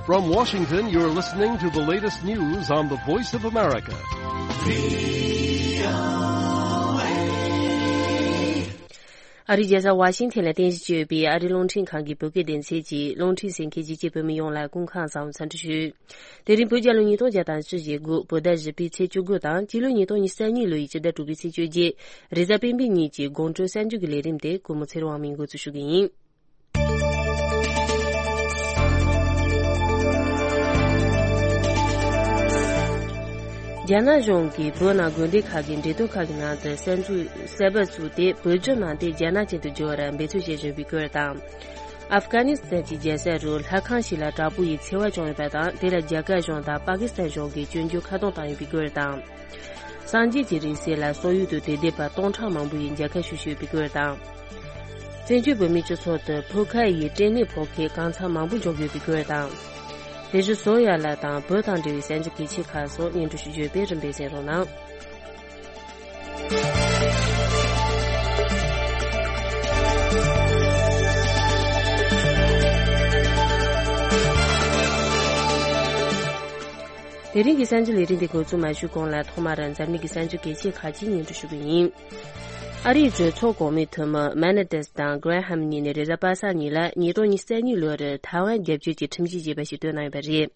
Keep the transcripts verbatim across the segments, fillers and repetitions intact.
From Washington, you're listening to the latest news on the Voice of America. ཨ་རིའི་རྒྱལ་ས་ཝ་ཤིང་ཐན་ལ་རྟེན་གཞི་བྱས་ཡོད་པའི་ཨ་རིའི་རླུང་འཕྲིན་ཁང་གི་བོད་སྐད་སྡེ་ཚན་གྱིས་རླུང་འཕྲིན་གསན་མཁན་གཞིས་བྱེས་བོད་མི་ཡོངས་ལ་སྐུ་ཁམས་བཟང་འཚམས་འདྲི་ཞུ། དེ་རིང་བོད་རྒྱལ་ལོ་ཉིས་སྟོང་བརྒྱ་དང་བཅུ་ཞེ་དགུ་བོད་ཟླ་བཞི་པའི་ཚེས་བཅུ་དགུ་དང་སྤྱི་ལོ་ཉིས་སྟོང་ཉི་ཤུ་རྩ་གཉིས་ལོ་ཡི་སྤྱི་ཟླ་དྲུག་པའི་ཚེས་བཅོ་བརྒྱད། རེས་གཟའ་སྤེན་པའི་ཉིན་གྱི་དགོང་དྲོ་གསར་འགྱུར་གྱི་ལས་རིམ་དེ་གུས་མོ་ཚེ་རིང་དབང་མོས་འགོ་འཛུགས་ཞུ་གི་ཡིན། རྒྱ་ནག་གཞུང་གིས་བོད་ནང་དགོན་སྡེ་ཁག་གི་འབྲེལ་ཐོག་ཁག་གི་ནང་དུ་གསར་འཛུགས་གསར་པ་བཙུགས་ཏེ་བོད་བརྒྱུད་ནང་བསྟན་རྒྱ་ནག་ཅན་དུ་བསྒྱུར་བར་འབད་རྩོལ་བྱེད་བཞིན་པའི་སྐོར་དང་། ཨབ་གྷ་ནི་སི་ཐན་གྱི་རྒྱལ་ས་རུ་ལྷ་ཁང་ཞིག་ལ་དྲག་པོ་ཡི་འཚེ་བ་བྱུང་ཡོད་པ་དང་། དེ་ལ་རྒྱ་གར་གཞུང་དང་པ་ཀི་སི་ཐན་གཞུང་གིས་སྐྱོན་བརྗོད་ཁ་རྡུང་བཏང་ཡོད་པའི་སྐོར་དང་། སངས་རྒྱས་ཀྱི་རིང་བསྲེལ་ལ་སོག་ཡུལ་དུ་དད་ལྡན་པ་སྟོང་ཕྲག་མང་པོ་ཡིས་མཇལ་ཁ་ཞུ་བཞིན་ཡོད་པའི་སྐོར་དང་། བཙན་བྱོལ་བོད་མིའི་སྤྱི་ཚོགས་དུ་ཕོ་ཁ་ཡི་སྐྲན་ནད་ཕོག་མཁན་གང་འཚམ་མང་པོ་འབྱུང་གི་ཡོད་པའི་སྐོར་དང་། ལས་བྱེད་བཟོ་ཡ་ལ་དང་བོད་དང་འབྲེལ་བའི་གསར་འགྱུར་གལ་ཆེ་ཁག་སོགས་སྙན་སྒྲོན་ཞུ་རྒྱུ་ཡོད་པས་རིམ་པས་གསན་རོགས་གནང་། དེ་རིང་གི་གསར་འགྱུར་ལས་རིམ་འདི་འགོ་འཛུགས་མ་ཞུས་གོང་ལ་ཐོག་མར་འཛམ་གླིང་གི་གསར་འགྱུར་གལ་ཆེ་ཁག་ཅིག་སྙན་སྒྲོན་ཞུ་གི་ཡིན། ཨ་རིའི་གྲོས་ཚོགས་གོང་མའི་འཐུས་མི་མེ་ནེ་ཏེས་དང་གྷ་རེ་ཧམ་གཉིས་ནས་རེས་གཟའ་པ་སངས་ཉིན་ལ་ཉིས་སྟོང་ཉི་ཤུ་རྩ་གཉིས་ལོར་ཐའེ་ཝན་རྒྱབ་སྐྱོར་གྱི་ཁྲིམས་གཞི་ཅེས་པ་ཞིག་བཏོན་གནང་ཡོད་པ་རེད།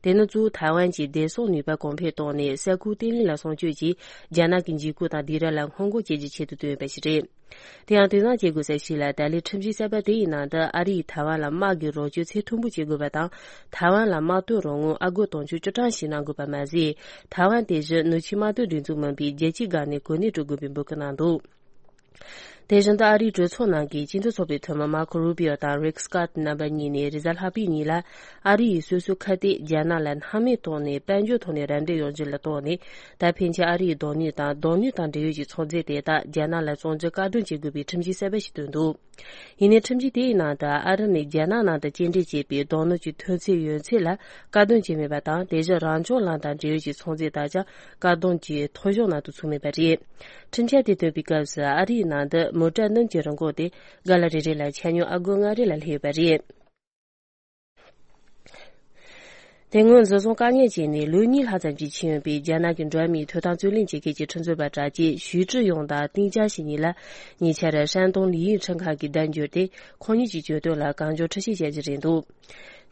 དེ་ནི་གཙོ་བོ་ཐའེ་ཝན་གྱི་བདེ་སྲུང་ནུས་པ་གོང་འཕེལ་གཏོང་ནས་ས་ཁུལ་བརྟན་ལྷིང་ལ་སྲུང་སྐྱོབ་ཀྱིས་རྒྱ་ནག་གི་འཇིགས་སྐུལ་དང་སྡིགས་ར་ལ་སྔོན་འགོག་བྱེད་རྒྱུའི་ཆེད་དུ་བཏོན་ཡོད་པ་ཞིག་རེད། དེ་ཡང་དོ་སྣང་བྱེད་དགོས་ས་ཞིག་ལ་ད་ལོའི་ཁྲིམས་གཞི་གསར་པ་དེ་ཡི་ནང་དུ་ཨ་རི་ཡིས་ཐའེ་ཝན་ལ་དམག་གི་རོགས་སྐྱོར་ཚད་མཐོན་པོ་བྱེད་དགོས་པ་དང་། ཐའེ་ཝན་ལ་དམག་དོན་རོགས་དངུལ་ཨ་སྒོར་དུང་ཕྱུར་བཅུ་གྲངས་ཤིག་གནང་དགོས་པ་མ་ཟད། ཐའེ་ཝན་དེ་བཞིན་ནུབ་ཕྱོགས་དམག་དོན་སྒྲིག་འཛུགས་མིན་པའི་རྒྱལ་སྤྱིའི་སྒང་ནས་གོ་གནས་སྤྲོད་དགོས་པའི་འབོད་སྐུལ་གནང་འདུག་དེ་བཞིན་དུ་ཨ་རིའི་གྲོས་ཚོགས་ནང་གི་སྤྱི་འཐུས་ཚོགས་པའི་འཐུས་མི་མར་ཁོ་རུ་པིའོ་དང་རིག་སི་ཀོཊ་རྣམ་པ་གཉིས་ནས་རེས་གཟའ་ལྷག་པའི་ཉིན་ལ་ཨ་རི་ཡིས་སོ་སོའི་ཁ་གཏད་རྒྱ་ནག་ལ་སྣང་མེད་ཐོག་ནས་དཔལ་འབྱོར་ཐོག་ནས་རམ་འདེགས་ཡོང་རྒྱུ་ལ་བརྟེན་ནས། ད་ཕན་ཆད་ཨ་རི་ཡི་རྡུལ་སྣོད་དང་རྡུལ་སྣོད་དང་འབྲེལ་ཡོད་ཀྱི་ཚོང་རྫས་དེ་དག་རྒྱ་ནག་ལ་བཙོང་རྒྱུ་བཀག་སྡོམ་བྱེད་དགོས་པའི་ཁྲིམས་གཞི་གསར་པ་ཞིག་བཏོན་འདུག་ཡིན་ནའི་ཁྲིམས་གཞི་དེའི་ནང་དུ་ཨ་རི་ནས་རྒྱ་ནག་ནང་དུ་སྐྱེལ་འདྲེན་བྱས་པའི་རྡུལ་སྣོད་ཀྱི་ཐོན་ཚད་ཡོད་ཚད་ལ་བཀག་སྡོམ་བྱས་མེད་པ་དང་། དེ་བཞིན་རང་བྱུང་ལམ་དང་འབྲེལ་ཡོད་ཀྱི་ཚོང་རྫས་དག་ཀྱང་བཀག་སྡོམ་གྱི་ཐོ་གཞུང་ནང་དུ་ཚུད་མེད་པ་རེད། ཁྲིམས་འཆར་དེ་བཏོན་པའི་སྐབས་སུ་ཨ་རིའི་ནང་དུ་མོ་ཊ་སྣུམ་གྱི་རིན་གོང་དེ་ག་ལ་རེ་རེ་ལ་ཆ་སྙོམས་ཨ་སྒོར་ལྔ་རེ་ལ་སླེབས་ཡོད་པ་རེད། དེ་སྔོན་འཛིན་བཟུང་བཀག་ཉར་བྱས་ནས་ལོ་གཉིས་ལྷག་ཙམ་ཅིག་ཕྱིན་ཡོད་པའི་རྒྱ་ནག་གི་འགྲོ་བ་མིའི་ཐོབ་ཐང་རྩོད་ལེན་བྱེད་མཁན་གྱི་ཁྲིམས་རྩོད་པ་གྲགས་ཅན་ཞུས་ཀྲི་ཡུང་དང་ཏིང་ཅང་ཞི་གཉིས་ལ་ཉེ་ཆར་ཧྲན་ཏུང་ལི་ཡིན་ཁྲིམས་ཁང་གིས་བརྡ་འབྱོར་ཏེ། ཁོང་གཉིས་ཀྱི་གྱོད་དོན་ལ་གང་མགྱོགས་འཁྲུན་ཆོད་བྱ་རྒྱུ་རེད་འདུག་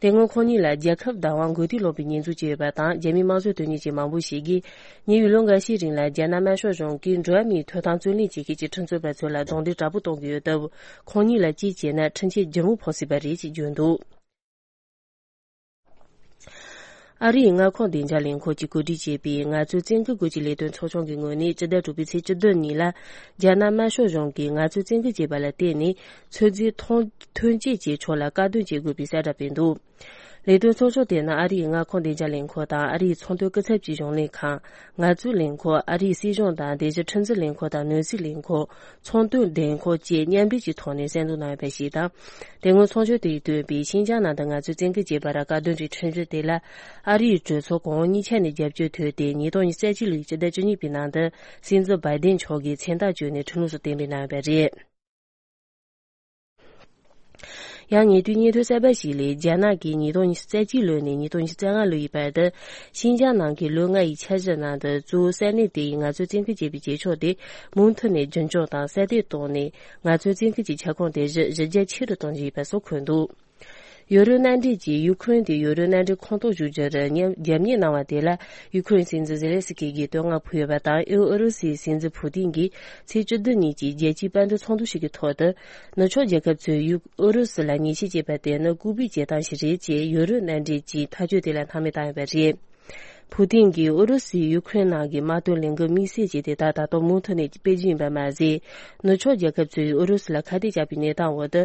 དེ་སྔོན་ཁོང་གཉིས་ལ་རྒྱལ་ཁབ་བདག་དབང་འགུལ་སྐྱོད་སློང་བའི་ཉེས་འཛུགས་བྱས་ཡོད་པ་དང་། རྒྱ་མིའི་དམངས་གཙོ་དོན་གཉེར་ཅན་མང་པོ་ཞིག་གིས་ཉེ་བའི་ལོ་འགའ་ཤས་རིང་ལ་རྒྱ་ནག་དམར་ཤོག་གཞུང་གིས་འགྲོ་བ་མིའི་ཐོབ་ཐང་རྩོད་ལེན་བྱེད་མཁན་གྱི་ཁྲིམས་རྩོད་པ་ཚོ་ལ་རྡུང་རྡེག་དྲག་པོ་གཏོང་གི་ཡོད་སྟབས། ཁོང་གཉིས་ལ་གཅིག་བྱས་ན་ཁྲིམས་ཆད་ལྗིད་མོ་ཕོག་སྲིད་པ་རེད་ཅེས་བརྗོད་འདུག་ཨ་རིའི་མངའ་ཁོངས་བདེ་འཇགས་ལས་ཁུངས་ཀྱིས་གོ་སྒྲིག་བྱས་པའི་ངལ་རྩོལ་བཙན་སྐུལ་དགོས་ཀྱི་ལས་དོན་ཚོགས་ཆུང་གི་ངོས་ནས་སྤྱི་ཟླ་དྲུག་པའི་ཚེས་བཅུ་བདུན་ཉིན་ལ། རྒྱ་ནག་དམར་ཤོག་གཞུང་གིས་ངལ་རྩོལ་བཙན་སྐུལ་བྱས་པ་ལ་བརྟེན་ནས། ཚོད་འཛིན་ཐོན་ཐོན་སྐྱེད་ཀྱི་ཕྱོགས་ལ་བཀག་སྡོམ་བྱེད་དགོས་པའི་གསལ་བསྒྲགས་སྤེལ་འདུག་ལས་དོན་ཚོགས་ཆུང་དེ་ནི་ཨ་རིའི་མངའ་ཁོངས་བདེ་འཇགས་ལས་ཁུངས་དང་། ཨ་རིའི་ཚོང་དོན་སྐུ་ཚབ་ཀྱི་གཞུང་ལས་ཁང་། ངལ་རྩོལ་ལས་ཁུངས། ཨ་རིའི་སྲིད་གཞུང་དང་སྡེ་སྲིད་ཁྲིམས་འཛིན་ལས་ཁུངས་དང་ནོར་སྲིད་ལས་ཁུངས། ཚོང་དོན་ལས་ཁུངས་བཅས་མཉམ་འབྲེལ་གྱི་ཐོག་ནས་གསལ་འདོན་གནང་ཡོད་པ་ཞིག་དང་། དེ་སྔོན་ཚོགས་ཆུང་དེས་བཏོན་པའི་ཤིན་ཅང་ནང་དུ་ངལ་རྩོལ་བཙན་སྐུལ་བྱས་པར་བཀག་སྡོམ་གྱི་ཁྲིམས་གཞི་དེ་ལ་ཨ་རིའི་གྲོས་ཚོགས་གོང་འོག་གཉིས་ཆ་ནས་རྒྱབ་སྐྱོར་ཐོབ་སྟེ། ཉིས་སྟོང་ཉི་ཤུ་རྩ་གཅིག་ལོའི་སྤྱི་ཟླ་བཅུ་གཉིས་པའི་ནང་དུ་སྲིད་འཛིན་བྷའི་ཌེན་མཆོག་གིས་མཚན་རྟགས་བཅོལ་ནས་ཁྲིམས་ལུགས་སུ་གཏན་འབེབས་གནང་ཡོད་པ་རེད། ཡང་ཉེ་དུས་སྙན་ཐོ་གསར་པ་ཞིག་ལས། རྒྱ་ནག་གིས་ཉིས་སྟོང་ཉི་ཤུ་རྩ་གཅིག་ལོ་ནས་ཉིས་སྟོང་ཉི་ཤུ་རྩ་ལྔ་ལོ་ཡི་བར་དུ་ཤིན་ཅང་ནང་གི་ལོ་ལྔ་ཡི་འཆར་གཞི་ནང་དུ་གཙོ་བོ་ས་གནས་དེ་ཡི་ངལ་རྩོལ་བཙན་སྐུལ་བྱེད་པའི་བྱེད་ཕྱོགས་དེ་མུ་མཐུད་ནས་རྒྱུན་འཁྱོངས་དང་གསར་གཏོད་བཏང་ནས། ངལ་རྩོལ་བཙན་སྐུལ་གྱི་ཁྱབ་ཁོངས་དེ་བཞིན་གཞི་རྒྱ་ཆེ་རུ་གཏོང་རྒྱུ་ཡིན་པ་སོགས་འཁོད་འདུག་ཡོ་རོབ་མནའ་འབྲེལ་གྱིས་ཡུ་ཁུ་རེན་དེ་ཡོ་རོབ་མནའ་འབྲེལ་ཁོངས་གཏོགས་བཟོ་རྒྱུར་རྒྱབ་གཉེར་གནང་བ་དེ་ལ། ཡུ་ཁུ་རེན་སྲིད་འཛིན་ཛེ་ལན་སི་ཀི་གིས་བསྟོད་བསྔགས་ཕུལ་ཡོད་པ་དང་། ཨུ་རུ་སུའི་སྲིད་འཛིན་ཕུ་ཏིན་གྱིས་ཚེས་བཅུ་བདུན་ཉིན་གྱི་རྒྱལ་སྤྱིའི་པར་འདོན་ཚོགས་འདུ་ཞིག་གི་ཐོག་ཏུ། ནུབ་ཕྱོགས་རྒྱལ་ཁབ་ཚོས་ཡུ་ཨུ་རུ་སུ་ལ་ཉེས་ཆད་བཅད་པ་དེ་ནི་ལྐུགས་པའི་བྱེད་སྟངས་ཤིག་རེད་ཅེས་ཡོ་རོབ་མནའ་འབྲེལ་གྱིས་ཐག་གཅོད་དེ་ལ་སྣང་མེད་བཏང་ཡོད་པ་རེད། ཕུ་ཏིན་གྱིས་ཨུ་རུ་སུས་ཡུ་ཁུ་རེན་ནང་གི་དམག་དོན་ལས་འགུལ་དམིགས་བསལ་ཅན་དེ་དག་ད་དུང་མུ་མཐུད་ནས་སྤེལ་རྒྱུ་ཡིན་པ་མ་ཟད། ནུབ་ཕྱོགས་རྒྱལ་ཁབ་ཚོས་ཨུ་རུ་སུ་ལ་ཁ་གཏད་བཅག་པའི་གནས་སྟངས་འོག་ཏུ།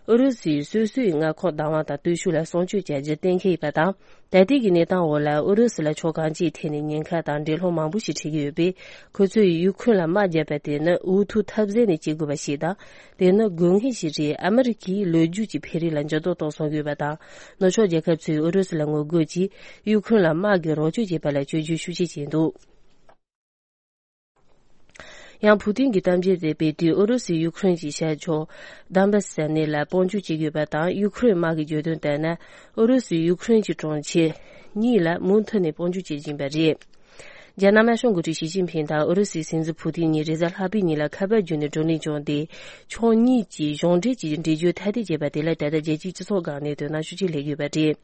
ཨུ་རུ་སུས་སོ་སོའི་མངའ་ཁོངས་བདག་དབང་དང་སྟོབས་ཤུགས་ལ་སྲུང་སྐྱོབ་བྱ་རྒྱུ་གཏན་འཁེལ་ཡོད་པ་དང་། ད་ལྟའི་གི་གནས་སྟངས་འོག་ལ་ཨུ་རུ་སུ་ལ་ཕྱོགས་གང་ཅིའི་ཐད་ནས་ཉེན་ཁ་དང་འགྲན་སློང་མང་པོ་ཞིག་འཕྲད་ཀྱི་ཡོད་པས། ཁོ་ཚོས་ཡུ་ཁུ་རེན་ལ་དམག་བརྒྱབ་པ་དེ་ནི་འུ་ཐུག་ཐབས་ཟད་ནས་བྱེད་དགོས་པ་ཞིག་དང་། དེ་ནི་དགོས་ངེས་ཤིག་རེད། ཨ་མི་རི་ཀས་ལོ་རྒྱུས་ཀྱི་འཕེལ་རིམ་ལ་འགྱུར་ལྡོག་གཏོང་སྲོལ་ཡོད་པ་དང་། ནུབ་ཕྱོགས་རྒྱལ་ཁབ་ཚོས་ཨུ་རུ་སུ་ལ་ངོ་རྒོལ་གྱིས་ཡུ་ཁུ་རེན་ལ་དམག་གི་རོགས་སྐྱོར་བྱེད་པ་ལ་བཅོས་བསྒྱུར་ཤུགས་ཆེ་བྱས་འདུག་ཡང་ཕུའུ་ཏིན་གྱི་གཏམ་བརྗོད་དེ་སྤེལ་དུས། ཨུ་རུ་སུས་ཡུ་ཁུ་རེན་གྱི་ཤར་ཕྱོགས་དཱན་བཱ་སི་ཟེར་གནས་ལ་དཔུང་འཇུག་བྱེད་ཀྱི་ཡོད་པ་དང་། ཡུ་ཁུ་རེན་དམག་གི་བརྗོད་དོན་ལྟར་ན། ཨུ་རུ་སུས་ཡུ་ཁུ་རེན་གྱི་གྲོང་ཁྱེར་གཉིས་ལ་མུ་མཐུད་ནས་དཔུང་འཇུག་བྱེད་བཞིན་པ་རེད། རྒྱ་ནག་དམར་ཤོག་འགོ་ཁྲིད་ཞི་ཅིན་ཕིང་དང་ཨུ་རུ་སུའི་སྲིད་འཛིན་ཕུའུ་ཏིན་གཉིས་རེས་གཟའ་ལྷག་པའི་ཉིན་ལ་ཁ་པར་བརྒྱུད་ནས་བགྲོ་གླེང་བྱུང་སྟེ། ཕྱོགས་གཉིས་ཀྱིས་གཞུང་འབྲེལ་གྱི་འགྲེལ་བརྗོད་ཐ་དད་བྱས་པ་དེ་ལ། ད་ལྟ་རྒྱལ་སྤྱིའི་སྤྱི་ཚོགས་སྒང་ནས་དོ་སྣང་ཤུགས་ཆེ་སླེབས་ཡོད་པ་རེད།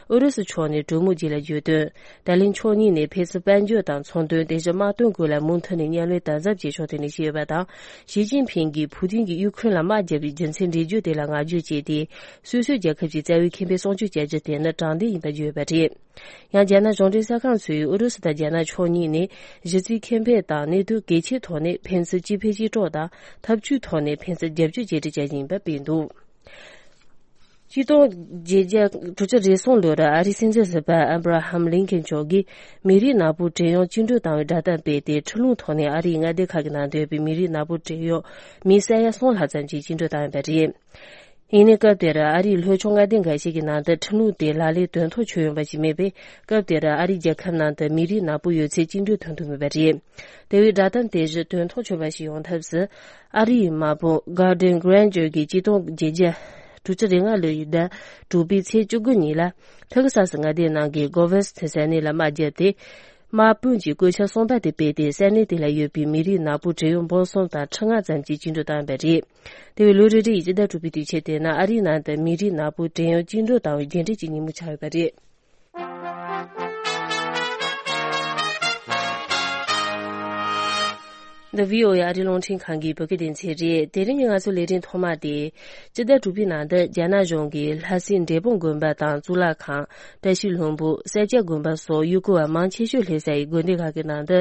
ཨུ་རུ་སུ་ཕྱོགས་ནས་གྲོས་མོལ་རྗེས་ལ་བརྗོད་དོན། ད་ལན་ཕྱོགས་གཉིས་ནས་ཕན་ཚུན་དཔལ་འབྱོར་དང་ཚོང་དོན། དེ་བཞིན་དམག་དོན་སྐོར་ལ་མུ་མཐུད་ནས་མཉམ་ལས་དམ་ཟབ་བྱེད་ཕྱོགས་ཐད་ནས་བཤད་ཡོད་པ་དང་། ཞི་ཅིན་ཕིང་གིས་ཕུའུ་ཏིན་གྱིས་ཡུ་ཁུ་རེན་ལ་དམག་བརྒྱབ་པའི་རྒྱུ་མཚན་འགྲེལ་བརྗོད་དེ་ལ་བསྔགས་བརྗོད་བྱས་ཏེ། སོ་སོའི་རྒྱལ་ཁབ་ཀྱི་རྩ་བའི་ཁེ་ཕན་སྲུང་སྐྱོབ་བྱ་རྒྱུ་དེ་ནི་དྲང་བདེན་ཡིན་པར་བརྗོད་ཡོད་པ་རེད། ཡང་རྒྱ་ནག་གཞུང་འབྲེལ་གསར་ཁང་ཚོས་ཨུ་རུ་སུ་དང་རྒྱ་ནག་ཕྱོགས་གཉིས་ནས་གཞི་རྩའི་ཁེ་ཕན་དང་གནད་དོན་གལ་ཆེའི་ཐོག་ནས་ཕན་ཚུན་གཅིག་ཕན་གཅིག་གྲོགས་དང་། འཐབ་ཇུས་ཐོག་ནས་ཕན་ཚུན་རྒྱབ་སྐྱོར་བྱེད་རེས་བྱ་བཞིན་པ་སྤེལ་འདུག་ཆིག་སྟོང་བརྒྱད་བརྒྱ་དྲུག་ཅུ་རེ་གསུམ་ལོར་ཨ་རིའི་སྲིད་འཛིན་ཟུར་པ་ཨབ་ར་ཧམ་ལིན་ཁན་མཆོག་གིས་མི་རིགས་ནག་པོའི་བྲན་གཡོག་བཅིངས་འགྲོལ་བཏང་བའི་བསྒྲགས་གཏམ་སྤེལ་ཏེ། ཁྲིམས་ལུགས་ཐོག་ནས་ཨ་རིའི་མངའ་སྡེ་ཁག་གི་ནང་སྡོད་པའི་མི་རིགས་ནག་པོའི་བྲན་གཡོག་མི་ས་ཡ་གསུམ་ལྷག་ཙམ་ཞིག་བཅིངས་འགྲོལ་བཏང་ཡོད་པ་རེད། ཡིན་ནའི་སྐབས་དེར་ཨ་རིའི་ལྷོ་ཕྱོགས་མངའ་སྡེ་འགའ་ཞིག་གི་ནང་དུ་ཁྲིམས་ལུགས་དེ་ལག་ལེན་དོན་ཐོག་ཆོད་ཡོད་པ་ཞིག་མེད་པས། སྐབས་དེར་ཨ་རིའི་རྒྱལ་ཁབ་ནང་དུ་མི་རིགས་ནག་པོ་ཡོད་ཚད་བཅིངས་འགྲོལ་ཐོན་ཐུབ་མེད་པ་རེད། དེ་བས་བསྒྲགས་གཏམ་དེ་བཞིན་དོན་ཐོག་ཆོད་པ་ཞིག་ཡོང་ཐབས་སུ། ཨ་རིའི་དམག་དཔུང་Garden Ranger གིས་ཆིག་སྟོང་བརྒྱད་བརྒྱ་དྲུག་ཅུ་རེ་ལྔ་ལོའི་ཟླ་དྲུག་པའི་ཚེས་བཅུ་དགུ་ཉིན་ལ། ཐ་ཁི་སཱ་སི་མངའ་སྡེའི་ནང་གི་གོ་ཝེ་སི་ཐི་ཟེར་གནས་ལ་དམག་བརྒྱབ་སྟེ། དམག་དཔུང་གི་བཀོད་ཁྱབ་གསར་པ་དེ་སྤེལ་ཏེ། ས་གནས་དེ་ལ་ཡོད་པའི་མི་རིགས་ནག་པོ་བྲན་གཡོག་འབུམ་གསུམ་དང་ཁྲི་ལྔ་ཙམ་ཞིག་བཅིངས་འགྲོལ་བཏང་ཡོད་པ་རེད། དེ་བས་ལོ་རེ་རེ་ཡི་སྤྱི་ཟླ་དྲུག་པའི་དུས་ཆེན་དེ་ནི་ཨ་རིའི་ནང་དུ་མི་རིགས་ནག་པོ་བྲན་གཡོག་བཅིངས་འགྲོལ་བཏང་བའི་རྒྱུན་འབྲས་ཀྱི་ཉིན་མོ་ཆགས་ཡོད་པ་རེད། འདི་བྷི་ཨོ་ཨེ་ཨ་རིའི་རླུང་འཕྲིན་ཁང་གི་བོད་སྐད་སྡེ་ཚན་རེད། དེ་རིང་གི་ང་ཚོའི་ལས་རིམ་ཐོག་མ་དེ། སྤྱི་ཟླ་དྲུག་པའི་ནང་དུ་རྒྱ་ནག་གཞུང་གིས་ལྷ་སའི་འབྲས་སྤུངས་དགོན་པ་དང་གཙུག་ལག་ཁང་། བཀྲ་ཤིས་ལྷུན་པོ། སེར་སྐྱ་དགོན་པ་སོགས་ཡུལ་སྐོར་བ་མང་ཆེ་ཤོས་སླེབས་ས་ཡི་དགོན་སྡེ་ཁག་གི་ནང་དུ།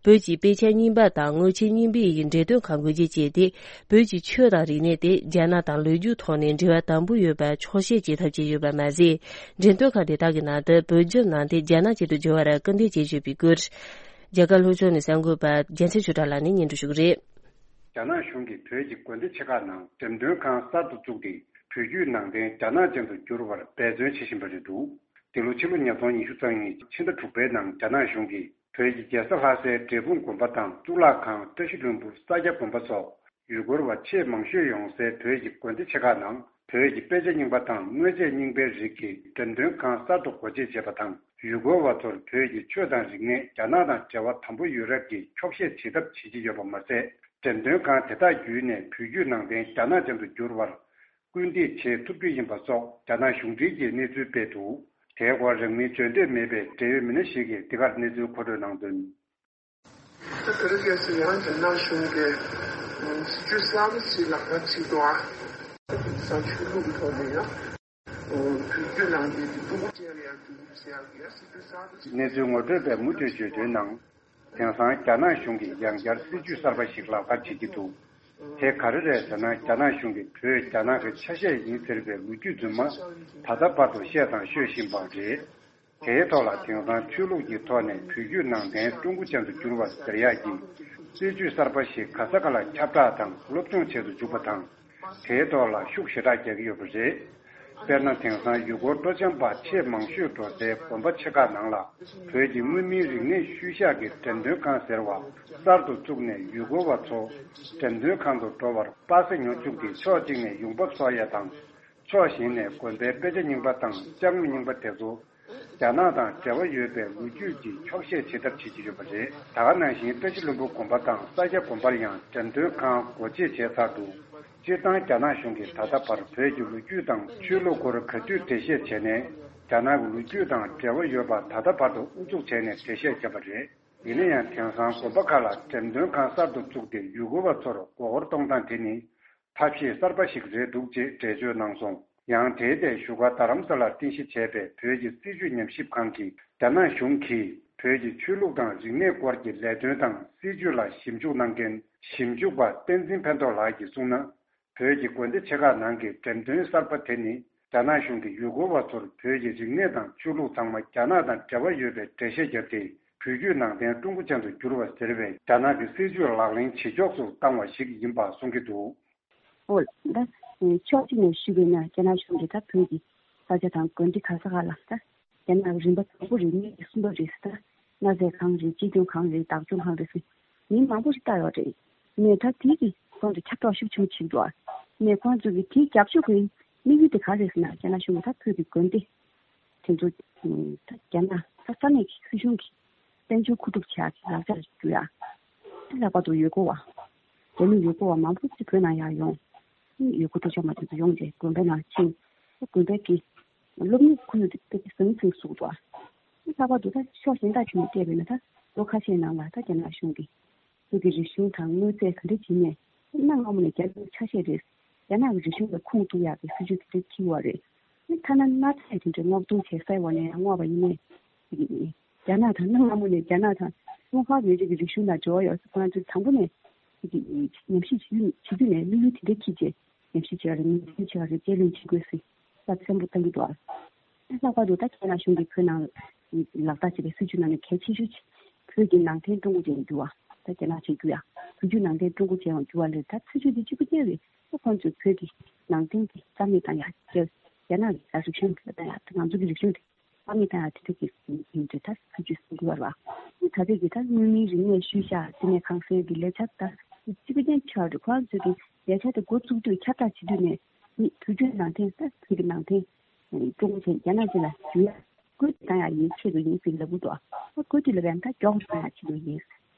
བོད་ཀྱི་དཔེ་ཆ་རྙིང་པ་དང་དངུལ་ཆས་རྙིང་པའི་ཡི་འགྲེམས་སྟོན་ཁང་སྒོ་འབྱེད་བྱས་ཏེ། བོད་ཀྱི་ཆོས་དང་རིག་གནས་དེ་རྒྱ་ནག་དང་ལོ་རྒྱུས་ཐོག་ནས་འབྲེལ་བ་དམ་པོ་ཡོད་པ་འཁྱོག་བཤད་བྱེད་ཐབས་བྱས་ཡོད་པ་མ་ཟད། འགྲེམས་སྟོན་ཁང་དེ་དག་གི་ནང་དུ་བོད་བསྒྱུར་གནང་སྟེ་རྒྱ་ནག་ཆེད་དུ་བསྒྱུར་བར་སྐུལ་འདེད་བྱེད་བཞིན་པའི་སྐོར། རྒྱ་གར་ལྷོ་ཕྱོགས་ནས་གསར་འགོད་པ་རྒྱལ་མཚན་ཆོས་གྲགས་ལགས་ནས་སྙན་སྒྲོན་ཞུ་གི་རེད། རྒྱ་ནག་གཞུང་གིས་བོད་ཀྱི་དགོན་སྡེ་ཆེ་ཁག་ནང་འགྲེམས་སྟོན་ཁང་གསར་དུ་བཙུགས་ཏེ། བོད་བརྒྱུད་ནང་བསྟན་རྒྱ་ནག་ཅན་དུ་བསྒྱུར་བར་འབད་བརྩོན་བྱེད་བཞིན་པ་རེད་འདུག་འདི་ལོ་ཕྱི་ལོ་ཉིས་སྟོང་ཉི་ཤུ་རྩ་གཉིས་ཕྱི་ཟླ་དྲུག་པའི་ནང་རྒྱ་ནག་གཞུང་གིས་བོད་ཀྱི་རྒྱལ་ས་ལྷ་སའི་འབྲས་སྤུངས་དགོན་པ་དང་གཙུག་ལག་ཁང་། བཀྲ་ཤིས་ལྷུན་པོ། ས་སྐྱ་དགོན་པ་སོགས། ཡུལ་སྐོར་བ་ཆེས་མང་ཤོས་ཡོང་སའི་བོད་ཀྱི་དགོན་སྡེ་ཆེ་ཁག་ནང་བོད་ཀྱི་དཔེ་ཆ་རྙིང་པ་དང་དངོས་ཆས་རྙིང་པའི་རིགས་ཀྱི་འགྲེམས་སྟོན་ཁང་གསར་དུ་སྒོ་འབྱེད་བྱས་པ་དང་། ཡུལ་སྐོར་བ་ཚོར་བོད་ཀྱི་ཆོས་དང་རིག་གནས་རྒྱ་ནག་དང་འབྲེལ་བ་དམ་པོ་ཡོད་རབས་ཀྱི་འཁྱོག་བཤད་བྱེད་ཐབས་བྱེད་ཀྱི་ཡོད་པ་མ་ཟད། འགྲེམས་སྟོན་ཁང་དེ་དག་བརྒྱུད་ནས་བོད་བརྒྱུད་ནང་བསྟན་རྒྱ་ནག་ཅན་དུ་བསྒྱུར་བར་སྐུལ་འདེད་བྱེད་ཐུབ་རྒྱུ་ཡིན་པ་སོགས་རྒྱ་ནག་གཞུང་འབྲེལ་གྱི་གནས་ཚུལ་སྤེལ་འདུག་དེའི་སྐོར་རིང་མིན་བརྗོད་འདོད་མེད་པའི་འབྲེལ་ཡོད་མི་སྣ་ཞིག་གིས་འདི་གར་གནས་ཚུལ་མཁོ་སྤྲོད་གནང་དོན། ད་དེ་རིང་ཁ་སང་ཡང་རྒྱ་ནག་གཞུང་གིས་སྲིད་ཇུས་གསར་པ་ཞིག་ལག་བསྟར་བྱེད་འདུག་ཨ། དེང་སང་ཆོས་ལུགས་ཀྱི་ཐོག་ནས་ཡང་བོད་བརྒྱུད་ནང་བསྟན་གྱི་ཀྲུང་གོ་ཅན་ལ་ཡང་བསྒྱུར་བཅོས་བྱེད་ཡག་གི་ཡང་སྲིད་ཇུས་གསར་པ་ཞིག་གནས་ཚུལ་ངོ་སྤྲོད་པས་མུ་མཐུད་བརྗོད་དོན་ནང་། དེང་སང་རྒྱ་ནག་གཞུང་གིས་ཡང་བསྐྱར་སྲིད་ཇུས་གསར་པ་ཞིག་ལག་བསྟར་བྱེད་ཀྱི་འདུག་དེ་ག་རེ་རེད་ཟེར་ན། རྒྱ་ནག་གཞུང་གིས་བོད་རྒྱ་ནག་གི་ཆ་ཤས་ཡིན་ཟེར་བའི་ལོ་རྒྱུས་རྫུན་མ་ད་ལྟ་བར་དུ་བཤད་དང་ཤོད་བཞིན་པ་རེད། དེའི་ཐོག་ལ་དེང་སང་ཆོས་ལུགས་ཀྱི་ཐོག་ནས་བོད་བརྒྱུད་ནང་བསྟན་ཀྲུང་གོ་ཅན་དུ་བསྒྱུར་བ་ཟེར་ཡག་གི་སྲིད་ཇུས་གསར་པ་ཞིག་ག་ས་ག་ལ་ཁྱབ་བསྒྲགས་དང་སློབ་སྦྱོང་བྱེད་དུ་འཇུག་པ་དང་། དེའི་ཐོག་ལ་ཤུགས་ཞེ་དྲག་རྒྱག་གི་ཡོད་པ་རེད། དཔེར་ན། དེང་སང་ཡུལ་སྐོར་སྤྲོ་འཆམ་པ་ཆེས་མང་ཤོས་འགྲོ་སའི་དགོན་པ་ཆེ་ཁག་ནང་ལ་བོད་ཀྱི་མངོན་མིན་རིག་གནས་ཤུལ་བཞག་གི་འགྲེམས་སྟོན་ཁང་ཟེར་བ་གསར་དུ་བཙུགས་ནས། ཡུལ་སྐོར་བ་ཚོ་འགྲེམས་སྟོན་ཁང་དུ་འགྲོ་བར་པ་སེ་ཉོ་བཅུག་སྟེ། ཕྱོགས་གཅིག་ནས་ཡོང་འབབ་གསོག་ཡ་དང་། ཕྱོགས་གཞན་ནས་དགོན་པའི་དཔེ་ཆ་རྙིང་པ་དང་ཅ་དངོས་རྙིང་པ་དེ་ཚོ་རྒྱ་ནག་དང་འབྲེལ་བ་ཡོད་པའི་ལོ་རྒྱུས་ཀྱི་འཁྱོག་བཤད་བྱེད་ཐབས་བྱེད་ཀྱི་ཡོད་པ་རེད། ད་ག་ནང་བཞིན་བཀྲ་ཤིས་ལྷུན་པོ་དགོན་པ་དང་ས་སྐྱ་དགོན་པར་ཡང་འགྲེམས་སྟོན་ཁང་སྒོ་འབྱེད་བྱས་ཚར་འདུག་སྤྱིར་བཏང་རྒྱ་ནག་གཞུང་གིས་ད་ལྟ་བར་བོད་ཀྱི་ལོ་རྒྱུས་དང་ཆོས་ལུགས་སྐོར་ག་དུས་འགྲེལ་བཤད་བྱས་ནས། རྒྱ་ནག་གི་ལོ་རྒྱུས་དང་འབྲེལ་བ་ཡོད་པ་ད་ལྟ་བར་དུ་ཨུ་ཚུགས་བྱས་ནས་འགྲེལ་བཤད་བརྒྱབ་པ་རེད། ཡིན་ན་ཡང་། དེང་སང་དགོན་པ་ཁག་ལ་འགྲེམས་སྟོན་ཁང་གསར་དུ་བཙུགས་ཏེ། ཡུལ་སྐོར་བ་ཚོར་མགོ་སྐོར་གཏོང་སྟངས་དེ་ནི་ཐབས་ཤེས་གསར་པ་ཞིག་རེད་འདུག་ཅེས་འགྲེལ་བརྗོད་གནང་སོང་། ཡང་། དེའི་ཐད་བཞུགས་སྒར་རྡ་རམ་ས་ལར་རྟེན་གཞི་བྱས་པའི་བོད་ཀྱི་སྲིད་བྱུས་ཉམས་ཞིབ་ཁང་གིས། རྒྱ་ནག་གཞུང་གིས་བོད་ཀྱི་ཆོས་ལུགས་དང་རིག་གནས་སྐོར་གྱི་ལས་དོན་དང་སྲིད་བྱུས་ལ་ཞིབ་འཇུག་གནང་མཁན་ཞིབ་འཇུག་པ་བསྟན་འཛིན་ཕན་ཐོགས་ལགས་ཀྱིས་གསུངས་ན། བོད་ཀྱི་དགོན་སྡེ་ཆེ་ཁག་ནང་གི་འགྲེམས་སྟོན་གསར་པ་དེ་ནི། རྒྱ་ནག་གཞུང་གིས་ཡུལ་སྐོར་བ་ཚོར་བོད་ཀྱི་རིག་གནས་དང་ཆོས་ལུགས་ཚང་མ་རྒྱ་ནག་དང་འབྲེལ་བ་ཡོད་པའི་འགྲེལ་བཤད་བརྒྱབ་སྟེ། བོད་བརྒྱུད་ནང་བསྟན་ཀྲུང་གོ་ཅན་དུ་བསྒྱུར་བ་ཟེར་བའི་རྒྱ་ནག་གི་སྲིད་བྱུས་ལག་ལེན་ཇེ་མགྱོགས་སུ་བཏང་བ་ཞིག་ཡིན་པ་གསུང་གི་འདུག་འོ། ད་ཕྱོགས་གཅིག་ནས་ཞུས་པ་ཡིན་ན། རྒྱ་ནག་གཞུང་གིས་ད་བོད་ཀྱི་ས་ཆ་དང་དགོན་སྡེ་ག་ས་ག་ལ། ད་རྒྱ་ནག་གི་རིམ་པ་དང་པོ་རེད། གཉིས་རེད། གསུམ་པ་རེད། ད་གནའ་རྫས་ཁང་རེད། སྐྱིད་སྡུག་ཁང་རེད། བདག་སྐྱོང་ཁང་རེད་ཟེར། མིང་མང་པོ་ཞིག་བཏགས་ཡོད་རེད། ནས་ད་དེ་གི་ཁོང་ཚོ་ཁྱབ་བསྒྲགས་ཤུགས་ཆེན་པོ་བྱེད་འདུག་ནས་ཁོང་ཚོ་གི་དེ་རྒྱབ་ཕྱོགས་ཀྱི་དམིགས་ཡུལ་དེ་ག་རེད་ཟེར་ན། རྒྱ་ནག་གཞུང་གི་ད་བོད་ཀྱི་དགོན་སྡེ་དེ་ཚོ་ད་རྒྱ་ནག་ས་ས་གནས་ཀྱི་སྲིད་གཞུང་གི་དཔལ་འབྱོར་མཁོ་སྒྲུབ་བྱེད་ཡག་གི་ལག་ཆ་རེ་བསྒྱུར་ཡ། དེ་ལྷག་པར་དུ་ཡུལ་སྐོར་བ། རྒྱ་མི་ཡུལ་སྐོར་བ་མང་པོ་ཅིག་བོད་ནང་ཡར་ཡོང་། ཡུལ་སྐོར་སྤྲོ་འཆམ་པ་དེ་ཚོ་ཡོང་རྗེས་དགོན་པའི་ནང་ཕྱིན། དགོན་པའི་གི་སློབ་གཉེར་ཁོར་ཡུག་དེ་དཔེ་ཟང་ཟིང་ཟུག་འདུག་ཨ། ལྷག་པར་དུ་ད་ཕྱོགས་གཞན་དག་ཅིག་ནས་བལྟས་པས་ན། ད་ལོ་ཁ་ཤས་ནང་ལ་ད་རྒྱ་ནག་གཞུང་གིས་བོད་ཀྱི་རིག་གཞུང་དང་མངོན་གསལ་ག་འདྲ་བྱས་ནས། གནའ་སྔ་མོ་ནས་རྒྱ་མིའི་ཆ་ཤས་རེད། རྒྱ་ནག་གི་རིག་གཞུང་ལ་ཁུངས་གཏུགས་ཡག་གི་སྲིད་ཇུས་དེ་འདྲ་འཁྱེར་བ་རེད། ཨ་ཐ་ན་གནའ་རྫས་དེ་འདྲ་སྔོག་འདོན་བྱས་གསར་བ་ནས་ཡང་བསྔོགས་པ་ཡིན་ནའི། རྒྱ་ནག་དང་། གནའ་སྔ་མོ་ནས་རྒྱ་ནག་དང་ཀྲུང་ཧྭ་མི་རིགས་ཀྱི་རིག་གཞུང་དང་འབྲེལ་བ་ཡོད་ས་ཁོ་རང་ཚོས་དང་པོ་ནས་ཉམས་ཞིབ་བྱེད་རྒྱུ་བྱེད་རྒྱུ་ནས་དམིགས་ཡུལ་དེ་འདྲ་འཁྱེར་བྱས་ཉམས་ཞིབ་བྱེད་པ་རེད། ངོས་འཛིན་བྱེད་པ་རེད། རྗེས་ལུས་བྱེད་དགོས་ཟེར་ད་གསལ་པོ་བཏང་གི་འདུག་ཨ། ལྷག་པར་དུ་ད་རྒྱ་ནག་གཞུང་གིས་བོད་ནང་ལག་བསྟར་བྱས་པའི་སྲིད་བྱུས་ནང་ནས་གལ་ཆེ་ཤོས་ཅིག་བོད་ཀྱི་ནང་བསྟན་ཀྲུང་གོ་ཅན་དུ་འགྱུར་བ། ད་རྒྱ་ནག་ཅན་འགྱུར་ཡ། བོད་བརྒྱུད་ནང་བསྟན་ཀྲུང་གོ་ཅན་འགྱུར་བ་ལས་ད་སྲིད་བྱུས་འདི་གཅིག་པུ་རྐྱང་རེད། ད་ཁོང་ཚོས་བོད་ཀྱི་ནང་བསྟན་གྱི་རྩ་མེད་བཏང་ཡ། རྒྱ་ནག་གི་ད་རིག་གཞུང་གི་བཏང་ཡ། ད་ང་ཚོ་གི་རིག་གཞུང་དེ་རྩ་མེད་བཏང་ཡ་དེ་འདྲ་གི་ཡིན་འདྲ་ད་སྲིད་བྱུས་སུ་འགྱུར་བ་རེད་བ། ད་ལྟ་གི་ད་མངོན་མིན་རིག་གནས་ཤུལ་བཞག་བསྟི་གནས་ཁང་གསར་གྱི་ལས་འཆར་ད་གཅིག་པུ་རྐྱང་ཆགས་འདུག་ཁོ་རང་ཚོས་ཀྱི་ལས་འཆར་དེ་འགོ་བཙུགས་དུས་ཁྱབ་བསྒྲགས་བྱེད་དུས་ནས་ནི་བོད་བརྒྱུད་ནང་བསྟན་ད་བོད་ཀྱི་ནང་བསྟན་ཀྲུང་གོ་ཅན་རྒྱ་ནག་ཅན་ལ་བསྒྱུར་ཡ་བཀོད་སྒྲིག་བཏང་ཡ་ཡིན་ཆེད་དུ་ཡིན་ཟེར་ལབ་གི་འདུག་ཨ་བཀོད་སྒྲིག་ལབ་ཡ་ད་མགྱོགས་སུ་བཏང་ཡ་ཆེད་དུ་ཡིན།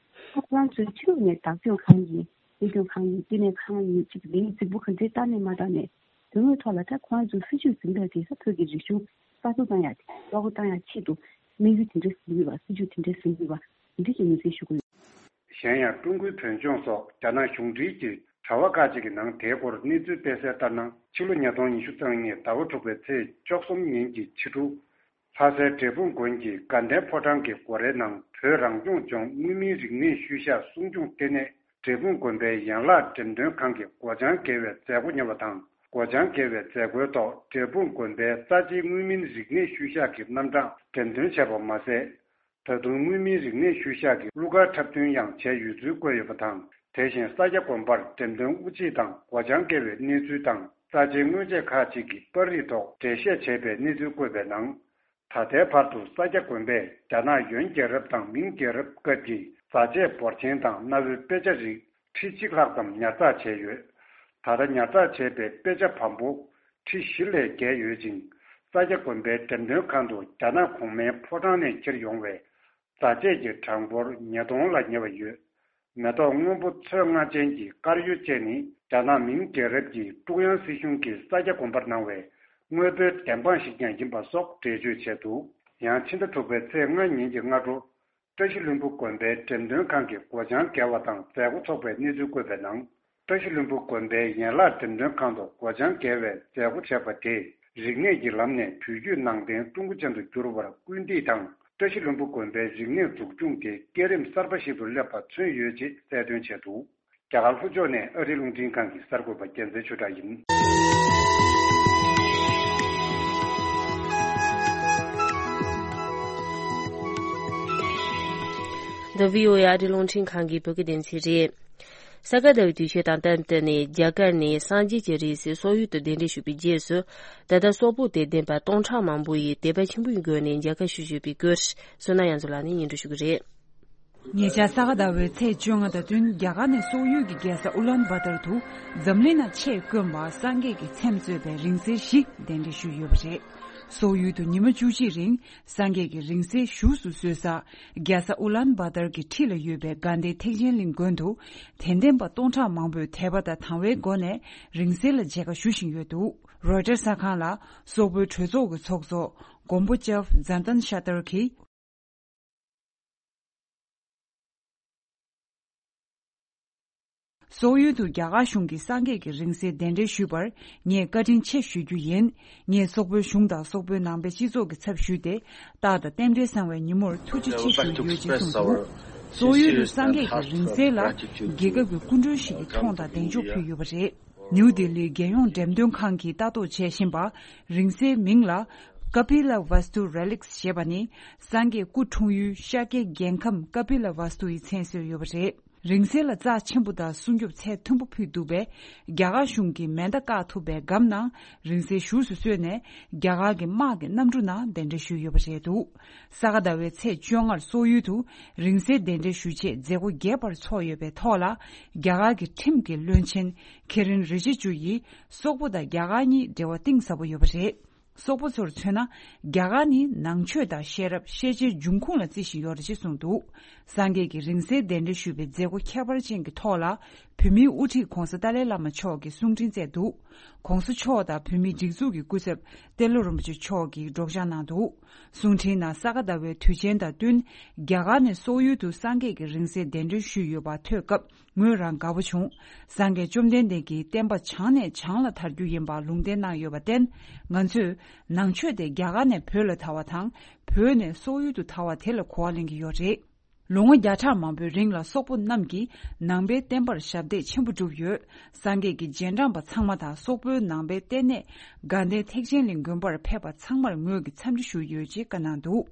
ཨ་ཁོ་རང་ཚོའི་ཕྱི་ལོགས་ནས་བདག་སྐྱོང་ཁང་ཡིན། དབུལ་སྐྱོང་ཁང་ཡིན། བསྟི་གནས་ཁང་ཡིན། གཅིག་ལས་རྫིག་པོ་ག་འདྲའི་བཏང་ནས་མ་བཏང་ནས་དོན་དངོས་ཐོག་ལ་ད་ཁོ་རང་ཚོའི་སྲིད་བྱུས་འཛིན་སྟངས་དེ་ད་བོད་ཀྱི་རིག་གཞུང་གསར་གཏོད་བཏང་ཡ་དེ་གཙོ་བོ་བཏང་ཡ་ཆེད་དུ་དམིགས་ཡུལ་དེ་འདྲ་ཟིན་ཡོད་པ། སྲིད་བྱུས་དེ་འདྲ་ཟིན་ཡོད་པ་འདི་འདྲ་ཞིག་ངོས་འཛིན་ཞུ་དགོས། གཞན་ཡང་ཀྲུང་གོའི་བོད་ལྗོངས་སོགས་རྒྱ་ནག་གཞུང་འབྲེལ་གྱི་དྲ་བ་ཁག་ཅིག་གི་ནང་དེའི་སྐོར་གནས་ཚུལ་སྤེལ་གསལ་ལྟར་ན། ཕྱི་ལོ་ཉིས་སྟོང་ཉི་ཤུ་རྩ་གཉིས་ཟླ་བ་དྲུག་པའི་ཚེས་བཅུ་གསུམ་ཉིན་གྱི་ཕྱི་དྲོ། ལྷ་སའི་འབྲས་སྤུངས་དགོན་གྱི་དགའ་ལྡན་ཕོ་བྲང་གི་སྒོ་རའི་ནང་བོད་རང་སྐྱོང་ལྗོངས་མངོན་མིན་རིག་གནས་ཤུལ་བཞག་སྲུང་སྐྱོང་ལྟེ་གནས་འབྲས་སྤུངས་དགོན་པའི་ཡན་ལག་འགྲེམས་སྟོན་ཁང་གི་སྒོ་བྱང་བརྒལ་བའི་མཛད་སྒོ་གཉེར་བ་དང་། སྒོ་བྱང་བརྒལ་བའི་མཛད་སྒོའི་ཐོག་འབྲས་སྤུངས་དགོན་པའི་རྩ་ཆེའི་མངོན་མིན་རིག་གནས་ཤུལ་བཞག་གི་རྣམ་གྲངས་འགྲེམས་སྟོན་བྱས་པ་མ་ཟད། ད་དུང་མངོན་མིན་རིག་གནས་ཤུལ་བཞག་གི་གླུ་གར་འཁྲབ་སྟོན་ཡང་བྱས་ཡོད་ཚུལ་བཀོད་ཡོད་པ་དང་། དེ་བཞིན་ས་སྐྱ་དགོན་པར་འགྲེམས་སྟོན་དབུ་འབྱེད་དང་སྒོ་བྱང་བརྒལ་བའི་གནས་ཚུལ་དང་། རྩ་ཆེའི་དངོས་ཆས་ཁག་ཅིག་གི་པར་རིས་ཐོག་འགྲེལ་བཤད་བྱས་པའི་གནས་ཚུལ་བཀོད་པའི་ནང་། ད་ལྟའི་བར་དུ་ས་སྐྱ་དགོན་པས་རྒྱ་ནག་ཡོན་རྒྱལ་རབས་དང་མིང་རྒྱལ་རབས་སྐབས་ཀྱི་རྫ་ཆས་འབོར་ཆེན་དང་གནའ་བོའི་དཔེ་ཆ་རིགས་ཁྲི་གཅིག་ལྷག་ཙམ་ཉར་ཚགས་བྱས་ཡོད། ད་ལྟ་ཉར་ཚགས་བྱས་པའི་དཔེ་ཆ་བམ་པོ་ཁྲི་བཞི་ལས་བརྒལ་ཡོད་ཅིང་། ས་སྐྱ་དགོན་པའི་འགྲེམས་སྟོན་ཁང་དུ་རྒྱ་ནག་གོང་མའི་ཕོ་བྲང་ནས་འཁྱེར་ཡོང་བའི་རྫ་ཆས་ཀྱི་གྲངས་འབོར་ཉིས་སྟོང་ལ་ཉེ་བ་ཡོད། མེ་ཏོག་སྔོན་པོ་ཚོན་མངར་ཅན་གྱི་དཀར་ཡོལ་བཅས་ནི་རྒྱ་ནག་མིང་རྒྱལ་རབས་ཀྱི་ཀྲུང་དབྱང་སྲིད་གཞུང་གིས་ས་སྐྱ་དགོན་པར་གནང་བའི་དངོས་པོའི་བདེན་དཔང་ཞིག་ཀྱང་ཡིན་པ་སོགས་འགྲེལ་བརྗོད་བྱས་འདུག་ཡང་ཕྱི་ཟླ་དྲུག་པའི་ཚེས་ལྔ་ཉིན་གྱི་སྔ་དྲོ། བཀྲ་ཤིས་ལྷུན་པོ་དགོན་པའི་འགྲེམས་སྟོན་ཁང་གི་སྒོ་བྱང་བརྒལ་བ་དང་མཛད་སྒོ་འཚོགས་པའི་གནས་ཚུལ་བཀོད་པའི་ནང་། བཀྲ་ཤིས་ལྷུན་པོ་དགོན་པའི་ཡན་ལག་འགྲེམས་སྟོན་ཁང་དུ་སྒོ་བྱང་བརྒལ་བའི་མཛད་སྒོ་བྱས་པ་དེས། རིག་གནས་ཀྱི་ལམ་ནས་བོད་བརྒྱུད་ནང་བསྟན་ཀྲུང་གོ་ཅན་དུ་འགྱུར་བར་སྐུལ་འདེད་དང་། བཀྲ་ཤིས་ལྷུན་པོ་དགོན་པའི་རིག་གནས་འཛུགས་སྐྱོང་དེ་སྐས་རིམ་གསར་པ་ཞིག་ཏུ་སླེབས་པ་མཚོན་ཡོད་ཅེས་གསལ་སྟོན་བྱས་འདུག་རྒྱ་གར་ལྷོ་ཕྱོགས་ནས་ཨ་རིའི་རླུང་འཕྲིན་ཁང་གི་གསར་འགོད་པ་རྒྱལ་མཚན་ཆོས་གྲགས་ཡིན། འདི་བྷི་ཨོ་ཨེ་ཨ་རིའི་རླུང་འཕྲིན་ཁང་གི་བོད་སྐད་སྡེ་ཚན་རེད། ས་ག་ཟླ་བའི་དུས་ཆེན་དང་སྟབས་བསྟུན་ནས་རྒྱ་གར་ནས་སངས་རྒྱས་ཀྱི་རིགས་སུ་སོག་ཡུལ་དུ་གདན་འདྲེན་ཞུས་པའི་རྗེས་སུ། ད་ལྟ་སོག་པོ་དད་ལྡན་པ་སྟོང་ཕྲག་མང་པོ་ཡིས་དད་པ་ཆེན་པོའི་སྒོ་ནས་མཇལ་ཁ་ཞུ་བཞིན་པའི་སྐོར། བསོད་ནམས་དབྱངས་མཚོ་ལགས་ནས་སྙན་སྒྲོན་ཞུ་གི་རེད། ཉེ་ཆར་ས་ག་ཟླ་བའི་ཚེས་བཅོ་ལྔ་དང་བསྟུན་རྒྱ་གར་ནས་སོག་ཡུལ་གྱི་རྒྱལ་ས་ཨུ་ལན་བྷ་ཏར་དུ་འཛམ་གླིང་ན་ཆེས་དཀོན་པ་སངས་རྒྱས་ཀྱི་ཚེམས་གཙོས་པའི་རིང་བསྲེལ་བཞི་གདན་འདྲེན་ཞུས་ཡོད་པ་རེད། སོག་ཡུལ་དུ་ཉི་མ་བཅུ་གཅིག་རིང་སངས་རྒྱས་ཀྱི་རིང་བསྲེལ་བཞུགས་སུ་གསོལ་ས། རྒྱལ་ས་ཨུ་ལན་བྷ་ཏར་གྱི་འཁྲིས་ལ་ཡོད་པའི་དགའ་ལྡན་ཐེག་ཆེན་གླིང་དགོན་དུ་དད་ལྡན་པ་སྟོང་ཕྲག་མང་པོས་དད་པ་དང་དང་བའི་སྒོ་ནས་རིང་བསྲེལ་ལ་མཇལ་ཁ་ཞུ་བཞིན་ཡོད་འདུག་རོའི་ཊར་གསར་ཁང་ལ་སོག་པོའི་གྲོས་ཚོགས་ཀྱི་ཚོགས་གཙོ་མགོན་པོ་ལྕམ་ཛན་ཏན་ཤ་ཏར་གྱིས། སོག་ཡུལ་དུ་རྒྱ་གར་གཞུང་གིས་སངས་རྒྱས་ཀྱི་རིང་བསྲེལ་གདན་འདྲེན་ཞུས་པར་ངས་བཀའ་དྲིན་ཆེ་ཞུ་རྒྱུ་ཡིན། ངས་སོག་པོའི་གཞུང་དང་སོག་པོའི་ནང་པའི་སྤྱི་ཚོགས་ཀྱི་ཚབ་ཞུས་ཏེ། རྟག་དང་རྟེན་འབྲེལ་བཟང་བའི་ཉིན་མོར་ཐུགས་རྗེ་ཆེ་ཞུ་ཡོད་ཅེས་གསུངས་འདུག་སོག་ཡུལ་དུ་སངས་རྒྱས་ཀྱི་རིང་བསྲེལ་ལ་རྒྱལ་ཁབ་ཀྱི་སྐུ་མགྲོན་ཞིག་གིས་མཐོང་དང་གདེང་འཇོག་ཕུལ་ཡོད་པ་རེད། ནིའུ་ལྡི་ལིའི་རྒྱལ་ཡོངས་འགྲེམས་སྟོན་ཁང་གིས་ལྟ་རྟོག་བྱེད་བཞིན་པ། རིང་བསྲེལ་མིང་ལ་Kapila Vastu Relics ཞེས་པ་ནི། སངས་རྒྱས་སྐུ་འཁྲུངས་ཡུལ་ཤཱཀྱའི་རྒྱལ་ཁམས་ཀ་པི་ལ་ཝཱ་སྟུ་ཡི་མཚན་གསོལ་ཡོད་པ་རེད། རིང་བསྲེལ་ལ་རྩ་ཆེན་པོ་དང་སྲུང་སྐྱོབ་ཚད་མཐོན་པོ་ཕུལ་འདུག་པས། རྒྱ་གར་གཞུང་གིས་མེ་མདའ་བཀག་ཐུབ་པའི་སྒམ་ནང་རིང་བསྲེལ་བཞུགས་སུ་གསོལ་ནས། རྒྱ་གར་གྱི་དམག་གི་གནམ་གྲུ་ནང་གདན་འདྲེན་ཞུས་ཡོད་པ་རེད་འདུག་ས་ག་ཟླ་བའི་ཚེས་བཅོ་ལྔར་སོག་ཡུལ་དུ་རིང་བསྲེལ་གདན་འདྲེན་ཞུ་ཆེད་མཛད་སྒོ་རྒྱས་པར་འཚོགས་ཡོད་པའི་ཐོག་ལ། རྒྱ་གར་གྱི་ཁྲིམས་ཀྱི་བློན་ཆེན་ཁེ་རིན་རི་ཇི་ཇུ་ཡིས་སོག་པོ་དང་རྒྱ་གར་གཉིས་འབྲེལ་བ་གཏིང་ཟབ་པོ་ཡོད་པ་རེད། སོག་པོ་ཚོར་མཚོན་ན། རྒྱ་གར་ནི་ནང་ཆོས་དང་ཤེས་རབ་ཤེས་བྱའི་འབྱུང་ཁུངས་ལ་བརྩི་བཞིན་ཡོད་རེད་ཅེས་གསུངས་འདུག་སངས་རྒྱས་ཀྱི་རིང་བསྲེལ་གདན་འདྲེན་ཞུས་པའི་མཛད་སྒོ་ཁྱད་པར་ཅན་གྱི་ཐོག་ལ། བོད་མིའི་དབུ་ཁྲིད་༧གོང་ས་ཏཱ་ལའི་བླ་མ་མཆོག་གིས་གསུང་འཕྲིན་བསྩལ་འདུག ༧གོང་ས་མཆོག་དང་བོད་མིའི་སྒྲིག་འཛུགས་ཀྱི་སྐུ་ཚབ་ཏེ་ལོ་རིན་པོ་ཆེ་མཆོག་གིས་སྒྲོག་སྦྱང་གནང་འདུག་གསུང་འཕྲིན་ནང་ས་ག་ཟླ་བའི་དུས་ཆེན་དང་བསྟུན། རྒྱ་གར་ནས་སོག་ཡུལ་དུ་སངས་རྒྱས་ཀྱི་རིང་བསྲེལ་གདན་འདྲེན་ཞུས་ཡོད་པ་ཐོས་སྐབས། ངོས་རང་དགའ་པོ་བྱུང་། སངས་རྒྱས་བཅོམ་ལྡན་འདས་ཀྱིས་བསྟན་པ་བྱང་ནས་བྱང་ལ་དར་རྒྱུ་ཡིན་པ་ལུང་བསྟན་གནང་ཡོད་པར་བརྟེན། ང་ཚོས་ནང་ཆོས་དེ་རྒྱ་གར་ནས་བོད་ལ་དར་བ་དང་། བོད་ནས་སོག་ཡུལ་དུ་དར་བ་དེ་ལ་གོ་བ་ལེན་གྱི་ཡོད་རེད། ལོ་ངོ་བརྒྱ་ཕྲག་མང་པོའི་རིང་ལ་སོག་པོ་རྣམས་ཀྱིས་ནང་པའི་བསྟན་པར་ཞབས་འདེགས་ཆེན་པོ་བསྒྲུབས་ཡོད། སངས་རྒྱས་ཀྱི་རྗེས་འབྲང་པ་ཚང་མ་དང་སོག་པོའི་ནང་པའི་ལྟེ་གནས་དགའ་ལྡན་ཐེག་ཆེན་གླིང་དགོན་པར་ཕེབས་པ་ཚང་མར་ངོས་ཀྱིས་འཚམས་འདྲི་ཞུས་ཡོད་ཅེས་བཀའ་གནང་འདུག་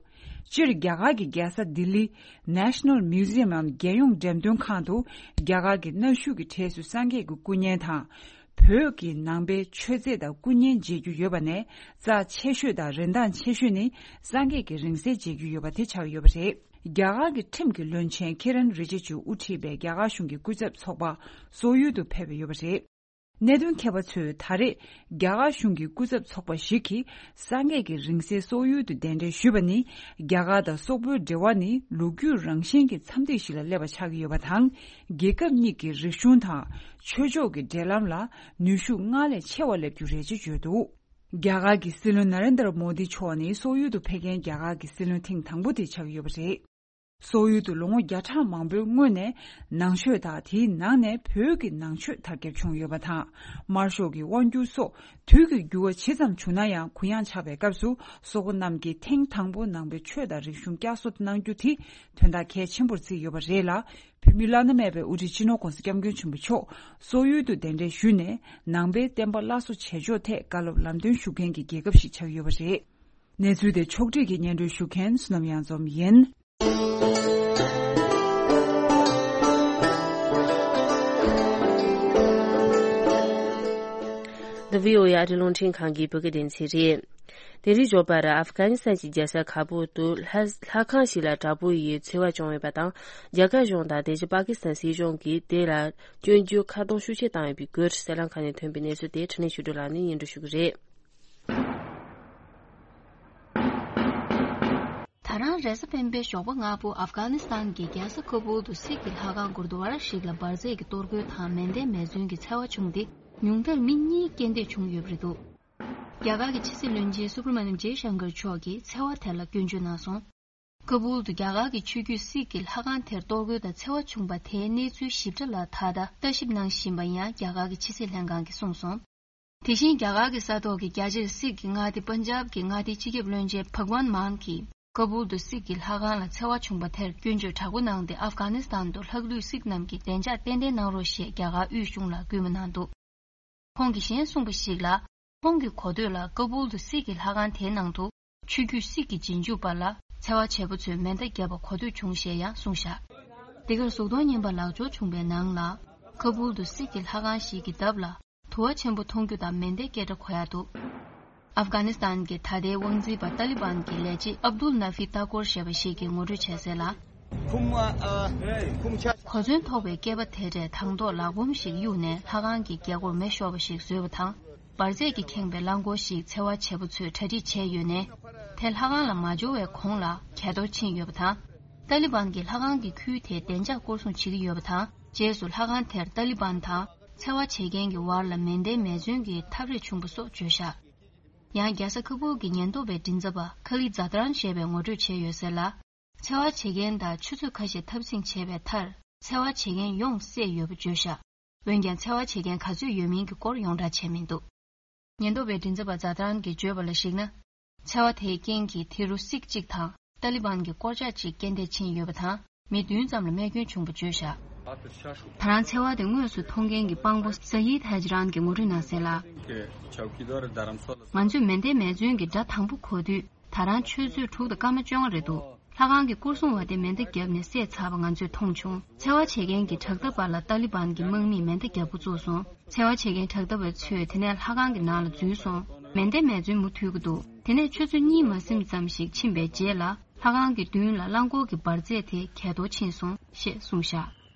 སྤྱིར་རྒྱ་གར་གྱི་རྒྱལ་ས་ལྡི་ལི་National Museum འམ་རྒྱལ་ཡོངས་འགྲེམས་སྟོན་ཁང་དུ་རྒྱ་གར་གྱི་གནའ་ཤུལ་གྱི་གྲས་སུ་སངས་རྒྱས་ཀྱི་སྐུ་བརྙན་དང་། བོད་ཀྱི་ནང་པའི་མཆོད་རྫས་དང་སྐུ་བརྙན་མཇལ་རྒྱུ་ཡོད་པ་ནས། རྩ་ཆེ་ཤོས་དང་རིན་ཐང་ཆེ་ཤོས་ནི་སངས་རྒྱས་ཀྱི་རིང་བསྲེལ་མཇལ་རྒྱུ་ཡོད་པ་དེ་ཆགས་ཡོད་པ་རེད། རྒྱ་གར་གྱི་ཁྲིམས་ཀྱི་བློན་ཆེན་ཁེ་རན་རི་ཇི་ཇུ་དབུ་ཁྲིད་པའི་རྒྱ་གར་གཞུང་གི་སྐུ་ཚབ་ཚོགས་པ་སོག་ཡུལ་དུ་ཕེབས་ཡོད་པ་རེད། གནད་དོན་མཁས་པ་ཚོས་ད་རེས་རྒྱ་གར་གཞུང་གི་སྐུ་ཚབ་ཚོགས་པ་ཞིག་གིས་སངས་རྒྱས་ཀྱི་རིང་བསྲེལ་སོག་ཡུལ་དུ་གདན་འདྲེན་ཞུས་པ་ནི། རྒྱ་གར་དང་སོག་པོའི་འབྲེལ་བ་ནི་ལོ་རྒྱུས་རང་བཞིན་གྱི་མཚམས་ཐིག་ཞིག་ལ་སླེབས་པ་ཆགས་ཀྱི་ཡོད་པ་དང་། རྒྱལ་ཁབ་གཉིས་ཀྱི་རིག་གཞུང་དང་ཆོས་ཕྱོགས་ཀྱི་འབྲེལ་ལམ་ལ་ནུས་ཤུགས་སྔར་ལས་ཆེ་བ་སླེབས་རྒྱུ་རེད་ཅེས་བརྗོད་འདུག་རྒྱ་གར་གྱི་སྲིད་བློན་ན་རེན་དར་མོ་དི་མཆོག་ནི་སོག་ཡུལ་དུ་ཕེབས་མཁན་རྒྱ་གར་གྱི་སྲིད་བློན་ཐེངས་དང་པོ་དེ་ཆགས་ཀྱི་ཡོད་པ་རེད། སོག་ཡུལ་དུ་ལོ་ངོ་བརྒྱ་ཕྲག་མང་པོའི་སྔོན་ནས་ནང་ཆོས་དང་དེའི་ནང་ནས་བོད་ཀྱི་ནང་ཆོས་དར་ཁྱབ་བྱུང་ཡོད་པ་དང་། དམར་ཤོག་གི་དབང་སྒྱུར་སོགས་དུས་ཀྱི་འགྱུར་བ་ཇི་ཙམ་བྱུང་ན་ཡང་གུ་ཡངས་ཆགས་པའི་སྐབས་སུ། སོག་པོ་རྣམས་ཀྱིས་ཐེངས་དང་པོ་ནང་པའི་ཆོས་དང་རིག་གཞུང་བསྐྱར་གསོ་གནང་རྒྱུ་དེ་དོན་དག་གལ་ཆེན་པོར་བརྩིས་ཡོད་པ་རེད་ལ། བོད་མི་བླ་ན་མེད་པའི་དབུ་ཁྲིད་སྤྱི་ནོར་༧གོང་ས་༧སྐྱབས་མགོན་ཆེན་པོ་མཆོག་སོག་ཡུལ་དུ་གདན་འདྲེན་ཞུས་ནས། ནང་པའི་བསྟན་པ་སླར་གསོ་བྱེད་ཕྱོགས་ཐད་བཀའ་སློབ་ལམ་སྟོན་ཞུ་མཁན་གྱི་རྒྱལ་ཁབ་ཞིག་ཆགས་ཡོད་པ་རེད། གནས་ཚུལ་དེ་ཕྱོགས་སྒྲིག་གིས་སྙན་སྒྲོན་ཞུ་མཁན་བསོད་ནམས་གཡང་འཛོམས་ཡིན། འདི་བྷི་ཨོ་ཨེ་ཨ་རི་རླུང་འཕྲིན་ཁང་གི་བོད་སྐད་སྡེ་ཚན་རེད། དེ་རིང་ཞོགས་པར་ཨབ་གྷ་ནི་སི་ཐན་གྱི་རྒྱལ་ས་ཁ་བུལ་དུ་ལྷ་ལྷ་ཁང་ཞིག་ལ་དྲག་པོ་ཡི་འཚེ་བ་བྱུང་ཡོད་པ་དང་། རྒྱ་གར་གཞུང་དང་དེ་བཞིན་པ་ཀི་སི་ཐན་སྲིད་གཞུང་གིས་དེ་ལ་སྐྱོན་བརྗོད་ཁ་རྡུང་ཤུགས་ཆེ་བཏང་ཡོད་པའི་སྐོར། གསན་ལམ་ཁག་ནས་ཐོན་པའི་གནས་ཚུལ་དེ་འཕྲིན་ལས་ཆོས་སྒྲོན་ལགས་ནས་སྙན་སྒྲོན་ཞུ་གི་རེད། ད་རང་རེས་གཟའ་སྤེན་པའི་ཞོགས་པ་སྔ་པོ་ཨབ་གྷ་ནི་སི་ཐན་གྱི་རྒྱལ་ས་ཁ་བུལ་དུ་སིག་གི་ལྷ་ཁང་གུར་དུ་ཝར་ཞིག་ལ་འབར་རྫས་ཀྱི་གཏོར་རྒོལ་དང་མེ་མདའི་མེ་མཚོན་གྱི་འཚེ་བ་བྱུང་སྟེ། ཉུང་མཐར་མི་གཉིས་རྐྱེན་འདས་བྱུང་ཡོད་པ་རེད་འདུག་རྒྱ་གར་གྱི་ཕྱི་སྲིད་བློན་ཆེན་སུབ་ར་མ་ནིམ་ཇེ་ཤང་ཀར་མཆོག་གིས་འཚེ་བ་དེ་ལ་སྐྱོན་བརྗོད་གནང་སོང་། ཁ་བུལ་དུ་རྒྱ་གར་གྱི་ཆོས་བརྒྱུད་སིག་གི་ལྷ་ཁང་དེར་གཏོར་རྒོལ་དང་འཚེ་བ་བྱུང་པ་དེའི་གནས་ཚུལ་ཞིབ་ཕྲ་ལ་ད་ལྟ་ལྟ་ཞིབ་གནང་བཞིན་པ་ཡང་རྒྱ་གར་གྱི་ཕྱི་སྲིད་ལྷན་ཁང་གིས་གསུངས་སོང་། དེ་བཞིན་རྒྱ་གར་གྱི་ས་ཐོག་གི་རྒྱ་ཆེར་སིག་གི་མངའ་སྡེ་པན་ཇབ་ཀྱི་མངའ་སྡེའི་སྤྱི་ཁྱབ་བློན་ཆེན་ཕག་ཝན་མཱན་གྱིས་ཁ་བུལ་དུ་སིག་གི་ལྷ་ཁང་ལ་འཚེ་བ་བྱུང་པ་དེར་སྐྱོན་བརྗོད་དྲག་པོ་གནང་སྟེ། ཨབ་གྷ་ནི་སི་ཐན་དུ་ལྷག་ལུས་སིག་རྣམས་ཀྱིས་བདེ་འཇགས་ཏན་ཏན་གནང་རོགས་ཞེས་རྒྱ་གར་དབུས་གཞུང་ལ་སྐུལ་མ་གནང་འདུག་ཁོང་གིས་གཞན་གསུངས་པ་ཞིག་ལ། ཁོང་གིས་གོ་ཐོས་ལ་ཀ་བུལ་དུ་སིག་གི་ལྷ་ཁང་དེའི་ནང་དུ་ཆོས་བརྒྱུད་སིག་གི་རྗེས་འཇུག་པ་ལ་འཚེ་བ་བྱེད་པོ་ཚོས་མེ་མདའ་བརྒྱབ་པ་གོ་ཐོས་བྱུང་ཞེས་ཡང་གསུངས་བཞག་འདི་གར་གཟུགས་མཐོང་བརྙན་པར་ལག་འབྱོར་བྱུང་བའི་ནང་ལ། ཀ་བུལ་དུ་སིག་གི་ལྷ་ཁང་ཞིག་གི་འདབས་ལ་དུ་བ་ཆེན་པོ་མཐོང་རྒྱུ་དང་མེ་མདའི་སྐད་སྒྲ་གོ་ཡག་འདུག་ཨབ་གྷ་ནི་སི་ཐན་གྱི་ད་ལྟའི་དབང་འཛིན་པ་ཏཱ་ལི་བན་གྱི་ལས་བྱེད་ཨབ་དུལ་ན་ཧྥི་ཏཱ་ཀོར་ཞེས་པ་ཞིག་གིས་ངོ་སྤྲོད་བྱས་གསལ་ལ། གོ་མཚོན་ཐོགས་པའི་སྐྱེས་པ་དེ་འདྲས་དང་ཐོག་ལག་འབོམ་ཞིག་གཡུགས་ནས་ལྷ་ཁང་གི་རྒྱལ་སྒོར་མེ་ཤོར་བ་ཞིག་བཟོས་པ་དང་། འབར་རྫས་ཀྱིས་ཁེངས་པའི་རླངས་འཁོར་ཞིག་འཚེ་བ་བྱེད་པོ་ཚོས་གྲ་སྒྲིག་བྱས་ཡོད་ནས། དེ་ལྷ་ཁང་ལ་མ་འབྱོར་བའི་གོང་ལ་གས་གཏོར་ཕྱིན་ཡོད་པ་དང་། ཏཱ་ལི་བན་གྱིས་ལྷ་ཁང་གི་ཁུལ་དེ་བདེ་འཇགས་སྐོར་སྲུང་བྱེད་ཀྱི་ཡོད་པ་དང་། རྗེས་སུ་ལྷ་ཁང་དེར་ཏཱ་ལི་བན་དང་འཚེ་བ་བྱེད་མཁན་གྱི་བར་ལ་མེ་མདའི་མེ་མཚོན་གྱི་འཐབ་རེས་བྱུང་བ་སོགས་བརྗོད་བཞག་ཡང་རྒྱལ་ས་ཁ་བུལ་གྱི་ཉེན་རྟོག་པའི་མགྲིན་ཚབ་པ་ཁ་ལི་ཛ་ཏ་རན་ཞེས་པས་ངོ་སྤྲོད་བྱས་ཡོད་གསལ་ལ། འཚེ་བ་བྱེད་མཁན་དང་ཆུ་ཚོད་ཁ་ཤས་འཐབ་འཛིང་བྱས་པའི་མཐར། འཚེ་བ་བྱེད་མཁན་ཡོངས་བསད་ཡོད་པ་བརྗོད་བཞག་འོན་ཀྱང་འཚེ་བ་བྱེད་མཁན་ག་ཚོད་ཡོད་མིན་གྱི་སྐོར་ཡོངས་བསྒྲགས་བྱས་མི་འདུག་ཉེན་རྟོག་པའི་མགྲིན་ཚབ་པ་ཛ་ཏ་རན་གྱིས་བརྗོད་པ་ལ་གཞིགས་ན། འཚེ་བ་དེའི་རྐྱེན་གྱིས་དེ་རུ་སིག་གཅིག་དང་ཏཱ་ལི་བན་གྱི་སྐོར་ལྕག་ཅིག་རྐྱེན་འདས་ཕྱིན་ཡོད་པ་དང་། མི་བདུན་ཙམ་ལ་རྨས་སྐྱོན་བྱུང་བ་བརྗོད་བཞག་ད་རང་འཚེ་བ་དེ་དངོས་སུ་མཐོང་མཁན་གྱི་དཔང་པོ་ས་ཡིད་ཧ་ཇི་རན་གྱིས་ངོ་སྤྲོད་གནང་གསལ་ལ། ང་ཚོས་མེ་མདའི་མེ་མཚོན་གྱི་སྒྲ་དང་པོ་གོ་དུས། ད་རང་ཆུ་ཚོད་དྲུག་དང་སྐར་མ་བཅོ་ལྔ་རེད་འདུག་ལྷ་ཁང་གི་སྐོར་སྲུང་བ་དེ་མེ་མདའ་བརྒྱབ་ནས་བསད་ཚར་བ་ང་ཚོས་མཐོང་བྱུང་། འཚེ་བ་བྱེད་མཁན་གྱི་དྲག་འཐབ་པ་ལ་ཏཱ་ལི་བན་གྱི་དམག་མིས་མེ་མདའ་བརྒྱབ་འགོ་བཙུགས་སོང་། འཚེ་བ་བྱེད་མཁན་དྲག་འཐབ་པ་ཚོས་དེ་ནས་ལྷ་ཁང་གི་ནང་ལ་འཛུལ་སོང་། མེ་མདའི་མེ་མཚོན་མུ་མཐུད་ཀྱི་འདུག་དེ་ནས་ཆུ་ཚོད་གཉིས་མ་ཟིན་ཙམ་ཞིག་ཕྱིན་པའི་རྗེས་ལ། ལྷ་ཁང་གི་མདུན་ལ་རླངས་འཁོར་གྱི་འབར་རྫས་དེ་གས་གཏོར་ཕྱིན་སོང་ཞེས་གསུངས་བཞག་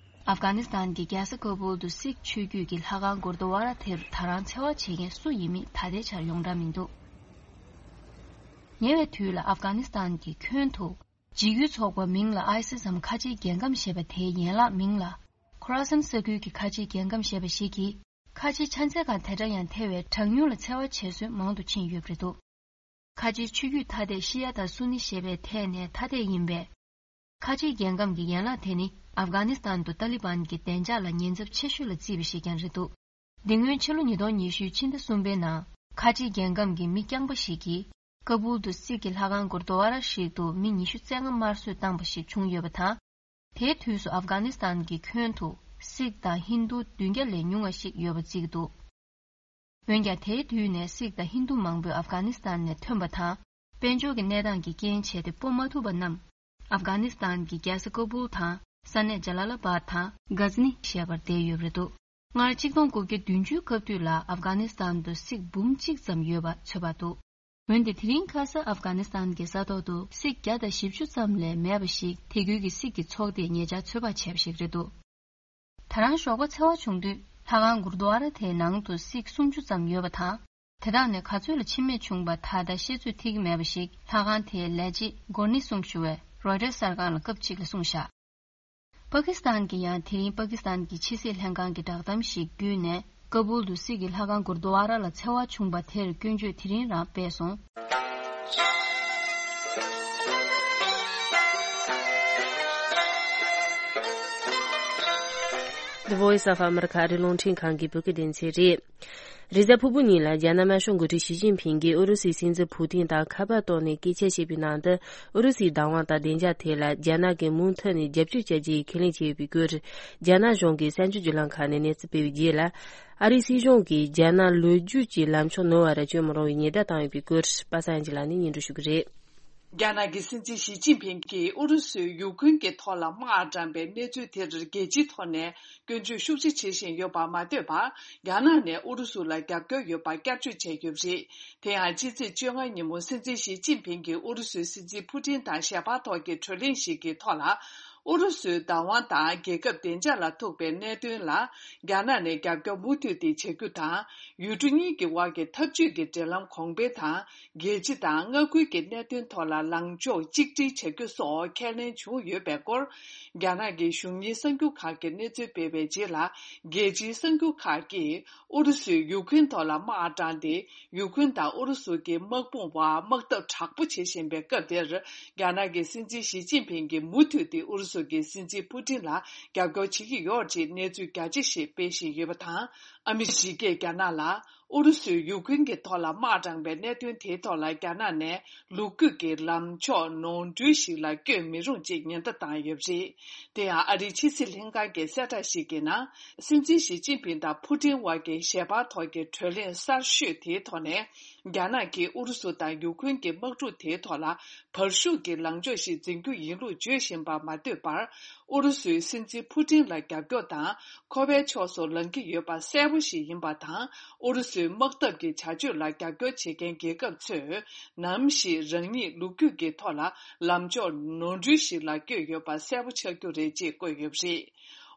ཨབ་གྷ་ནི་སི་ཐན་གྱི་རྒྱལ་ས་ཀ་བུལ་དུ་སིག་ཆོས་བརྒྱུད་ཀྱི་ལྷ་ཁང་གུར་དུ་ཝ་ར་དེར་ད་རང་འཚེ་བ་བྱེད་མཁན་སུ་ཡིན་མིན་ད་ལྟའི་ཆར་ཡོངས་གྲགས་མི་འདུག་ཉེ་བའི་དུས་ལ་ཨབ་གྷ་ནི་སི་ཐན་གྱི་ཁྱོན་དུ་འཇིགས་སྐུལ་ཚོགས་པ་མིང་ལ་ཨའི་སིས་འམ་ཁ་ཆེའི་རྒྱལ་ཁམས་ཞེས་པ་དེའི་ཡན་ལག་མིང་ལ་ཁོ་ར་སན་ས་ཁུལ་གྱི་ཁ་ཆེའི་རྒྱལ་ཁམས་ཞེས་པ་ཞིག་གིས། ཁ་ཆེའི་ཆ་ཚད་ཁག་དེ་འདྲ་ཡང་ཐེ་བའི་གྲངས་ཉུང་ལ་འཚེ་བ་བྱེད་སྲོལ་མང་དུ་ཕྱིན་ཡོད་པ་རེད་འདུག་ཁ་ཆེའི་ཆོས་བརྒྱུད་ཐ་དད་ཤི་ཡ་དང་སུ་ནི་ཞེས་པའི་ཐད་ནས་ཐ་དད་ཡིན་པས། ཁ་ཆེའི་རྒྱལ་ཁམས་ཀྱི་ཡན་ལག་དེ་ནི་ཨབ་གྷ་ནི་སི་ཐན་དུ་ཏཱ་ལི་བན་གྱི་བདེ་འཇགས་ལ་ཉེན་ཚབས་ཆེ་ཤོས་ལ་བརྩིས་པ་ཞིག་ཀྱང་རེད་འདུག་འདི་སྔོན་ཕྱི་ལོ་ཉིས་སྟོང་ཉི་ཤུའི་ཕྱི་ཟླ་གསུམ་པའི་ནང་ཁ་ཆེའི་རྒྱལ་ཁམས་ཀྱི་མི་རྐྱང་པ་ཞིག་གིས་ཀ་བུལ་དུ་སིག་གི་ལྷ་ཁང་གུར་དུ་ཝ་ར་ཞིག་ཏུ་མི་ཉི་ཤུ་རྩ་ལྔ་དམར་གསོད་བཏང་པ་ཞིག་བྱུང་ཡོད་པ་དང་། དེའི་དུས་སུ་ཨབ་གྷ་ནི་སི་ཐན་གྱི་ཁྱོན་དུ་སིག་དང་ཧིན་རྡུ་བདུན་བརྒྱ་ལས་ཉུང་བ་ཞིག་ཡོད་པ་བརྩི་གི་འདུག་འོན་ཀྱང་དེའི་དུས་ནས་སིག་དང་ཧིན་རྡུ་མང་པོས་ཨབ་གྷ་ནི་སི་ཐན་ནས་ཐོན་པ་དང་། དཔལ་འབྱོར་གྱི་གནས་སྟངས་ཀྱི་རྐྱེན་བྱས་ཏེ་སྤོ་མ་ཐུབ་པ་རྣམས་ཨབ་གྷ་ནི་སི་ཐན་གྱི་རྒྱལ་ས་ཀ་བུལ་དང་ས་གནས་ཇ་ལ་ལ་བཱད་དང་གྷ་ཛ་ནི་ཞེས་པར་བསྡད་ཡོད་པ་རེད་འདུག་སྔར་ཆིག་སྟོང་དགུ་བརྒྱ་བདུན་ཅུའི་སྐབས་དུས་ལ་ཨབ་གྷ་ནི་སི་ཐན་དུ་སིག་འབུམ་གཅིག་ཙམ་ཡོད་པ་ཚོད་དཔག་འདུག་འོན་ཏེ་དེ་རིང་ཁ་ས་ཨབ་གྷ་ནི་སི་ཐན་གྱི་ས་ཐོག་ཏུ་སིག་བརྒྱ་དང་བཞི་བཅུ་ཙམ་ལས་མེད་པ་ཞིག་དེ་ཁུལ་གྱི་སིག་གི་ཚོགས་སྡེས་ཉེ་ཆར་ཚོད་དཔག་བྱས་པ་ཞིག་རེད་འདུག་ད་རང་ཞོགས་པ་འཚེ་བ་བྱུང་དུས་ལྷ་ཁང་གུར་དུ་ཝ་ར་དེའི་ནང་དུ་སིག་སུམ་ཅུ་ཙམ་ཡོད་པ་དང་། དེ་དག་ནས་ག་ཚོད་ལ་འཆི་རྨས་བྱུང་པ་ད་ལྟ་ཤེས་ཚོད་ཐིག་གི་མེད་པ་ཞིག་ལྷ་ཁང་དེའི་ལས་བྱེད་གོར་ནི་སུང་ཞུ་བས་རོའི་ཊར་གསར་ཁང་ལ་སྐབས་གཅིག་ལ་གསུངས་བཞག་པ་ཀི་སི་ཐན་གྱིས་ཡང་དེ་རིང་པ་ཀི་སི་ཐན་གྱི་ཕྱི་སྲིད་ལྷན་ཁང་གི་བསྒྲགས་གཏམ་ཞིག་བརྒྱུད་ནས། ཀ་བུལ་དུ་སིག་གི་ལྷ་ཁང་གུར་དུ་ཝ་ར་ལ་འཚེ་བ་བྱུང་པ་དེར་སྐྱོན་བརྗོད་དེ་རིང་རང་སྤེལ་སོང་། The Voice of America ཨ་རི་རླུང་འཕྲིན་ཁང་གི་བོད་སྐད་སྡེ་ཚན་རེད། རེས་གཟའ་ཕུར་བུ་ཉིན་ལ་རྒྱ་ནག་དམར་ཤོག་འགོ་ཁྲིད་ཞི་ཅིན་ཕིང་གིས་ཨུ་རུ་སུའི་སྲིད་འཛིན་ཕུ་ཏིན་དང་ཁ་པར་ཐོག་ནས་སྐད་ཆ་བཤད་པའི་ནང་དུ། ཨུ་རུ་སུའི་བདག་དབང་དང་བདེ་འཇགས་ཐད་ལ་རྒྱ་ནག་གིས་མུ་མཐུད་ནས་རྒྱབ་སྐྱོར་བྱ་རྒྱུའི་ཁས་ལེན་བྱས་ཡོད་པའི་སྐོར། རྒྱ་ནག་གཞུང་གི་གསར་འགྱུར་བརྒྱུད་ལམ་ཁག་ནས་གནས་ཚུལ་སྤེལ་བའི་རྗེས་ལ། ཨ་རིའི་སྲིད་གཞུང་གིས་རྒྱ་ནག་ལོ་རྒྱུས་ཀྱི་ལམ་ཕྱོགས་ནོར་བ་ར་བཅོས་མ་རུང་བའི་ཉེན་བརྡ་བཏང་ཡོད་པའི་སྐོར། པ་སངས་ཨན་ཇི་ལགས་ནས་སྙན་སྒྲོན་ཞུ་གི་རེད། རྒྱ་ནག་གི་སྲིད་འཛིན་ཞི་ཅིན་ཕིང་གིས་ཨུ་རུ་སུས་ཡུ་ཁུན་གྱི་ཐོག་ལ་དམག་དྲངས་པའི་གནས་ཚུལ་དེར་རྒྱལ་སྤྱིའི་ཐོག་ནས་སྐྱོན་བརྗོད་ཤུགས་ཆེ་བྱེད་བཞིན་ཡོད་པར་མ་ལྟོས་པར། རྒྱ་ནག་ནས་ཨུ་རུ་སུ་ལ་རྒྱབ་སྐྱོར་ཡོད་པར་བསྐྱར་བརྗོད་བྱས་ཡོད་པ་རེད། དེ་ཡང་ཕྱི་ཚེས་བཅོ་ལྔ་ཉིན་མོ་སྲིད་འཛིན་ཞི་ཅིན་ཕིང་གིས་ཨུ་རུ་སུའི་སྲིད་འཛིན་ཕུ་ཏིན་དང་ཞལ་པར་ཐོག་གི་གྲོས་གླེང་ཞིག་གི་ཐོག་ལ། ཨུ་རུ་སུའི་བདག་དབང་དང་རྒྱལ་ཁབ་བདེ་འཇགས་ལ་ཐུག་པའི་གནད་དོན་ལ་རྒྱ་ནག་ནས་རྒྱབ་སྐྱོར་མུ་མཐུད་དེ་བྱ་རྒྱུ་དང་། ཡུལ་གྲུ་གཉིས་ཀྱི་དབར་གྱི་འཐབ་ཇུས་ཀྱི་འབྲེལ་ལམ་གོང་འཕེལ་དང་། རྒྱལ་སྤྱི་དང་མངའ་ཁུལ་གྱི་གནད་དོན་ཐོག་ལ་ལངས་ཕྱོགས་གཅིག་སྒྲིལ་བྱ་རྒྱུ་སོགས་ཁས་ལེན་བྱུང་ཡོད་པའི་སྐོར། རྒྱ་ནག་གི་གཞུང་གཉེར་གསར་འགྱུར་ཁག་གིས་གནས་ཚུལ་སྤེལ་བའི་རྗེས་ལ། རྒྱལ་སྤྱིའི་གསར་འགྱུར་ཁག་གིས་ཨུ་རུ་སུས་ཡུ་ཁུན་ཐོག་ལ་དམག་དྲངས་ཏེ། ཡུ་ཁུན་དང་ཨུ་རུ་སུ་གྱི་དམག་དཔུང་བར་དམག་འཐབ་དྲག་པོ་བྱེད་བཞིན་པའི་སྐབས་དེར། རྒྱ་ནག་གི་སྲིད་འཛིན་ཞི་ཅིན་ཕིང་གིས་མུ་མཐུད་དེ་ཨུ་རུ་སུ་གྱི་སྲིད་འཛིན་ཕུ་ཏིན་ལ་རྒྱབ་སྐྱོར་བྱེད་ཀྱི་ཡོད་ཅེས་གནས་ཚུལ་རྒྱ་ཆེ་ཞིག་སྤེལ་བཞིན་ཡོད་པ་དང་། ཨ་མི་རི་ཀས་རྒྱ་ནག་ལ། ཨུ་རུ་སུས་ཡུ་ཁུན་གྱི་ཐོག་ལ་དམག་དྲངས་པའི་གནད་དོན་དེའི་ཐོག་ལ་རྒྱ་ནག་ནས་ལོ་རྒྱུས་ཀྱི་ལངས་ཕྱོགས་ནོར་འཁྲུལ་ཞིག་ལ་བསྐྱོད་མི་རུང་ཅེས་ཉེན་བརྡ་བཏང་ཡོད་པ་རེད། དེ་ཡང་ཨ་རིའི་ཕྱི་སྲིད་ལྷན་ཁང་གི་གསལ་བསྒྲགས་ཤིག་གི་ནང་། སྲིད་འཛིན་ཞི་ཅིན་ཕིང་དང་ཕུ་ཏིན་དབར་གྱི་ཞལ་པར་ཐོག་གི་གྲོས་གླེང་གསར་ཤོས་དེའི་ཐོག་ནས། རྒྱ་ནག་གིས་ཨུ་རུ་སུ་དང་ཡུ་ཁུན་གྱི་དམག་འཁྲུག་དེའི་ཐོག་ལ་བར་ཤུགས་ཀྱི་ལངས་ཕྱོགས་ཤིག་འཛིན་རྒྱུ་ཡིན་ལུགས་བརྗོད་བཞིན་པར་མ་ལྟོས་པར། ཨུ་རུ་སུའི་སྲིད་འཛིན་ཕུ་ཏིན་ལ་རྒྱབ་སྐྱོར་དང་། ཁོ་པའི་ཕྱོགས་སུ་ལངས་ཀྱི་ཡོད་པ་གསལ་པོ་ཞིག་ཡིན་པ་དང་། ཨུ་རུ་སུའི་དམག་འཐབ་ཀྱི་བྱ་སྤྱོད་ལ་རྒྱབ་སྐྱོར་བྱེད་མཁན་རྒྱལ་ཁབ་ཚོས། ནམ་ཞིག་རང་ཉིད་ལོ་རྒྱུས་ཀྱི་ཐོག་ལ་ལངས་ཕྱོགས་ནོར་འཁྲུལ་ཞིག་ལ་བསྐྱོད་ཡོད་པ་གསལ་པོ་ཆགས་རྒྱུ་རེད་ཅེས་བཀོད་ཡོད་པ་རེད།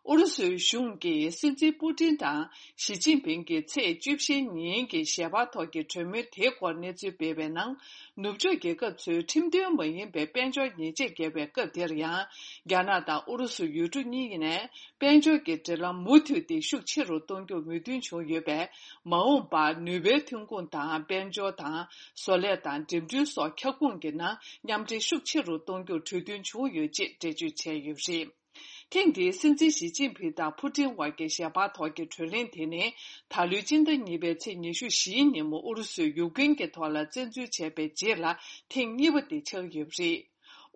ཨུ་རུ་སུའི་གཞུང་གིས་སྲིད་འཛིན་པུ་ཏིན་དང་ཞི་ཅིན་ཕིང་གི་ཚེས་བཅུ་བཞི་ཉིན་གྱི་ཞལ་པར་ཐོག་གི་གྲོས་མོལ་དེའི་སྐོར་གནས་ཚུལ་སྤེལ་བའི་ནང་། ནུབ་ཕྱོགས་རྒྱལ་ཁབ་ཚོས་ཁྲིམས་མཐུན་མ་ཡིན་པའི་དཔལ་འབྱོར་ཉེས་ཆད་བཀལ་བའི་སྐབས་དེར་ཡང་། རྒྱ་ནག་དང་ཨུ་རུ་སུ་ཡུལ་གྲུ་གཉིས་ནས་དཔལ་འབྱོར་གྱི་འབྲེལ་ལམ་མུ་མཐུད་དེ་ཤུགས་ཆེ་རུ་གཏོང་རྒྱུར་མོས་མཐུན་བྱུང་ཡོད་པས། མ་འོངས་པར་ནུས་པའི་ཐོན་ཁུངས་དང་དཔལ་འབྱོར་དང་བཟོ་ལས་དང་འགྲིམ་འགྲུལ་སོགས་ཁྱབ་ཁོངས་ཀྱི་ནང་མཉམ་འབྲེལ་ཤུགས་ཆེ་རུ་གཏོང་རྒྱུར་གྲོས་མཐུན་བྱུང་ཡོད་ཅེས་འགྲེལ་བརྗོད་བྱས་ཡོད་པ་རེད། ཐེངས་འདིའི་སྲིད་འཛིན་ཞི་ཅིན་ཕིང་དང་ཕུ་ཏིན་དབར་གྱི་ཞལ་པར་ཐོག་གི་གྲོས་གླེང་དེ་ནི། ད་ལོའི་སྤྱི་ཟླ་གཉིས་པའི་ཚེས་ཉི་ཤུ་བཞིའི་ཉིན་མོ་ཨུ་རུ་སུས་ཡུ་ཀེན་གྱི་ཐོག་ལ་བཙན་འཛུལ་བྱས་པའི་རྗེས་ལ་ཐེངས་གཉིས་པ་དེ་ཆགས་ཡོད་པ་རེད།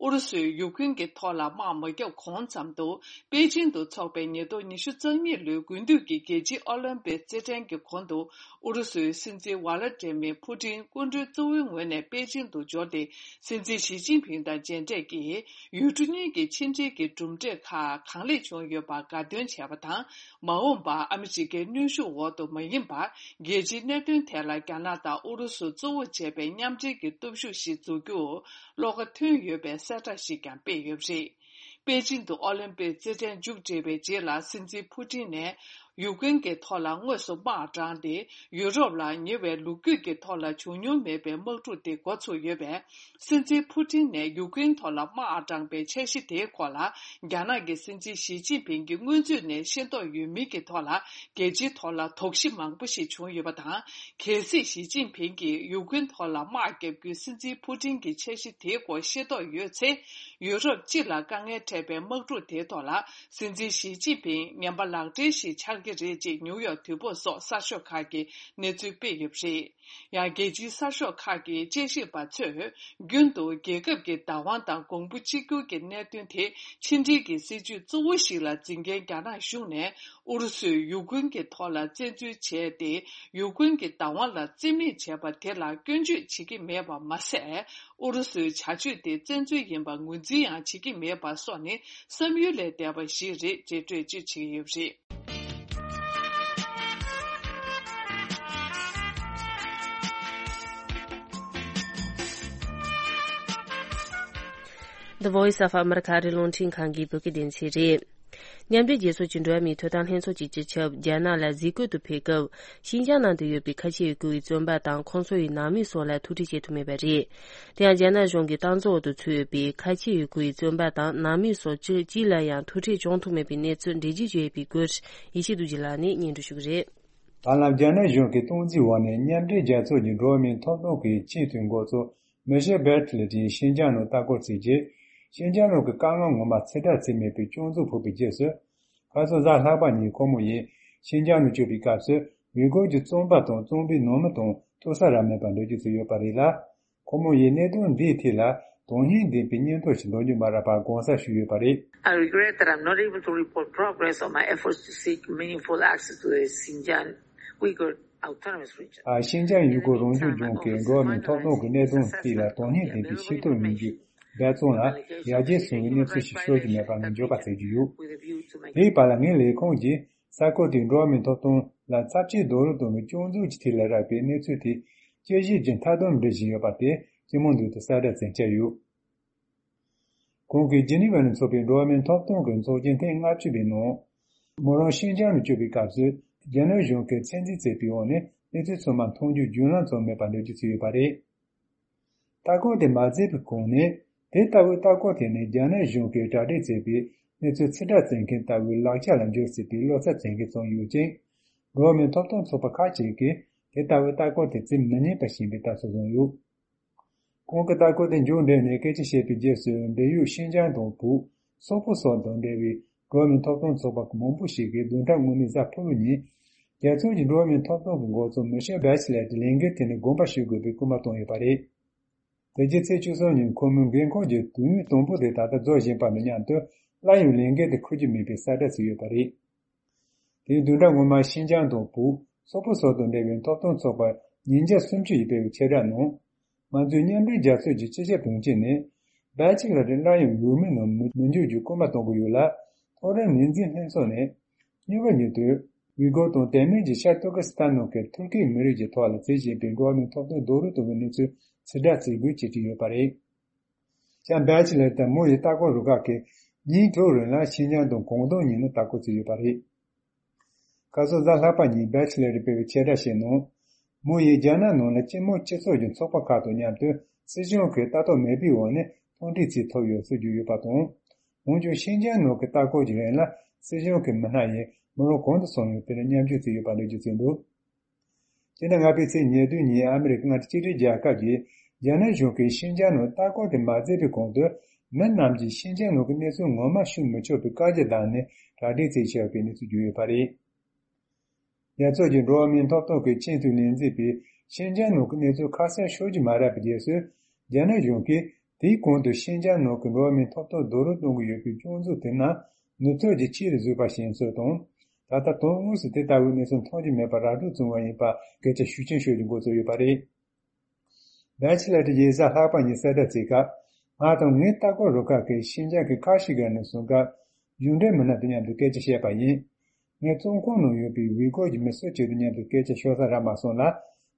ཨུ་རུ་སུས་ཡུཀ་རེན་གྱི་ཐོག་ལ་དམག་མ་བརྒྱབ་གོང་ཙམ་དུ། པེ་ཅིང་དུ་འཚོགས་པའི་ཉིས་སྟོང་ཉི་ཤུ་རྩ་གཉིས་ལོའི་དགུན་དུས་ཀྱི་རྒྱལ་སྤྱིའི་ཨོ་ལིམ་པིག་རྩེད་འགྲན་གྱི་གོང་དུ། ཨུ་རུ་སུའི་སྲིད་འཛིན་ཝ་ལ་ཏྲེ་མི་ཕུ་ཏིན་སྐུ་མགྲོན་གཙོ་བོའི་ངོས་ནས་པེ་ཅིང་དུ་འབྱོར་ཏེ། སྲིད་འཛིན་ཞི་ཅིན་ཕིང་དང་མཇལ་འཕྲད་ཀྱིས། ཡུལ་གྲུ་གཉིས་ཀྱི་ཕྱི་འབྲེལ་གྱི་གྲུབ་འབྲས་ཁག་གང་ལེགས་བྱུང་ཡོད་པར་དགའ་སྟོན་བྱས་པ་དང་། མ་འོངས་པར་ཨ་མི་རི་ཀའི་གནོན་ཤུགས་འོག་ཏུ་མ་ཡིན་པར། རྒྱལ་སྤྱིའི་གནད་དོན་ཐད་ལ་རྒྱ་ནག་དང་ཨུ་རུ་སུ་གཙོ་བོ་བྱས་པའི་མཉམ་འབྲེལ་གྱི་སྟོབས་ཤུགས་ཤིག་འཛུགས་རྒྱུར་བློ་ཁ་ཐོན་ཡོད་པའི་གསལ་བསྒྲགས་ཤིག་ཀྱང་སྤེལ་ཡོད་པ་རེད། པེ་ཅིང་དུ་ཨོ་ལིམ་པིག་རྩེད་འགྲན་མཇུག་བསྒྲིལ་བའི་རྗེས་ལ། སྲིད་འཛིན་ཕུ་ཏིན་ནས་ཡུཀ་རེན་གྱི་ཐོག་ལ་དངོས་སུ་དམག་དྲངས་ཏེ། ཡུ་རོབ་ལ་ཉེ་བའི་ལོ་རྒྱུས་ཀྱི་ཐོག་ལ་བྱུང་མྱོང་མེད་པའི་དམག་འཁྲུག་དེ་འགོ་ཚུགས་ཡོད་པས། སྲིད་འཛིན་ཕུ་ཏིན་ནས་ཡུཀ་རེན་ཐོག་ལ་དམག་དྲངས་པའི་འཆར་གཞི་དེའི་སྐོར་ལ། རྒྱ་ནག་གི་སྲིད་འཛིན་ཞི་ཅིན་ཕིང་གིས་སྔོན་ཚུད་ནས་ཤེས་རྟོགས་ཡོད་མིན་གྱི་ཐོག་ལ། རྒྱལ་སྤྱིའི་ཐོག་ལ་དོགས་གཞི་མང་པོ་ཞིག་བྱུང་ཡོད་པ་དང་། གལ་སྲིད་ཞི་ཅིན་ཕིང་གིས་ཡུཀ་རེན་ཐོག་ལ་དམག་བརྒྱབ་རྒྱུའི་སྲིད་འཛིན་ཕུ་ཏིན་གྱི་འཆར་གཞི་དེའི་སྐོར་ཤེས་རྟོགས་ཡོད་ཚེ། ཡུ་རོབ་སྤྱི་ལ་དཀའ་ངལ་འཕྲད་པའི་དམག་འཁྲུག་དེའི་ཐོག་ལ། སྲིད་འཛིན་ཞི་ཅིན་ཕིང་ངན་པ་ལག་སྦྲེལ་ཞིག་ཆགས་ཀྱི་རེད་ཅེས་ནིའུ་ཡོག་དུས་བབ་སོགས་གསར་ཤོག་ཁག་གིས་གནས་ཚུལ་སྤེལ་ཡོད་པ་རེད། ཡང་། རྒྱལ་སྤྱིའི་གསར་ཤོག་ཁག་གི་དཔྱད་ཞིབ་པ་ཚོས། རྒྱུན་དུ་རྒྱལ་ཁབ་ཀྱི་བདག་དབང་དང་གོང་བུ་གཅིག་གྱུར་གྱི་གནད་དོན་དེ། ཕྱི་འབྲེལ་གྱི་སྲིད་ཇུས་གཙོ་བོ་ཞིག་ལ་འཛིན་མཁན་རྒྱ་ནག་གཞུང་ནས། ཨུ་རུ་སུས་ཡུཀ་རེན་གྱི་ཐོག་ལ་བཙན་འཛུལ་བྱས་ཏེ། ཡུཀ་རེན་གྱི་བདག་དབང་ལ་བརྩི་མེད་བྱས་པ་དེ་ལ་སྐྱོན་བརྗོད་བྱེད་ཀྱི་མེད་པ་མ་ཟད། ཨུ་རུ་སུའི་བྱ་སྤྱོད་དེ་བཙན་འཛུལ་ཡིན་པ་ངོས་འཛིན་ཡང་བྱེད་ཀྱི་མེད་པ་སོགས་ནི། བསམ་ཡུལ་ལས་འདས་པ་ཞིག་རེད་ཅེས་འགྲེལ་བརྗོད་བྱེད་ཀྱི་ཡོད་པ་རེད། The Voice of America ཨ་རིའི་རླུང་འཕྲིན་ཁང་གི་བོད་སྐད་སྡེ་ཚན་རེད། མཉམ་འབྲེལ་རྒྱལ་ཚོགས་ཀྱི་འགྲོ་བ་མིའི་ཐོབ་ཐང་ལྷན་ཚོགས་ཀྱི་སྤྱི་ཁྱབ་རྒྱ་ནག་ལ་གཟིགས་སྐོར་དུ་ཕེབས་སྐབས། ཤིན་ཅང་ནང་དུ་ཡོད་པའི་ཁ་ཆེ་ཡུལ་སྐོར་བའི་བཙོན་པ་དང་ཁོང་ཚོ་ཡི་ནང་མི་སོགས་ལ་ཐུག་འཕྲད་བྱེད་ཐུབ་མེད་པ་རེད། དེ་ཡང་རྒྱ་ནག་གཞུང་གི་སྟངས་འཛིན་འོག་ཏུ་ཚུད་ཡོད་པའི་ཁ་ཆེ་ཡུལ་སྐོར་བའི་བཙོན་པ་དང་ནང་མི་སོགས་སྤྱི་སྤྱི་ལ་ཡང་ཐུག་འཕྲད་བྱུང་ཐུབ་མེད་པའི་གནས་ཚུལ་འགྲེལ་བརྗོད་བྱས་པའི་སྐོར་ཡེ་ཤེས་རྡོ་རྗེ་ལགས་ནས་སྙན་སྒྲོན་ཞུ་གི་རེད། ད་ལམ་རྒྱ་ནག་གཞུང་གི་སྟངས་འཛིན་འོག་ནས་མཉམ་འབྲེལ་རྒྱལ་ཚོགས་ཀྱི་འགྲོ་བ་མིའི་ཐོབ་ཐང་གི་ཆེས་མཐོའི་འགོ་གཙོ་མི་ཤེལ་བྷེ་ཆི་ལེ་ཏིས་ཤིན་ཅང་ནང་ལྟ་སྐོར་བྱས་རྗེས། ཤིན་ཅང་ནང་གི་དཀའ་ངལ་ངོ་མ་ཚོད་ལྟ་བྱས་མེད་པའི་སྐྱོན་འཛུགས་ཕོག་པའི་རྗེས་སུ། ཁ་སང་གཟའ་ལྷག་པ་ཉིན་ཁོ་མོ་ཡིས་ཤིན་ཅང་དུ་བསྐྱོད་པའི་སྐབས་སུ། ཡུ་གུར་གྱི་བཙོན་པ་དང་བཙོན་པའི་ནང་མི་དང་ཐུག་ས་རག་མེད་པར་འགྲེལ་བརྗོད་བྱས་ཡོད་པ་རེད་ལ། ཁོ་མོ་ཡིས་གནད་དོན་འདིའི་ཐད་ལ་དོན་སྙིང་ལྡན་པའི་སྙན་ཐོ་ཞིག་འདོན་རྒྱུ་མ་རག་པར་དགོངས་དག་ཞུས་ཡོད་པ་རེད། I regret that I'm not able to report progress on my efforts to seek meaningful access to the Xinjiang Uyghur Autonomous Region. ཨ། ཤིན་ཅང་ཡུ་གུར་རང་སྐྱོང་ལྗོངས་ཀྱི་འགྲོ་བ་མིའི་ཐོབ་ཐང་གི་གནད་དོན་ཐད་ལ་དོན་སྙིང་ལྡན་པའི་ཤེས་རྟོགས་ཡོང་རྒྱུ་འབད་བརྩོན་ལ་ཡར་རྒྱས་སོང་བའི་གནས་ཚུལ་ཞིག་ཤོད་ཀྱི་མེད་པ་ངས་འགྱོད་པ་བྱེད་ཀྱི་ཡོད། དེའི་བར་ལ་ངའི་ལས་ཁུངས་ཀྱིས་གསར་འགོད་དེས་འགྲོ་བ་མིའི་ཐོབ་ཐང་ལ་ཚབས་ཆེའི་རྡོག་རོལ་གཏོང་བའི་སྐྱོན་འཛུགས་ཀྱི་ཐད་ལ་རག་པའི་གནས་ཚུལ་དེ་དཔྱད་ཞིབ་ཀྱི་མཐའ་སྡོམ་འབྲི་བཞིན་ཡོད་པ་དེ་སྤྱི་དམངས་མདུན་དུ་གསལ་བསྒྲགས་མཛད་འཆར་ཡོད། ཁོང་གིས་ཇི་ནི་ཝ་ནས་འཚོགས་པའི་འགྲོ་བ་མིའི་ཐོབ་ཐང་གི་ཚོགས་ཆེན་ཐེངས་ལྔ་བཅུ་པའི་ནང་། མོ་རང་ཤིན་ཅང་དུ་བསྐྱོད་པའི་སྐབས་སུ་རྒྱ་ནག་གཞུང་གིས་ཚད་འཛིན་བྱས་པའི་འོག་ནས་གནས་ཚུལ་ཚང་མ་མཐོང་རྒྱུའི་བརྒྱུད་ལམ་ཙམ་མེད་པར་འགྲེལ་བརྗོད་བྱས་ཡོད་པ་རེད། ལྟ་སྐོར་དེ་མ་མཛད་པའི་གོང་ནས། དེ་ལྟ་བུའི་ལྟ་སྐོར་དེ་ནི་རྒྱ་ནག་གཞུང་གིས་གྲ་སྒྲིག་བྱས་པའི་གནས་ཚུལ་ཕྱིར་བསྒྲགས་བྱེད་མཁན་ལྟ་བུའི་ལག་ཆ་ལ་འཇོག་སྲིད་པའི་བློ་འཚབ་བྱེད་མཁན་ཙམ་ཡོད་ཅིང་། འགྲོ་བ་མིའི་ཐོབ་ཐང་ཚོགས་པ་ཁག་ཅིག་གིས་དེ་ལྟ་བུའི་ལྟ་སྐོར་དེ་བྱེད་མི་ཉན་པ་ཞིག་ཡིན་པའི་ལྟ་ཚུལ་བཟུང་ཡོད། ཁོང་གིས་ལྟ་སྐོར་དེ་མཇུག་འབྲས་ནས་སྐད་ཆ་བཤད་པའི་རྗེས་སུ། འབྲེལ་ཡོད་ཤིན་ཅང་དང་བོད། སོག་པོ་སོགས་དང་འབྲེལ་བའི་འགྲོ་བ་མིའི་ཐོབ་ཐང་ཚོགས་པ་མང་པོ་ཞིག་གིས་བདུན་ཕྲག་སྔོན་མའི་གཟའ་ཕུར་བུ་ཉིན། རྒྱལ་ཚོགས་ཀྱི་འགྲོ་བ་མིའི་ཐོབ་ཐང་གི་འགོ་གཙོ་མི་ཤེལ་བྷེ་ཆི་ལེ་ཏི་ལས་འགུལ་དེ་ནས་དགོངས་པ་ཞུ་དགོས་པའི་སྐུལ་མ་བཏང་ཡོད་པ་རེད། དེ་རྗེས་ཚེས་བཅུ་གསུམ་ཉིན་ཁོ་མོའི་འགན་ཁུར་གྱི་དུས་ཡུན་དང་པོ་དེ་ད་ལྟ་རྫོགས་བཞིན་པ་དང་མཉམ་དུ། སླར་ཡང་ལས་འགུལ་དེ་འཁུར་རྒྱུ་མེད་པའི་གསལ་བསྒྲགས་བྱས་ཡོད་པ་རེད། དེའི་བདུན་ཕྲག་སྔོན་མ་ཤིན་ཅང་དང་བོད། སོག་པོ་སོགས་དང་འབྲེལ་བའི་ཐོབ་ཐང་ཚོགས་པ་ཉིས་བརྒྱ་སུམ་ཅུ་ཡིས་སྤེལ་བའི་ཕྱིར་བསྒྲགས་ནང་། ང་ཚོའི་མཉམ་འབྲེལ་རྒྱལ་ཚོགས་ཀྱི་སྤྱི་ཁྱབ་དྲུང་ཆེ་ནས། བྷེ་ཆི་ལེ་ཏི་སླར་ཡང་ཡུལ་མིའི་ནང་མི་མི་འཇུག་རྒྱུའི་སྐུལ་མ་གཏོང་གི་ཡོད་ལ། མཐོ་རིམ་ངོས་འཛིན་ལྷན་ཚོགས་ནས། གཉིས་པ་ཉིན་དུ། ཝི་གོར་དང་དེ་མིན་གྱི་ཤར་ཏུར་ཀི་སི་ཐན་ནང་གི་ཐུར་ཁེའི་མི་རིགས་ཀྱི་ཐོག་ལ་བྱེད་བཞིན་པའི་འགྲོ་བ་མིའི་ཐོབ་ཐང་རྡོག་རོལ་གཏོང་བའི་གནས་ཚུལ་ཕྱིར་བསྒྲགས་བྱེད་དགོས་ཅེས་བྲིས་ཡོད་པ་རེད། ཡང་བྷེ་ཆི་ལེ་ཏི་མོ་ཡི་ལྟ་སྐོར་རུ་ཁག་གིས་ཉིན་དྲུག་རིང་ལ་ཤིན་ཅང་དང་ཀོང་ཏུང་གཉིས་ནང་ལྟ་སྐོར་བྱས་ཡོད་པ་རེད། ཁ་སང་གཟའ་ལྷག་པ་ཉིན་བྷེ་ཆི་ལེ་ཏིས་སྤེལ་བའི་ཕྱིར་བསྒྲགས་ཤིག་ནང་། མོ་ཡིས་རྒྱ་ནག་ནང་ལ་སྤྱི་དམངས་སྤྱི་ཚོགས་ཀྱི་ཚོགས་པ་ཁག་དང་མཉམ་དུ་སྲིད་གཞུང་གི་ལྟ་རྟོག་མེད་པའི་འོག་ནས་མཐོང་གྲོལ་བྱེད་ཐུབ་ཡོད་ཚུལ་བརྗོད་ཡོད་པ་དང་། འོན་ཀྱང་ཤིན་ཅང་ནང་གི་ལྟ་སྐོར་གྱི་རིང་ལ་སྲིད་གཞུང་གི་མི་སྣ་ཡིས་མོ་རང་གང་དུ་སོང་ཡོད་དེར་མཉམ་ཞུགས་བྱས་ཡོད་པ་འགྲེལ་བརྗོད་བྱས་འདུག་སྤྱི་ཟླ་ལྔ་པའི་ཚེས་ཉེར་བདུན་ཉིན་ཨ་མི་རི་ཀ་མངའ་སྡེ་གཅིག་སྒྲིལ་རྒྱལ་ཁབ་ཀྱིས་རྒྱ་ནག་གཞུང་གིས་ཤིན་ཅང་ནང་ལྟ་སྐོར་དེ་མ་མཛད་པའི་གོང་དུ། མི་རྣམས་ཀྱིས་ཤིན་ཅང་ནང་གི་གནས་ཚུལ་ངོ་མ་ཤེས་མི་ཆོག་པའི་བཀའ་རྒྱ་བཏང་ནས་གྲ་སྒྲིག་བྱས་ཡོད་པའི་གནས་ཚུལ་བརྗོད་ཡོད་པ་རེད། རྒྱལ་ཚོགས་ཀྱི་འགྲོ་བ་མིའི་ཐོབ་ཐང་གི་ཆེས་མཐོའི་ལས་འཛིན་པས་ཤིན་ཅང་ནང་གི་གནས་ཚུལ་ཁ་གསལ་ཤོད་རྒྱུ་མ་རག་པའི་རྗེས་སུ། རྒྱ་ནག་གཞུང་གིས་ དེའི་གོང་དུ་ཤིན་ཅང་ནང་གི་འགྲོ་བ་མིའི་ཐོབ་ཐང་རྡོག་རོལ་གཏོང་གི་ཡོད་པའི་སྐྱོན་འཛུགས་དེ་རྣམས་ནུབ་ཕྱོགས་ཀྱིས་ཆེ་རུ་བཟོས་པ་ཞིག་ཡིན་ཚུལ་དང་། ད་ལྟ་དོན་དངོས་སུ་དེ་ལྟ་བུའི་གནས་ཚུལ་མཐོང་རྒྱུ་མེད་པར་ར་སྤྲོད་བྱུང་བ་ཡིན་པ་སྐད་ཆ་ཤུགས་ཆེན་ཤོད་རྒྱུ་འགོ་བཙུགས་ཡོད་པ་རེད། བེ་ཆི་ལར་གྱི་ཡིག་ཚགས་ལྷག་པ་གཉིས་གསལ་བསྒྲགས་བྱེད་སྐབས། ང་དང་ངའི་ལྟ་སྐོར་རུ་ཁག་གིས་ཤིན་ཅང་གི་ཁ་ཤི་གྷར་ནས་བཟུང་སྐབས། གཞུང་འབྲེལ་མི་སྣ་དང་མཉམ་དུ་སྐད་ཆ་བཤད་པ་ཡིན། ངས་བཙོན་ཁང་ནང་ཡོད་པའི་ཝི་གོར་གྱི་མི་སུ་གཅིག་དང་མཉམ་དུ་སྐད་ཆ་ཤོར་ས་རག་མ་སོང་ལ།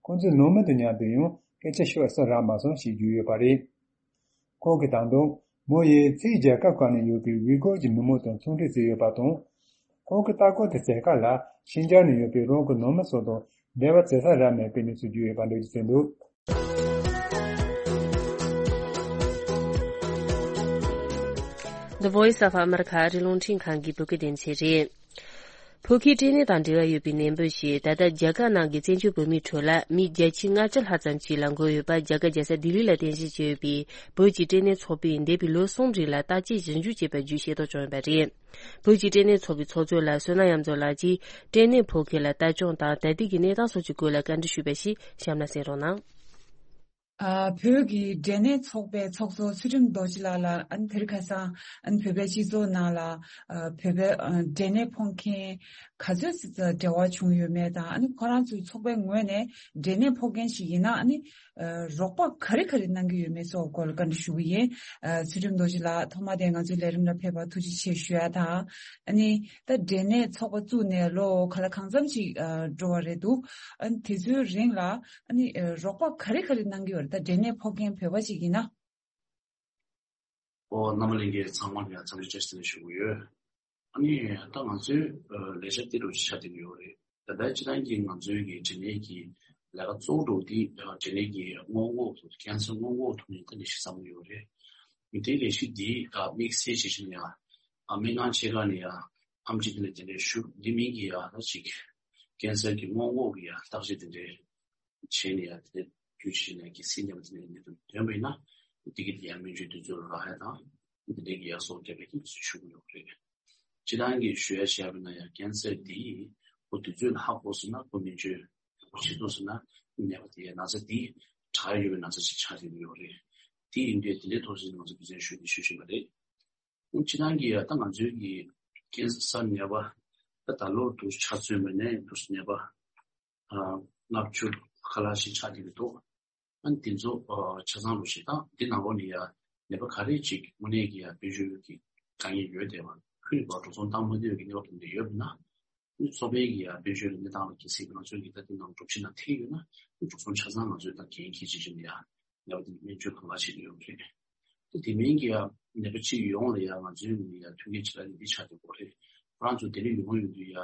ཁོང་ཚོའི་ནང་མི་དང་མཉམ་དུ་ཡང་སྐད་ཆ་ཤོར་ས་རག་མ་སོང་ཞེས་བརྗོད་ཡོད་པ་རེད། ཁོང་གིས་ད་དུང་མོ་ཡིས་ཕྱིའི་རྒྱལ་ཁབ་ཁག་ནང་ཡོད་པའི་ཝི་གོར་གྱི་མི་མང་དང་ཚོང་འབྲེལ་བྱས་ཡོད་པ་དང་། ཁོང་གི་ལྟ་སྐོར་དེ་བྱེད་སྐབས་ལ་ཤིན་ཅང་ནང་ཡོད་པའི་རང་གི་ནང་མི་སོགས་དང་འབྲེལ་བ་བྱེད་ས་རག་མེད་པའི་གནས་ཚུལ་བརྗོད་ཡོད་པ་འགྲེལ་བརྗོད་བྱས་འདུག། The Voice of America ཨ་རི་རླུང་འཕྲིན་ཁང་གི་བོད་སྐད་སྡེ་ཚན་རེད། ཕོ་ཁའི་སྐྲན་ནད་དང་འབྲེལ་བ་ཡོད་པའི་ནད་འབུ་ཞིག་ད་ལྟ་རྒྱ་གར་ནང་གི་བཙན་བྱོལ་བོད་མིའི་ཁྲོད་ལ་མི་བརྒྱ་ཆ་ལྔ་བཅུ་ལྷག་ཙམ་ཞིག་ལ་འགོས་ཡོད་པ་རྒྱ་གར་རྒྱལ་ས་ལྡི་ལི་ལ་རྟེན་གཞི་བྱས་ཡོད་པའི་བོད་ཀྱི་སྐྲན་ནད་ཚོགས་པས་འདས་པའི་ལོ་གསུམ་རིང་ལ་བརྟག་དཔྱད་ཞིབ་འཇུག་བྱས་པ་བརྒྱུད་ཤེས་རྟོགས་བྱུང་ཡོད་པ་རེད། བོད་ཀྱི་སྐྲན་ནད་ཚོགས་པའི་ཚོགས་གཙོ་ལགས་བསོད་ནམས་གཡང་མཚོ་ལགས་ཀྱིས་སྐྲན་ནད་ཕོ་ཁ་ལ་ལྟ་སྐྱོང་དང་ད་ལྟའི་གི་གནས་སྟངས་སོགས་ཀྱི་སྐོར་ལ་བཀའ་འདྲི་ཞུས་པ་ཞིག་གཤམ་ལ་གསན་རོགས་གནང་། ཨ། བོད་ཀྱི་སྐྲན་ནད་ཚོགས་པའི་ཚོགས་གཙོ་ཚུལ་ཁྲིམས་རྡོ་རྗེ་ལགས་ལ་ཨ་ནི་དེ་རིང་ཁ་སང་ཨ་ནི་བོད་པའི་སྤྱི་ཚོགས་ནང་ལ་ཨ་བོད་པའི་ཨ་སྐྲན་ནད་ཕོག་མཁན་ག་ཚོད་ཙམ་འབྲེལ་བ་བྱུང་ཡོད་མེད་དང་ཨ་ནི་ཁོ་རང་ཚོའི་ཚོགས་པའི་ངོས་ནས་སྐྲན་ནད་ཕོག་མཁན་ཞིག་ཡིན་ན་ཨ་ནི་ཨ་རོགས་པ་ག་རེ་ག་རེ་གནང་གི་ཡོད་མེད་སོགས་སྐོར་ལ་བཀའ་འདྲི་ཞུ་གི་ཡིན། ཨ་ཚུལ་ཁྲིམས་རྡོ་རྗེ་ལགས་ཐོག་མ་དེ་ང་ཚོའི་ལས་རིམ་ལ་ཕེབས་པར་ཐུགས་རྗེ་ཆེ་ཞུ་ཡ་དང་། ཨ་ནི་ད་སྐྲན་ནད་ཚོགས་པ་བཙུགས་ནས་ལོ་ག་ལ་གང་འཚམ་ཞིག་ཨ་འགྲོ་བ་རེད་འདུག། ཨ་ནི་དེ་ཚོའི་རིང་ལ་ཨ་ནི་ཨ་རོགས་པ་ག་རེ་ག་རེ་གནང་གི་ཡོད་རེད། ད་སྐྲན་ནད་ཕོག་མཁན་བོད་པ་ཞིག་ཡིན་ན། ཨོ་རྣམ་པ་ལྷན་རྒྱས་ཚང་མ་ལ་ཡང་འཚམས་འདྲི་བཀྲ་ཤིས་བདེ་ལེགས་ཞུ་གི་ཡོད། ཨ་ནི་ད་ང་ཚོའི་ཨ་ལས་འཆར་དེ་འདྲ་ཞིག་ཆགས་བསྡད་ཀྱི་ཡོད་རེད། ད་ལྟའི་སྤྱིར་བཏང་གི་ང་ཚོའི་གི་སྐྲན་ནད་ཀྱི་ལས་ཀ་གཙོ་བོ་འདྲ་བོ་དེ་ཨ་སྐྲན་ནད་ཀྱི་སྔོན་འགོག་ཀེན་སར་སྔོན་འགོག་ཐུབ་མིན་ད་ནི་ཞིག་བསམ་གྱི་ཡོད་རེད། དེ་ལས་གཞི་འདི་ཨ་དམིགས་བསལ་བྱེད་བཞིན་ཡང་ཨ་སྨན་ཁང་ཆེ་ཁག་ནས་ཡང་ཨེམ་ཆི་དེ་ལས་དེ་འདྲའི་ཞུ་འདི་མིན་གྱི་ཡང་ད་ཅིག་ཀེན་སར་གྱི་སྔོན་འགོག་གི་ཡང་བརྟག་དཔྱད་དེ་འདྲའི་བྱས་ནས་ཡང་དེ་འདྲའི་རྒྱུ་ཆེ་ནས་ཀྱི་སྲིད་འདེམས་དེ་འདྲའི་གནད་དོན་ཐོན་པ་ཡིན་ན་དེ་གི་དེ་ཡང་སྨན་བཅོས་དུས་ཚོད་རག་ཡ་དང་དེ་འདྲའི་གི་ཡང་གསོ་བརྒྱབ་པའི་དུས་ཚོད་ཞུ་གི་ཡོད་རེད། སྤྱིར་བཏང་གི་ཞུ་ཡ་བྱས་པ་ན་ཡང་ཀེན་སར་འདི་ཁོ་དུས་ཚོད་ལ་ཧ་གོ་སོང་ན་ཁོ་སྨན་བཅོས་ཁོ་བྱེད་ཐུབ་སོང་ན་ནད་པ་དེའི་ན་ཚ་འདི་དྲག་ཡོད་པའི་ན་ཚ་ཞིག་ཆགས་ཀྱི་ཡོད་རེད། དེ་ཡིན་དུས་དེ་འདྲའི་ཐོག་ཞིག་ང་ཚོ་དུས་ཚོད་ཞུ་འདི་ཞུ་བཞིན་པ་རེད། སྤྱིར་བཏང་གི་ཡ་ད་ང་ཚོའི་གི་ཀེན་སར་ནད་པ་ད་ད་ལོ་དུ་ཆ་མཚོན་པ་ནས་དུ་ནད་པ་ལྔ་བཅུ་ཁ་ལག་ཞིག་ཆགས་ཀྱི་འདུག། ཨ་ནི་དེ་ཚོ་ཆ་ཚང་རུ་ཞིག་དང་འདི་ནང་ལོགས་ནས་ཡ་ནད་པ་ག་རེ་ཅིག་དངོས་གནས་ཀྱི་ཡ་དཔལ་འབྱོར་གྱི་དཀའ་ངལ་ཡོད་བསྡད་པ་ཁུལ་ནས་འགྲོ་སོང་བཏང་མ་ཐུབ་ཀྱི་ནད་པ་དེ་འདྲ་ཡོད་པ་ན། ཚོགས་པའི་གི་ཡ་དཔལ་འབྱོར་གྱི་གནས་སྟངས་ལ་གལ་སྲིད་ང་ཚོའི་གི་ད་ལྟའི་ནང་སྒྲུབ་བྱེད་ནང་ཐེ་ཡོད་ན་འགྲོ་སོང་ཆ་ཚང་ང་ཚོས་ད་འགན་འཁྱེར་བྱེད་བཞིན་ཡ་ནད་པ་དེ་སྨན་བཅོས་གང་ལ་བྱེད་ཀྱི་ཡོད་རེད། ད་དེ་མིན་གྱི་ཡ་ནད་པ་གཅིག་ཡོང་ལ་ཡ་ང་ཚོའི་ངོས་ནས་ཡ་མཐུན་རྐྱེན་ཆེ་ལ་ནི་འདི་ཆགས་ཀྱི་ཡོད་རེད། ཁོ་རང་ཚོ་དེ་ནས་ཡོང་ཡོང་དུས་ཡ་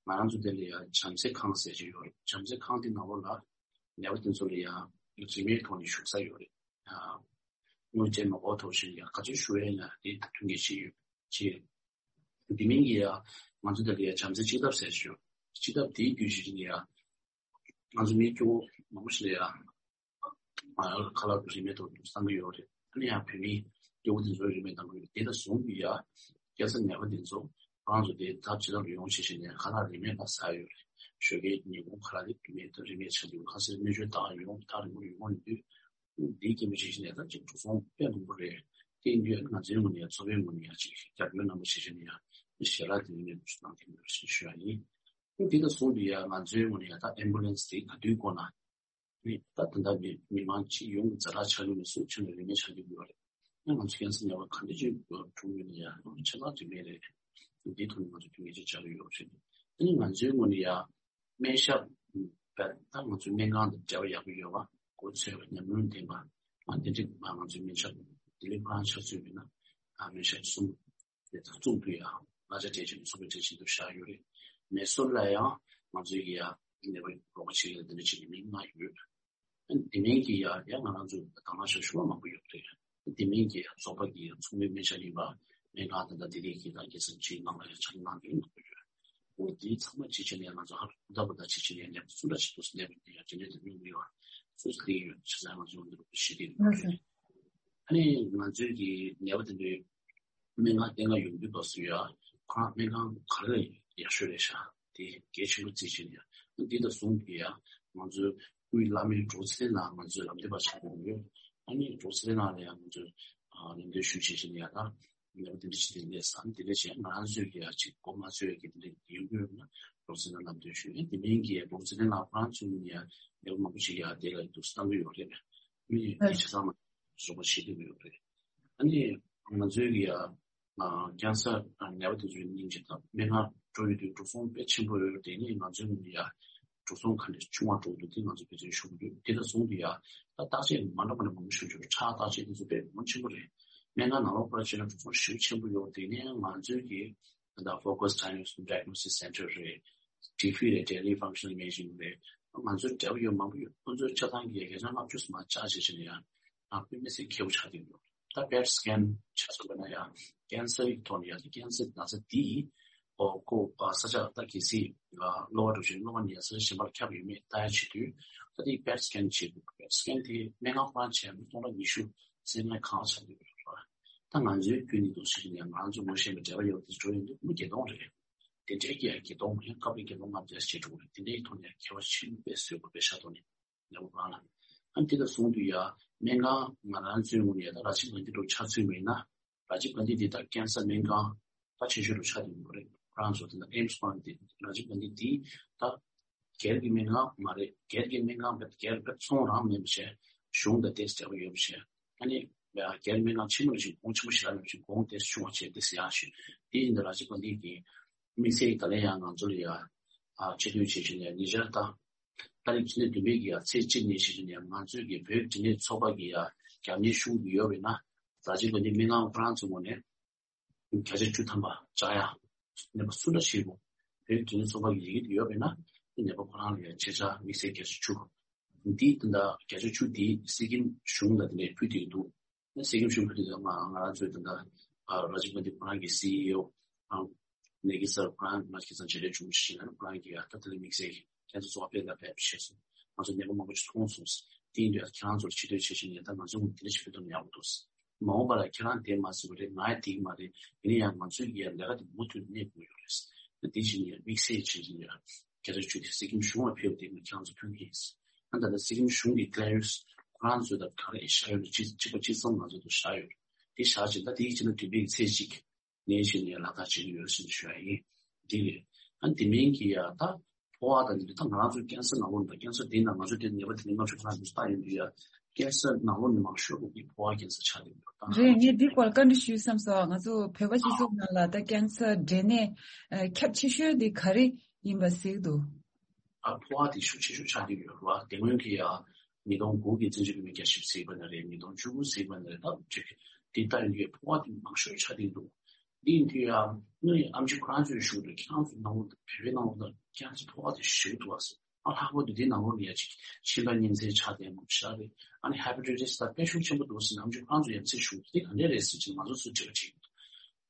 ང་རང་ཚོ་དེ་ལ་ཡ་བྱམས་བརྩེ་ཁང་ཟེར་གྱི་ཡོད་རེད། བྱམས་བརྩེ་ཁང་དེ་ནང་ལོགས་ལ་ནད་པ་དེ་ཚོ་ལ་ཡ་རིན་མེད་ཐོག་ནས་བཞུགས་ས་ཡོད་རེད། དངུལ་ཅན་མ་དགོས་ཐོག་ཞིག་ཡ་ག་ཚོད་ཞུ་ཡ་ཡིན་ན་དེ་མཐུན་རྐྱེན་ཆེ་ཡོད་ཆེ། དེ་མིན་གྱི་ཡ་ང་ཚོ་དེ་ལ་ཡ་བྱམས་བརྩེ་གཅིག་ལྟབ་ཟེར་གྱི་ཡོད། གཅིག་ལྟབ་དེའི་བརྒྱུད་བཞིན་ཡ་ང་ཚོ་མི་སྐྱོ་བོ་མང་པོ་ཞིག་ལ་ཡ་ཁ་ལག་ཏུ་རིན་མེད་ཐོག་ཏུ་བསམ་གྱི་ཡོད་རེད། ཨ་ནི་ཡང་བོད་མི་སྐྱོ་བོ་དེ་ཚོ་རིན་མེད་གཏང་གི་ཡོད་རེད། དེ་དང་ཟུང་དུ་ཡ་སྐྱེ་ས་ཉེ་བ་དེ་ཚོ་ཁོ་རང་ཚོ་དེ་ད་ཇེ་ལམ་ཡོང་བྱེད་བྱེད་ནས་ཁ་ལག་རིན་མེད་ལ་ཟ་ཡོད་རེད། ཞོགས་ཀའི་ཉིན་གུང་ཁ་ལག་དེ་རིན་མེད་དུ་རིན་མེད་ཆགས་ཀྱི་ཡོད། ཁ་སེར་སྨན་བཅོས་དང་ཡོང་ཐག་རིང་པོ་ཡོང་ཡོད་དུས་འདིའི་སྐད་མི་བྱེད་བྱེད་ནས་ད་ཅིག་འགྲོ་སོང་དཔེ་མང་པོ་རེད། དེ་ཡིན་དུས་ང་ཚོའི་ངོས་ནས་ཡང་ཚོགས་པའི་ངོས་ནས་ཡང་ཅིག་རྒྱབ་སྐྱོར་རྣམ་པ་བྱེད་བྱེད་ནས་ཡང་ཞལ་ལག་དེ་རིན་མེད་དུ་གནང་གི་ཡོད་ཞེས་ཞུ་ཡ་ཡིན། དེ་དང་ཟུང་དུ་ཡང་ང་ཚོའི་ངོས་ནས་ཡང་ད་ཨེམ་བུ་ལན་སི་དེ་ག་དུས་དགོས་ན། ནི་ད་ད་ལྟ་མི་མི་མང་སྤྱི་ཡོངས་ཀྱི་ཛ་དྲག་ཆགས་ཡོད་ནས་སུ་ཆེ་ནས་རིན་མེད་ཆགས་ཀྱི་ཡོད་རེད། ཡང་ང་ཚོ་ཀན་སར་ནད་པ་ག་འདྲ་ཅིག་འཁྲུངས་ཡོད་ན་ཡང་ཆ་ཚང་རིན་མེད་རེད། འདིའི་ཐོག་ནས་ང་ཚོ་མཐུན་རྐྱེན་ཅིག་བྱ་གི་ཡོད་རེད། དེ་ནི་ང་ཚོའི་ངོས་ནས་ཡང་སྨན་ཞབས་བས་ད་ང་ཚོའི་སྨན་ཁང་དང་འབྲེལ་བ་ཡག་པོ་ཡོད་པ་གོ་ཚོད་ཉམས་མྱོང་ལྡན་པ་ང་དེ་འདྲ་ང་ཚོའི་སྨན་ཞབས་དེ་ལས་ཁོ་རང་ཆ་ཚོད་ཡོད་ན་སྨན་ཞབས་གསུམ། དེ་ཚོ་གཙུག་ཏུ་ཡང་གླ་ཆ་སྤྲད་བྱས་ནས་ཚོགས་པའི་གྲས་ཆེད་དུ་བཞག་ཡོད་རེད། མེ་སོར་ལ་ཡང་ང་ཚོའི་གི་ཡང་ནད་པ་རོགས་པ་བྱེད་ཡག་དེ་འདྲ་བྱེད་ཀྱི་མི་ལྔ་ཡོད། དེ་མིན་གྱི་ཡང་ཡང་ང་རང་ཚོ་དང་བླངས་ཞབས་ཞུ་བ་མང་པོ་ཡོད་རེད། དེ་མིན་གྱི་ཡང་ཚོགས་པ་གི་ཚོགས་མི་སྨན་ཞབས་ཡིན་པ་སྨན་ཁང་དང་ད་དེ་རིགས་ཀྱི་དང་སྐྱེད་སྲིང་ཆེད་ནང་ལ་ཡང་ཕྱག་ལས་གནང་མཁན་མང་པོ་ཡོད། འོ་དེའི་ཚང་མ་ཅིག་བྱས་ནས་ང་ཚོ་ཧ་ལམ་ད་བར་ད་ཅིག་བྱས་ནས་ནད་པ་སུ་འདྲ་ཞིག་འདུག་ཟེར་ནད་པ་དེ་ཡང་རྒྱུན་ལྡན་དུ་སྨྱོ་གི་ཡོད། སུ་སུ་དེ་ཡོད་ཆ་ཚང་ང་ཚོ་འདི་རུ་ཞི་བདེ་ཡོད་རེད། ཨ་ནི་ང་ཚོའི་གི་ནད་པ་དེ་འདྲའི་སྨན་ཁང་བསྟེན་ག་ཡོང་དུས་སྐབས་སུ་ཡ་ཁོ་རང་སྨན་ཁང་ག་རེ་ཡག་ཤོས་རེད་ཤག་དེ་གལ་ཆེན་པོ་བརྩིས་བྱས་ནས་ཡ་འདི་དང་ཟུང་གི་ཡ་ང་ཚོའི་དབུས་བླ་མའི་འགྲོ་ཚན་ནང་ང་ཚོས་ལམ་སྟོན་པ་ཆགས་ཀྱི་ཡོད། ཨ་ནི་འབྲོག་ཚེ་རིང་ལགས་ལ་ཡང་ང་ཚོས་ཨ་ལམ་སྟོན་ཞུ་བྱེད་བཞིན་ཡ་ད་ལེའུ་དེ་འདྲ་ཞིག་དེ་འདྲས་སམ་དེ་འདྲས་བྱས་ང་རང་ཚོས་ཀྱི་ཡ་ཅིག་གོ་མ་ཚོད་ཀྱི་དེ་འདྲས་ཡོང་གི་ཡོད་ན་འབྲོག་ཚེ་རིང་ལམ་སྟོན་ཞུ་ཡ་དེ་མིན་གྱི་འབྲོག་ཚེ་རིང་ལགས་ཁོ་རང་ཚོས་ཡ་ལེའུ་མང་པོ་ཞིག་ཡ་དེ་ལ་འདུག་བཏང་གི་ཡོད་རེད། མི་ཡི་ཆ་ཚང་མ་བཟོ་པ་བྱེད་ཀྱི་ཡོད་རེད། ཨ་ནི་ང་ཚོའི་གི་ཡ་ཀན་སར་ནད་པ་དེ་ཚོའི་སྙིང་རྗེ་དང་སྨན་ཁང་འགྲོ་ཡོད་དུས་འགྲོ་སོང་དཔེ་ཆེན་པོ་ཡོད་དེ་ནི་ང་ཚོའི་ངོས་ནས་ཡ་འགྲོ་སོང་ག་འདྲ་ཆུང་བ་འགྲོ་འདུག་དེ་ང་ཚོ་བེད་སྤྱོད་ཞུ་གི་ཡོད། དེ་ལ་བཟུང་དུ་ཡ་ད་བརྟག་དཔྱད་མ་འདྲ་མ་འདྲ་མང་པོ་ཞུ་རྒྱུ་ཁྲག་བརྟག་དཔྱད་དེ་ཚོ་དཔེ་མང་ཆེན་པོ་རེད། སྨན་ཁང་ནང་ལོགས་པར་བྱས་ན་འགྲོ་སོང་ཞེ་པོ་ཆེན་པོ་ཡོད་དེ་ནས་ང་ཚོའི་གི་ད་Focus Diagnosis Center རེད། ཊི་བྷི་རེད། Daily Functional Imaging རེད། ང་ཚོའི་འབྲེལ་བ་ཡོད་མང་པོ་ཡོད། ཁོང་ཚོའི་ཆ་ཚང་གི་བརྒྱ་ཆ་ལྔ་བཅུ་ཙམ་ལྕགས་བྱས་བྱས་ནས་ཡང་ང་དཔེ་མི་སྲིད་ཁེ་པོ་ཆགས་བསྡད་ཡོད། ད་པེཊ་སི་ཀེན་ཆ་ཚང་པ་ན་ཡང་ཀན་སར་གྱི་ཐོག་ནས་ཡང་ཀན་སར་ན་ཚ་འདི་ཨོ་ཁོ་ས་ཆ་ད་གལ་སྲིད་གློ་བ་འགྲོ་བཞིན་གློ་བ་ནས་ས་ཆ་གཞན་པར་ཁྱབ་ཡོད་མེད་ལྟ་ཡ་བྱེད་དུས་ད་དེ་པེཊ་སི་ཀེན་བྱེད་དགོས། པེཊ་སི་ཀེན་དེ་སྨན་ཁང་ཁོ་རང་བྱས་ན་སྟོང་ཕྲག་ཉི་ཤུ་སེ་མ་གང་ཆགས་ཡོད་རེད། ད་ང་ཚོའི་ཁྱོན་ནས་འདུག་ཟེར་ནས་ང་རང་ཚོ་ངོ་ཤེས་པའི་འབྲེལ་བ་ཡོད་དེ་འགྲོ་ཡོང་དུས་མི་བརྒྱད་སྟོང་རེད། དེ་འདྲའི་གི་ཡ་བརྒྱད་སྟོང་ཡང་སྐབས་རེ་བརྒྱད་སྟོང་ལྔ་བརྒྱ་ཞིག་འགྲོ་གི་རེད། དེ་འདྲའི་ཐོག་ནས་ཡང་ཁྱད་པར་ཆེན་པོ་དཔེ་བཟོས་དགོས་པའི་ཤ་ཐོག་ནས་ལེའུ་རང་ལ། ཨ་ནི་དེ་ལ་སོང་དུས་ཡ་སྨན་ཁང་ང་རང་ཚོའི་ངོས་ནས་ད་ར་ཇིབ་གྷན་དྷི་འགྲོ་ཆ་ཚུད་མེད་ན་ར་ཇིབ་གྷན་དྷི་དེ་ད་ཀན་སར་སྨན་ཁང་ད་ཆེ་ཤོས་རུ་ཆགས་ཀྱི་ཡོད་རེད། ཁོ་རང་ཚོ་དེ་ད་ཨེམ་སི་ཁོ་རང་དེ་ར་ཇིབ་གྷན་དྷི་དེ་ད་སྒེར་གྱི་སྨན་ཁང་མ་རེད། སྒེར་གྱི་སྨན་ཁང་བས་སྒེར་བས་ཚོང་རང་མེད་པ་བྱས་གཞུང་དང་ཏོག་ཙམ་བྱས་པ་ཡོད་པ་བྱས། ཨ་ནི་སྒེར་སྨན་ཁང་ཆེན་མོ་ཞིག་གོང་ཆེན་པོ་ཞིག་ལ་ཞིག་གོང་ཏོག་ཙམ་ཆུང་བ་བྱས་ཏོག་ཙམ་ཡག་ཞིག་དེ་ཡིན་ད་ར་ཇིབ་གྷན་དྷི་གི་དམིགས་བསལ་གྱི་ད་ལན་ཡང་ང་ཚོ་ལ་ཡ་ཆེ་བསྟོད་བྱེད་བཞིན་ནས་ཉེ་ཆར་དང་ད་རེས་ཕྱི་ཚེས་བདུན་པའི་གི་ཡ་ཚེས་གཅིག་ནས་བྱེད་བཞིན་ནས་ང་ཚོའི་གི་བོད་འབྲི་ནད་ཚོགས་པ་གི་ཡ་རྒྱབ་གཉེར་ཞུ་གི་ཡོད་པས་ན་ར་ཇིབ་གྷན་དྷི་སྨན་ཁང་ཁོ་རང་ཚོའི་ངོས་ནས་བརྒྱ་ཆ་བཅུ་ཐམ་པ་བཅག་ཡ། ནད་པ་སུ་འདྲ་ཞིག་གོ་བོད་འབྲི་ནད་ཚོགས་པ་གི་ཡི་གེ་དེ་ཡོད་པས་ན་ནད་པ་ཁོ་རང་ལ་ཡ་ཆེད་བཅག་དམིགས་བསལ་བརྒྱ་ཆ་བཅུ། འདི་དེ་འདྲ་བརྒྱ་ཆ་བཅུ་འདི་སི་ཀིམ་གཞུང་ལ་དེ་འདྲའི་ཕུལ་དེ་འདུག་ནས་སི་ཀིམ་གཞུང་ཕུལ་དེ་ང་ང་རང་ཚོའི་དེ་འདྲ་ར་ཇིབ་གྷན་དྷི་ཁོ་རང་གི་སི་ཨི་ཨོ་ནེ་གི་སར་ཁོ་རང་ང་ཁྱེད་ཚང་མཇལ་འཕྲད་བྱུང་ཞིག་ན་ཁོ་རང་གི་ཡ་ད་དེ་ལ་དམིགས་བསལ་གྱི་ཁྱེད་ཚོ་ཚོགས་པ་སྤེལ་ལ་ཕེབས་ཤེས་སོང་། ང་ཚོ་ནད་པ་མང་པོ་ཞིག་མཐོང་སོང་། དེ་ཡིན་དུས་ཁྱེད་རང་ཚོར་ཆེ་བསྟོད་བྱེད་བཞིན་ཡིན། ད་ང་ཚོ་དེ་འདྲ་ཞིག་ཕུལ་ཐུབ་ན་ཡག་པོ་འདུག་མ་འོངས་པ་ལ་ཁྱེད་རང་དེ་མ་ཟེར་བ་རེད། ང་ཡ་དེ་མ་རེད། ཡིན་ན་ཡང་ང་ཚོའི་ཡ་ལས་ཀ་དེ་མུ་མཐུད་གནས་དགོས་ཡོད་རེད། ད་དེ་བཞིན་ཡ་དམིགས་བསལ་བྱེད་བཞིན་ཡ་སྐད་ཆ་བཅུ་དེ་སི་ཀིམ་གཞུང་ལ་ཕེབས་ཏེ་ང་ཁྱེད་རང་ཚོ་ཕུལ་གྱི་ཡིན། ཨ་ད་ལྟ་སི་ཀིམ་གཞུང་གི་ཀི་ལ་ཡོད་ཁོ་རང་ཚོས་ད་ག་རེ་བཞག་ཡོད་ན་གཅིག་གཅིག་པ་གཅིག་མཚུངས་ང་ཚོ་དུ་བཞག་ཡོད། དེ་བཞག་ཅིག་ད་དེའི་ཕྱི་ན་བདུན་པའི་ཚེས་གཅིག་ནས་བཞིན་ཡ་ལག་བསྟར་བྱེད་ཀྱི་ཡོད་ཟེར་ཞུ་ཡ་ཡིན། དེ་རེད། ཨ་དེ་མིན་གྱི་ཡ་ད་ཕོ་བ་དང་འདི་ད་ང་རང་ཚོའི་ཀན་སར་ནང་ལོགས་ད་ཀན་སར་དེ་ན་ང་ཚོ་དེ་ནད་པ་དེ་ནི་ལྔ་བཅུ་ཁོ་ན་འདུག་ལྟ་ཡོང་དུས་ཡ་ཀན་སར་ནང་ལོགས་ནས་མང་ཤོས་ཀྱི་ཕོ་བ་ཀན་སར་ཆགས་བསྡད་ཡོད་ད། རེད། ངས་འདི་སྐོར་བཀའ་འདྲི་ཞུས་བསམ་སོང་། ང་ཚོ་བོད་པ་སྤྱི་ཚོགས་ནང་ལ་ད་ཀན་སར་འབྲས་ནད་ཁྱབ་ཆེ་ཤོས་འདི་ག་རེ་ཡིན་པ་གཟིགས་འདུག་ཨ་ཕོ་བ་དེ་ཤུགས་ཆེ་ཤོས་ཆགས་ཀྱི་ཡོད་རེད་བ། དེ་སྔོན་གྱི་ཡ་ཉིས་སྟོང་དགུ་གི་བཙན་བྱོལ་བོད་མིའི་རྒྱལ་ཞབས་ཟེར་བ་ན་རེད། ཉིས་སྟོང་བཅུ་དགུ་ཟེར་བ་ན་རེད། ད་ཅིག་དེ་ལྟ་ཡིན་དུས་ཕོ་བ་དེ་མང་ཤོས་ཆགས་བསྡད་འདུག་འདི་ཡིན་དུས་ཡ་ངའི་ཨམ་ཆི་ཁོ་རང་ཚོས་ཞུ་འདུག་ཁྱེད་རང་ཚོ་ནང་ལོགས་བོད་པའི་ནང་ལོགས་ད་ཀན་སར་ཕོ་བ་དེ་ཞེ་པོ་འདུག་བ་ཟེར། ཨ་ལྷག་པར་དུ་དེའི་ནང་ལོགས་ནས་ཡ་ཅིག་གཤིན་པ་གཉན་ཚད་ཆགས་བསྡད་མང་པོ་ཞིག་རེད། ཨ་ནི་ཧེ་པ་ཊའི་ཊིས་ད་དཔེ་ཤུགས་ཆེན་པོ་འདུག་ཟེར་ནས་ཨམ་ཆི་ཁོ་རང་ཚོ་ཡ་ཚིག་ཞུ་འདུག་དེ་ག་འདྲས་རེད་ཟེར་ཅིག་ང་ཚོ་ཚུར་དྲི་བ་དྲིས་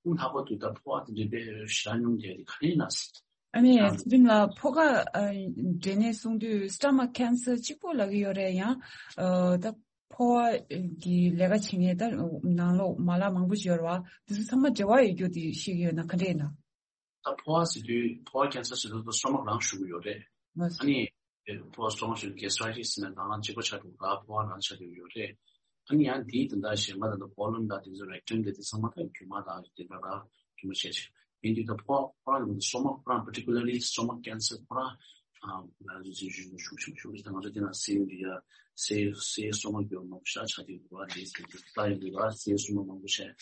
ཡོད། ཨ་ལྷག་པར་དུ་ད་ཕོ་བ་དེ་འདྲས་དཔེ་ཞེ་དྲག་ཉུང་བསྡད་དེ་ག་རེ་ཡིན་ན་ཟེར། ཨ་ནི་ཚེ་རིང་ལགས་ཕོ་ཁ་ཨ་འབྲས་ནད་གསུང་དུས་སི་ཊ་མག་ཀན་སར་གཅིག་པོ་ལབ་ཀྱི་ཡོད་རེད། ཡང་ཨ་ད་ཕོ་བ་གི་ལས་ཀ་བྱེད་མཁན་ད་ནང་ལོགས་མ་ལག་མང་པོ་ཞིག་ཡོད་རེད་བ། དེ་ཚོ་ཚང་མ་འབྲེལ་བ་ཡོད་རྒྱུ་དེ་ཤེས་ཀྱི་ཡོད་ན་ག་འདྲས་ཡིན་ན། ད་ཕོ་བ་ཟེར་དུས་ཕོ་བ་ཀན་སར་ཟེར་དུས་སི་ཊ་མག་རང་ཞུ་གི་ཡོད་རེད། ལགས་སོ། ཨ་ནི་ཕོ་བ་སི་ཊ་མག་ཞུ་གེ་སི་ཊྲའི་ཊིས་ཟེར་ན་ནང་ལ་གཅིག་པ་ཆགས་འདུག་ག་ཕོ་བ་རང་ཆགས་འདུག་ཡོད་རེད། ཨ་ནི་ཡང་དེའི་དེ་འདྲ་གཞན་པ་ད་ལྟ་ཀོ་ལོན་དང་དེ་ཚོ་རེག་ཊམ་དེ་དེ་ཚང་མ་ད་དཀྱུས་མ་དང་དེ་འདྲ་ར་དཀྱུས་མ་བྱས་བྱས། ཡིན་དུས་ད་ཕོ་བ་ཁོ་རང་གི་སི་ཊ་མག་ཁོ་རང་particularly stomach cancer ཁོ་རང་ང་ཚོ་ཚོས་ཞུ་ཞུ་ཞུ་ཞུ་ད་ང་ཚོ་དེ་ན་སེལ་འདི་ཡ་སེལ་སེལ་སི་ཊ་མག་གི་མང་པོ་ཤ་ཆགས་དེ་འདུག་ག་དེ་ཚོ་ད་ཡིན་དུས་ད་སེལ་སི་ཊ་མག་མང་པོ་བྱས།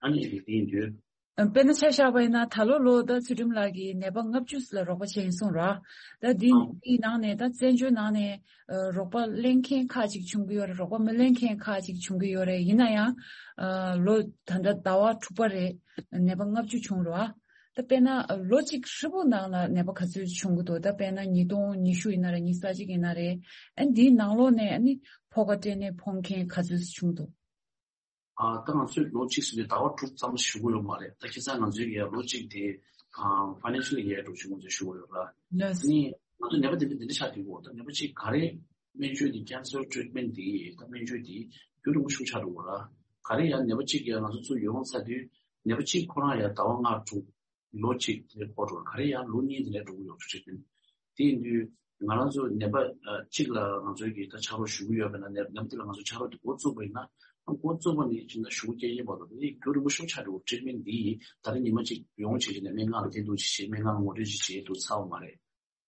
ཨ་ནི་དེ་ཡིན་དུས། དཔེར་ན་ཆ་བཞག་པ་ཡིན་ན་ད་ལོ་ལོ་ཟླ་ཚུལ་ཁྲིམས་ལགས་ཀྱིས་ནད་པ་ལྔ་བཅུ་ལ་རོགས་པ་བྱས་ཡིན་གསུངས་ར། ད་འདི་ཨང་འདིའི་ནང་ནས་ད་བཙན་བྱོལ་ནང་ནས་ཨ་རོགས་པ་ལེན་མཁན་ཁག་ཅིག་བྱུང་གི་ཡོད་རེད། རོགས་པ་མི་ལེན་མཁན་ཁག་ཅིག་བྱུང་གི་ཡོད་རེད། ཡིན་ན་ཡང་ཨ་ལོ་ད་ལྟ་ཟླ་བ་དྲུག་པ་རེད། ནད་པ་ལྔ་བཅུ་བྱུང་ར། ད་དཔེར་ན་ཨ་ལོ་གཅིག་ཧྲིལ་པོ་ནང་ལ་ནད་པ་ག་ཚོད་བྱུང་གི་འདུག་ད་དཔེར་ན་ཉིས་སྟོང་ཉི་ཤུ་ཡིན་ན་རེད། ཉི་ཤུ་རྩ་གཅིག་ཡིན་ན་རེད། ཨ་འདིའི་ནང་ལོགས་ནས་ཨ་ནི་ཕོ་ཁ་སྐྲན་ནད་ཕོག་མཁན་ག་ཚོད་བྱུང་འདུག་ཨ་ད་ང་ཚོས་ལོ་གཅིག་ཟེར་དུས་ཟླ་བ་དྲུག་ཙམ་ཞུ་གི་ཡོད་མ་རེད། ད་ཁྱེད་ཚང་ང་ཚོའི་ཡ་ལོ་གཅིག་དེ་ཨ་ཕ་ནན་ཤལ་ཡ་འགྲོ་ཆུང་ང་ཚོས་ཞུ་གི་ཡོད་ར། ལགས་སོ། ནི་ང་ཚོ་ནད་པ་དེ་འདྲ་དེ་འདྲ་ཆགས་དུས་གོ་ད་ནད་པ་གཅིག་ག་རེ་སྨན་བཅོས་དེ་ཀན་སར་ཊི་རིཊ་མེན་ཊི་དེ་ད་སྨན་བཅོས་དེ་རྒྱུན་རིང་པོ་ཞིག་ཆགས་འགྲོ་གི་ར། ག་རེ་ཡ་ནད་པ་གཅིག་ཡ་ང་ཚོ་ཚུར་ཡོང་ཚར་དུས་ནད་པ་གཅིག་ཁོ་རང་ཡ་ཟླ་བ་ལྔ་དྲུག་ལོ་གཅིག་དེ་འགོར་འགྲོ་ག་རེ་ཡང་ལོ་གཉིས་དེ་ནས་འགྲོ་གི་ཡོད་ཚུལ་བྱེད་ཀྱིན། དེ་ཡིན་དུས་ ང་རང་ཚོ་ནད་པ་ཨ་གཅིག་ལ་ང་ཚོའི་གི་ད་ཕྱག་རོགས་ཞུ་གི་ཡོད་པ་ན་ནད་ནད་པ་དེ་ལ་ང་ཚོ་ཕྱག་རོགས་དེ་འགོ་བཙུགས་པ་ཡིན་ན་ཨ་འགོ་བཙུགས་པ་ནས་ཅིག་ན་ཞུ་སྐྱེལ་ཡིན་པ་དང་དེ་རྒྱུ་རིང་པོ་ཞིག་ཆགས་འགྲོ་ཊི་རིཊ་མེན་ཊི་འདི་ད་རེས་ཉི་མ་གཅིག་ཡོང་བྱས་ནས་སྨན་ཁང་ལ་བསྡད་འདུག་ཅིག་བྱས་སྨན་ཁང་ལ་ངོ་སྤྲོད་ཅིག་བྱས་འདུག་ཚར་བ་མ་རེད།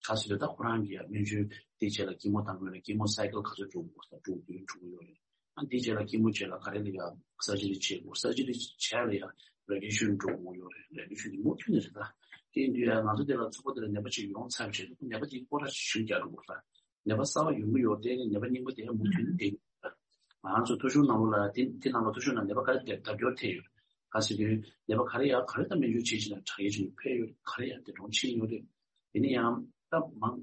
ག་ཟེར་ད་ཁོ་རང་གིས་ཡང་སྨན་བཅོས་དེ་རྗེས་ལ་ཀི་མོ་བཏང་དགོས་ན་ཀི་མོ་སའི་ཀལ་ག་ཚོད་འགྲོ་དགོས་ས་འགྲོ་དགོས་འགྲོ་གི་ཡོད་རེད། ཨ་འདི་རྗེས་ལ་ཀི་མོ་རྗེས་ལ་ག་རེ་ལ་ཡང་སར་ཇི་རི་བྱེད་དགོས། སར་ཇི་རི་བྱས་ལ་ཡང་རེ་ཌི་ཡེ་ཤན་འགྲོ་དགོས་ཡོད་རེད། རེ་ཌི་ཡེ་ཤན་དེ་མུ་མཐུད་ནས་རེད་ད། དེ་ཡིན་དུས་ཡང་ང་ཚོ་དེ་ལ་ཚོགས་པ་དེ་ལ་ནད་པ་ཅིག་ཡོང་ཚར་བྱས་ནས་ནད་པ་དེ་སྐོར་ར་ཞིབ་རྒྱག་དགོས་ལ། ནད་པ་གསར་པ་ཡོང་གི་ཡོད་དེ་ནི་ནད་པ་རྙིང་པ་དེ་ཡང་མུ་མཐུད་ནས་བསྡད་ཡོད་རེད། ང་རང་ཚོ་ཐོ་གཞུང་ནང་ལོགས་ལ་དེ་དེ་ནང་ལ་ཐོ་གཞུང་ནང་ནད་པ་ག་རེ་བསྡད་བསྡད་ཡོད་དེ་ཡོད། ག་ཟེར་དུས་ནད་པ་ག་རེ་ཡང་ག་རེ་ད་སྨན་བཅོས་བྱེད་ཅིག་ན་དྲག་ཡོད་ཅིག་ཕེབས་ཡོད་ག་རེ་ཡང་དེ་གྲོང་ཕྱིན་ཡོད་རེད། དེ་ནས་ཡང་ད་མང་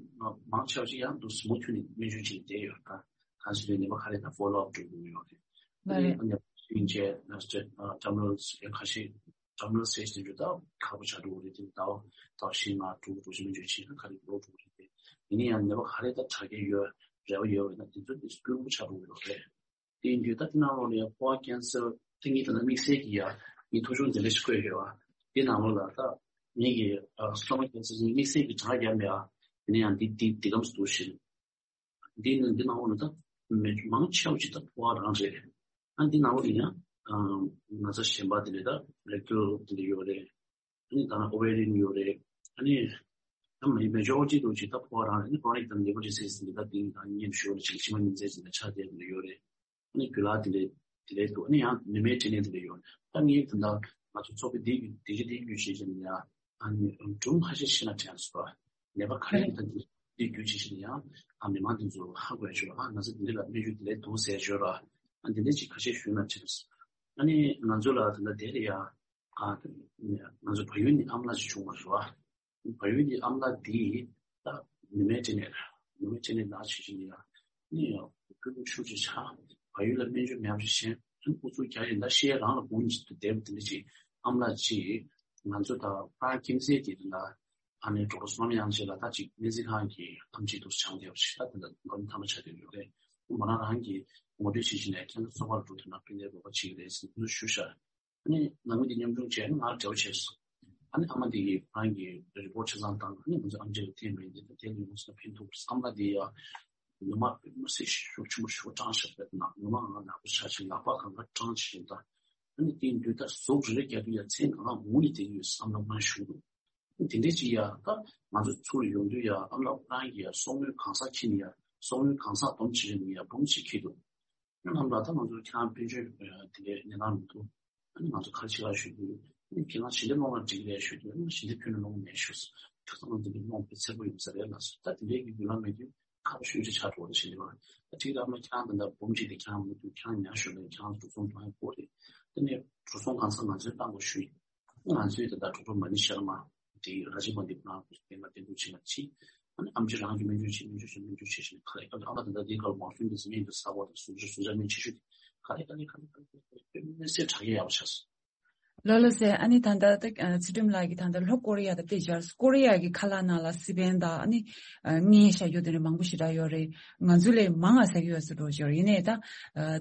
མང་ཆེ་བ་ཞིག་ཡང་འདུག་སེ་མུ་མཐུད་ནས་སྨན་བཅོས་བྱས་བསྡད་ཡོད། ད་གང་ཞིག་རེད་ནད་པ་ག་རེ་ད་ཕོ་ལོ་ཨབ་སྤྲོད་དགོས་ཡོད་རེད། མ་རེད། དེ་ནས་ནད་པ་བཞིན་བྱས་ནས་ཏྲ་མི་ནལ་ཁ་ཤས་ཏྲ་མི་ནལ་སི་ཊེ་ཇི་དེ་འདྲ་ད་ཁག་པོ་ཆགས་འགྲོ་གི་རེད། དེ་ཟླ་བ་ཟླ་བ་བཞི་ལྔ་དྲུག་དྲུག་ཅུ་སྨན་བཅོས་བྱས་ན་ག་རེ་ལོ་དྲུག་རེད་དེ། ཡིན་ན་ཡང་ནད་པ་ག་རེ་ད་དྲག་སྐྱེད་ཡོད་རེ་བ་ཡོད་པ་ཡིན་ན་དེ་ཚོ་དེ་སྐྱོ་པོ་ཆགས་འགྲོ་གི་རེད། དེ་ཡིན་དུས་ད་དེ་ནང་ལོགས་ལ་ཡང་ཕོ་བ་ཀན་སར་དེ་ངས་ད་ལྟ་དམིགས་བསལ་གྱི་ཡ་ངས་ཐོ་གཞུང་དེ་འདྲ་ཞིག་བཀོད་ཡོད་པ། དེ་ནང་ལོགས་ལ་ད་ངས་ཀྱི་སི་ཊོ་མག་ཀན་སར་དེ་དམིགས་བསལ་གྱི་དྲག་རྒྱབ་ཡ། དེ་ནས་ཡང་འདི་འདི་འདི་གམ་སུ་འདུག་ཞིང་། འདི་ནི་འདི་ནང་ལོགས་ལ་ད་མི་མང་ཆེ་བ་ཅིག་ད་ཕོ་བ་རང་རེད། ཨ་འདི་ནང་ལོགས་ལ་ཡང་ན་ཚ་གཞན་པ་དེ་འདྲ་ད་རེག་ཊལ་དེ་འདྲ་ཡོད་རེད། ཨ་ནི་ད་ཨོ་ཝེ་རི་ཡན་ཡོད་རེད། ཨ་ནི་ད་མི་མེ་ཇོ་རི་ཊི་འདུག་ཅིག་ད་ཕོ་བ་རང་རེད། ཨ་ནི་ཀོ་རོ་ནིག་ད་ལི་ཝར་ཌི་སི་ཛི་ཟིན་པའི་ད་དེ་ནི་ད་གཉིད་ཤོར་རེད། ཅིག་མཆིལ་མ་ཉི་ཚེ་ཟིན་ད་ཆགས་བསྡད་དེ་འདྲ་ཡོད་རེད། ཨ་ནི་རྒྱུ་ལག་དེ་འདྲ་དེ་འདྲ་འདུག་ཨ་ནི་ཡང་ནུ་མའི་འབྲས་ནད་དེ་འདྲ་ཡོད་རེད། ད་ངས་ད་ད་ང་ཚོ་ཚོགས་པའི་དེ་དེ་གི་དེ་བརྒྱུད་བྱས་ནས་ཡང་ཨ་ནི་སྒྲུང་ཁ་ཤས་ཤེས་ན་དྲན་སོང་། ནད་པ་ག་རེ་ཡིན་ད་དེ་དེ་བརྒྱུད་བྱས་ནས་ཡང་ཨ་མི་མང་དེ་ཚོ་ཧ་གོ་ཡ་ཤོད་ཨ་ང་ཚོ་འདི་འདྲ་ལ་སྨན་བཅོས་དེ་འདྲ་འདུག་ཟེར་ཤོད་ར། ཨ་འདི་འདྲ་ཅིག་ཁ་ཤས་ཞུས་ན་དྲན་སོང་། ཨ་ནི་ང་ཚོ་ལ་ད་ལྟ་དེ་ལ་ཡ་ཨ་ང་ཚོ་བལ་ཡུལ་ནས་ཨ་མ་ལགས་ཅིག་བྱུང་བ་རེད་བ། བལ་ཡུལ་གྱི་ཨ་མ་ལགས་འདིས་ད་ནུ་མའི་འབྲས་ནད་ནུ་མའི་འབྲས་ནད་ན་ཆེ་ཆེ་ནི་ཡང་ནི་ཡང་སྐྱོ་སྡུག་ཤུགས་ཆེ་ཆགས། བལ་ཡུལ་ལ་སྨན་བཅོས་མེད་པ་ཞིག་གཞན་ཨུ་ཚུགས་རྒྱག་ཡིན་ད་ཤེས་རང་ལ་འབུམ་གཅིག་ཏུ་བསྡད་པ་དེ་འདྲ་ཅིག་ཨ་མ་ལགས་ཅིག་ང་ཚོ་ད་ཕ་ཁྱིམ་མཚེས་ཀྱི་ལ་ཨ་ནི་ཌོག་ཊར་བསོད་ནམས་དབྱངས་ཅན་ལ་ད་ཅིག་སྨན་རྩིས་ཁང་གི་ཨམ་ཆི་འདུག་སེ་སྦྱངས་བསྡད་པ་ཞིག་ད་དེ་འདྲ་འགོ་མཐའ་མ་ཆགས་བསྡད་ཡོད་རེད། མོ་རང་རང་གིས་ངོ་སྤྲོད་བྱེད་བཞིན་ནས་ཁྱེད་ཚོ་ཚོགས་པར་འགྲོ་ཐུབ་ན་ཕན་བདེ་རོགས་པ་བྱེད་ཀྱི་རེད་ཟེར་ནས་ཞུ་ཤག་ཨ་ནི་ནང་མི་དེ་མཉམ་ཞུགས་བྱས་ནས་ང་འབྲེལ་བ་བྱས་སོང་། ཨ་ནི་ཨ་མ་དེ་གིས་ཁོ་རང་གི་རི་པོ་ཊི་ཆ་ཚང་བཏང་། ཨ་ནི་ང་ཚོ་ཨམ་ཆི་ལ་འཐེན་པ་ཡིན་ཏེ་ད་དེ་ལ་ཡོང་སོང་ན་ཕན་ཐོགས། ཨ་མ་དེ་ཡ་ནུ་མ་དཔེ་མི་སྲིད་ཤུགས་ཆེན་པོ་ཞིག་སྐྲངས་བཞག་པས་ན་ནུ་མ་ང་ནག་པོ་ཆགས་ཤིང་ལག་པ་གང་ག་སྐྲངས་བྱས་ཤིང་ད། ཨ་ནི་དེ་ཡིན་དུས་ད་ཟུག་རེ་རེ་རྒྱག་དུས་ཡ་མཚན་གང་ག་ངུ་ནས་བསྡད་ཀྱི་ཡོད་བསམ་བློ་མ་ཞུ་འདུག་དེ་འདྲས་ཅིག་ཡ་ད་ང་ཚོ་ཚུར་ཡོང་དུས་ཡ་ཨ་མ་ལགས་ཁོ་རང་གིས་ཡ་གསོག་དངུལ་གང་ས་ཁྱེར་ནས་ཡ་གསོག་དངུལ་གང་ས་སྡོམ་བྱེད་ནས་ཡ་འབུམ་གཅིག་ཁྱེར་འདུག་ཨ་ནི་ཨ་མ་ལགས་ད་ང་ཚོ་ཁྱེད་རང་དཔལ་འབྱོར་དེ་འདྲའི་གནས་སྟངས་མི་འདུག་ཨ་ནི་ང་ཚོ་ག་རེ་བྱེད་ལ་ཞུས་དུས་ཨ་ནི་ཁྱེད་རང་ཞལ་འདེབས་སློང་ན་འགྲིག་རེད་ཞུས་དུས་ཨ་ནི་ཞལ་འདེབས་ཁྱོན་ནས་སློང་མེད་ཞུས་སོང་། ཁྱོད་ཚོ་ནང་དེ་འདྲའི་སློང་དཔེ་འཚེར་པོ་ཡོང་ས་རེད་ལགས་སོ། ད་དེ་འདྲའི་གི་རྒྱུ་ལམ་མེད་དུས་ཁག་པོ་ཞེ་པོ་ཅིག་ཆགས་འགྲོ་བ་རེད་ཞུས་ནས་པ། ད་ཁྱེད་རང་ཨ་མ་ཁྱེད་རང་ད་ལྟ་འབུམ་གཅིག་དེ་ཁྱེད་རང་མི་འདུག་ཁྱེད་རང་ཉར་ཞོར་ལ་ཁྱེད་རང་འགྲོ་སོང་གཏོང་ཡ་དགོས་རེད། དེ་ནས་འགྲོ་སོང་གང་ས་ང་ཚོས་བཏང་དགོས་ཞུས་ཡིན། ང་ཚོའི་ད་ལྟ་གྲོགས་པོ་མ་ཎི་ཤར་མ་དེ་ར་ཇི་མ་དེ་ཁོ་རང་གི་སྟེང་ལ་བསྟེན་གཏུགས་བྱེད་མ་བྱེད། ཨ་ནི་ཨམ་ཆི་རང་གི་སྨན་བཅོས་བྱེད་སྨན་བཅོས་བྱེད་སྨན་བཅོས་བྱེད་བཞིན་ག་རེ་ཨ་ཨ་ད་ལྟ་དེའི་སྐབས་མང་ཤོས་འདི་ཚོ་སྨན་གྱི་ས་འོག་དང་ཟུག་གཟེར་ཟུག་གཟེར་སྨན་ཆེ་ཤོས་དེ་ག་རེ་ག་རེ་ག་རེ་ག་རེ་དཔེ་མི་སྲིད་དྲག་ཡག་པོ་ཆགས་སོང་། ལགས་ལགས་སེ། ཨ་ནི་ད་ལྟ་ད་ཚུལ་ཁྲིམས་ལགས་ཀྱིས་ད་ལྟ་ལྷོ་ཀོ་རི་ཡ་དང་དཔེ་སྦྱར་སོང་། ཀོ་རི་ཡ་གི་ཁ་ལག་ནང་ལ་སི་པན་དང་ཨ་ནི་མངལ་བཞག་རྒྱུ་དེ་འདྲ་མང་པོ་ཞེ་དྲག་ཡོད་རེད། ང་ཚོ་ལས་མང་ང་ཟ་གི་ཡོད་ཟེར་འགྲོ་ཞོར་ཡིན་ནའི་ད་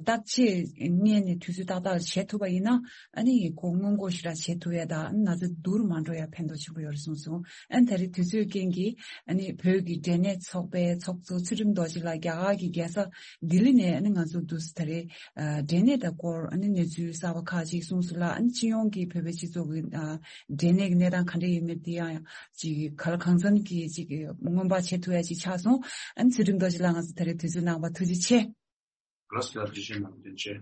བརྟག་དཔྱད་སྔོན་ནས་དུས་ཚོད་ཏག་ཏག་བྱེད་ཐུབ་པ་ཡིན་ན་ཨ་ནི་ཁོ་སྔོན་འགོག་ཞེ་དྲག་བྱེད་ཐུབ་ཡ་ད་ཨ་ནི་ན་ཚ་སྡུག་རུ་མ་འགྲོ་ཡ་ཕན་ཐོགས་ཆེན་པོ་ཡོད་རེད་གསུངས་སོང་། ཨ་ནི་ད་རེས་དུས་ཚོད་རྐྱེན་གྱིས་ཨ་ནི་བོད་ཀྱི་འབྲས་ནད་ཚོགས་པའི་ཚོགས་གཙོ་ཚུལ་ཁྲིམས་རྡོ་རྗེ་ལགས་རྒྱ་གར་གྱི་རྒྱལ་ས་ལྡི་ལི་ནས་ཨ་ནི་ང་ཚོ་འདུག་སེ་ད་རེས་ཨ་འབྲས་ནད་དང་སྐོར་ཨ་ནི་གནས་ཚུལ་གསར་པ་ཁག་ཅིག་གསུངས་སོང་ལ། ཨ་ནི་སྤྱི་ཡོངས་ཀྱི་བོད་པའི་སྤྱི་ཚོགས་ཀྱི་ཨ་འབྲས་ནད་ཀྱི་གནས་སྟངས་ག་འདྲ་ཡིན་མིན་དེ་ཡང་ཡང་ཅིག་ག་ལ་གང་འཚམ་གྱིས་ཅིག་སྔོན་དཔག་བྱེད་ཐུབ་ཡ་ཅིག་ཆགས་སོང་། ཨ་ནི་ཚུལ་ཁྲིམས་རྡོ་རྗེ་ལགས་ང་ཚོ་ད་རེས་དུས་ཚོད་གནང་བར་ཐུགས་རྗེ་ཆེ། རེས་ཀྱི་ཨར་ཇི་ཤན་ནང་བསྟན་ཆེ།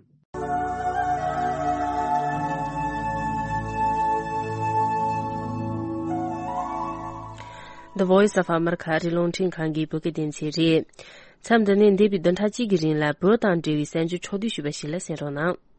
The Voice of America ཨ་རིའི་རླུང་འཕྲིན་ཁང་གི་བོད་སྐད་སྡེ་ཚན་རེད། མཚམས་འདི་ནས་འདས་པའི་བདུན་ཕྲག་གཅིག་གི་རིང་ལ་བོད་དང་འབྲེལ་བའི་གསར་འགྱུར་ཕྱོགས་བསྡུས་ཞུས་པ་ཞིག་ལ་གསན་རོགས་གནང་།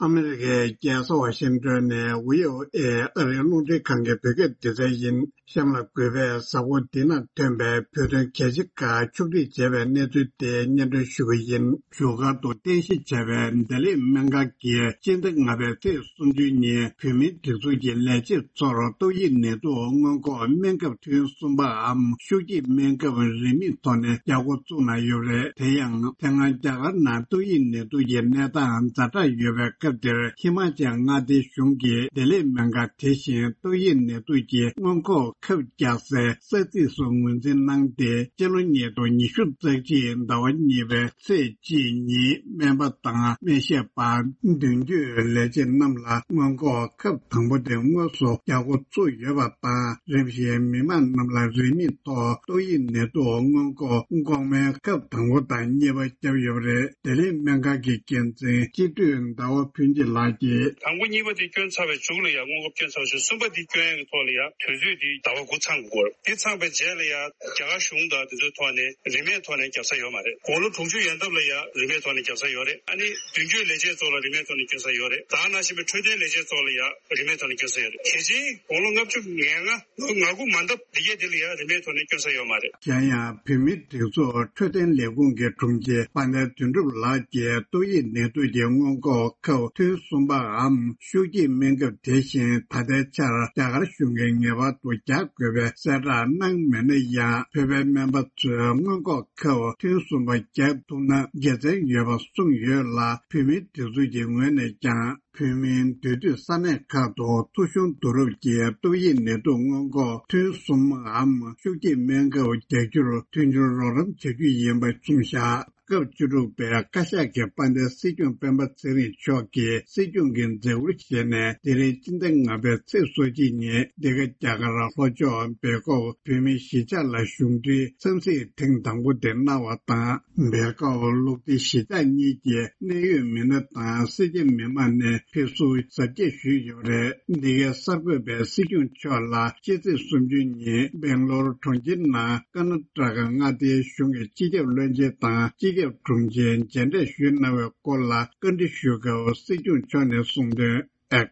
ཨ་མི་རི་ཀའི་རྒྱལ་ས་ཝ་ཤིང་ཏོན་ནས་བྷི་ཨོ་ཨེ་ཨ་རིའི་རླུང་འཕྲིན་ཁང་གི་བོད་སྐད་སྡེ་ཚན་ཡིན། གཤམ་ལ་གུས་པས་གཟའ་འཁོར་འདི་ན་ཐོན་པའི་བོད་དོན་གལ་ཆེ་ཁག་ཕྱོགས་སྒྲིག་བྱས་པའི་གནས་ཚུལ་དེ་སྙན་སྒྲོན་ཞུ་གི་ཡིན། བཞུགས་སྒར་དུ་རྟེན་གཞི་བྱས་པའི་བདེ་ལེགས་སྨན་ཁང་གིས་སྤྱི་ཟླ་ལྔ་པའི་ཚེས་སུམ་ཅུ་ཉིན་བོད་མིའི་སྒྲིག་འཛུགས་ཀྱི་ལས་བྱེད་ཚོར་ཏོག་དབྱིབས་ནད་དུག་སྔོན་འགོག་སྨན་ཁབ་ཐུན་གསུམ་པའམ་ཤུགས་སྐྱེད་སྨན་ཁབ་རིན་མེད་ཐོག་ནས་རྒྱག་འགོ་བཙུགས་གནང་ཡོད་པ་རེད། དེ་ཡང་དེ་སྔ་རྒྱ་གར་ནང་ཏོག་དབྱིབས་ནད་དུག་གི་གནས་སྟངས་ཛ་དྲག་ཡོད་པའི་སྐབས། འདིར་ཧི་མ་ཅལ་མངའ་སྡེའི་གཞུང་གིས་ལྡི་ལི་སྨན་ཁང་དེ་བཞིན་ཏོག་དབྱིབས་ནད་དུག་གི་སྔོན་འགོག་ཁབ་རྒྱག་སའི་ས་ཚིགས་སུ་ངོས་འཛིན་གནང་སྟེ། སྤྱི་ལོ་ཉིས་སྟོང་ཉི་ཤུ་རྩ་གཅིག་ཟླ་བ་གཉིས་པའི་ཚེས་གཅིག་ཉིན་སྨན་པ་དང་སྨན་ཞབས་པ་མདུན་སྐྱོད་ལས་བྱེད་རྣམས་ལ་སྔོན་འགོག་ཁབ་དང་པོ་དེ་དངོས་སུ་རྒྱག་འགོ་ཚུགས་ཡོད་པ་དང་། རིམ་བཞིན་མི་མང་རྣམས་ལ་རིན་མེད་ཐོག་ཏོག་དབྱིབས་ནད་དུག་སྔོན་འགོག་འགོག་སྨན་ཁབ་དང་པོ་དང་གཉིས་པ་བརྒྱབ་ཡོད་པ་རེད། ལྡི་ལི་སྨན་ཁང་གི་འགན་འཛིན་སྤྱི་འཐུས་ཟླ་བ་ཕུན་སྐྱིད་ལགས་ཀྱིས། དང་པོ་གཉིས་པ་དེ་བསྐྱོན་ཚར་བའི་མཇུག་ལ་ཡང་སྔོན་འགོག་བསྐྱོན་ཚར་བ་བཞིན། གསུམ་པ་དེ་བསྐྱོན་ཡག་གི་ཐོག་ལ་ཡང་དུས་ཚོད་དེ་ཟླ་བ་དགུ་ཚང་དགོས། དེ་ཚང་པའི་རྗེས་ལ་ཡང་རྒྱ་གར་གཞུང་དང་དེ་ཚོའི་ཐོག་ནས་རིན་མེད་ཐོག་ནས་བརྒྱབ་ས་ཡོད་མ་རེད། དགུང་ལོ་དྲུག་ཅུ་ཡན་འདབ་ལ་ཡང་རིན་མེད་ཐོག་ནས་བརྒྱབ་ས་ཡོད་རེད། ཨ་ནི་མདུན་སྐྱོད་ལས་བྱེད་ཚོ་ལ་རིན་མེད་ཐོག་ནས་བསྐྱོན་ས་ཡོད་རེད། ད་ག་ནང་བཞིན་པའི་འཕྲོད་བསྟེན་ལས་བྱེད་ཚོ་ལ་ཡང་རིན་མེད་ཐོག་ནས་བསྐྱོན་ས་ཡོད་རེད། དེ་བཞིན་དགུང་ལོ་ལྔ་བཅུ་ང་ལྔ། ལོ་ང་དགུ་མ་འདབ་འདི་གས་དེ་ལ་ཡང་རིན་མེད་ཐོག་ནས་བསྐྱོན་ས་ཡོད་མ་རེད། གཞན་ཡང་བོད་མིའི་སྒྲིག་འཛུགས་འཕྲོད་བསྟེན་ལས་ཁུངས་ཀྱི་དྲུང་ཆེ་དཔལ་ལྡན་དོན་གྲུབ་ལགས་ཀྱིས་ཏོག་དབྱིབས་ནད་དུག་གི་སྔོན་འགོག་ཁབ་ཐུན་གསུམ་པའམ་ཤུགས་སྐྱེད་སྨན་ཁབ་དེ་བཞིན་ད་ལྟའི་ཆར་རྒྱ་གར་གཞུང་གིས་ངེས་པར་དུ་རྒྱག་དགོས་པའི་གསལ་བསྒྲགས་གནང་མེད་ན་ཡང་། བོད་པའི་སྨན་པ་ཚོས་སྔོན་འགོག་ཁབ་ཐུན་གསུམ་པ་རྒྱག་ཐུབ་ན་དགེ་མཚན་ཡོད་པ་གསུངས་ཡོད་ལ། བོད་མིའི་སྒྲིག་འཛུགས་ཀྱི་ངོས་ནས་ཀྱང་། བོད་མིའི་འདུས་སྡོད་ས་གནས་ཁག་ཏུ་ཐོ་གཞུང་བསྡུ་རུབ་ཀྱིས་ཏོག་དབྱིབས་ནད་དུག་སྔོན་འགོག་ཐུན་གསུམ་འམ་ཤུགས་སྐྱེད་སྨན་ཁབ་རྒྱག་རྒྱུར་མཐུན་འགྱུར་རོགས་རམ་བྱ་རྒྱུ་ཡིན་པ་གསུངས་བཞག་སྐབས་བཅུ་དྲུག་པའི་བཀའ་ཤག་གི་དཔལ་ལྡན་སྲིད་སྐྱོང་སྤེན་པ་ཚེ་རིང་མཆོག་གིས་སྲིད་སྐྱོང་གི་མཛད་ཁུར་བཞེས་ནས། དེ་རིང་སྤྱི་ཟླ་ལྔ་པའི་ཚེས་སོ་གཅིག་ཉིན་འདི་ག་རྒྱ་གར་ལྷོ་ཕྱོགས་སྦེལ་ཀོབ་བོད་མིའི་གཞིས་ཆགས་ལ་གཞུང་འབྲེལ་འཚམས་གཟིགས་ཐེངས་དང་པོ་དེ་གནང་བ་དང་། སྦེལ་ཀོབ་ལུགས་བདེ་གཞིས་ཆགས་གཉིས་ཀྱི་གནད་ཡོད་མི་སྣ་དང་སེར་སྐྱ་མི་མང་ནས་ཕེབས་བསུ་གཟབ་རྒྱས་ཞུས་ཡོད་པ་རེད། འདི་གའི་གསར་འགོད་པས་སྲིད་སྐྱོང་མཆོག་ལ་ཕྱི་ཚེས་སུམ་ཅུ་ཉིན་སྦེང་ལོར་གྲོང་ཁྱེར་ནང་ཀར་ནཱ་ཊ་ཀ་མངའ་སྡེའི་གཞུང་གི་སྤྱི་ཁྱབ་བློན་ཆེན་དང་སྤྱི་ཁྱབ་དྲུང་ཆེ་མཇལ་འཕྲད་ཞུས་གནང་བའི་སྐོར་ལ་བཀའ་འདྲི་ཞུས་སྐབས་སྲིད་སྐྱོང་མཆོག་ནས་གསུངས་དོན། ཨེག་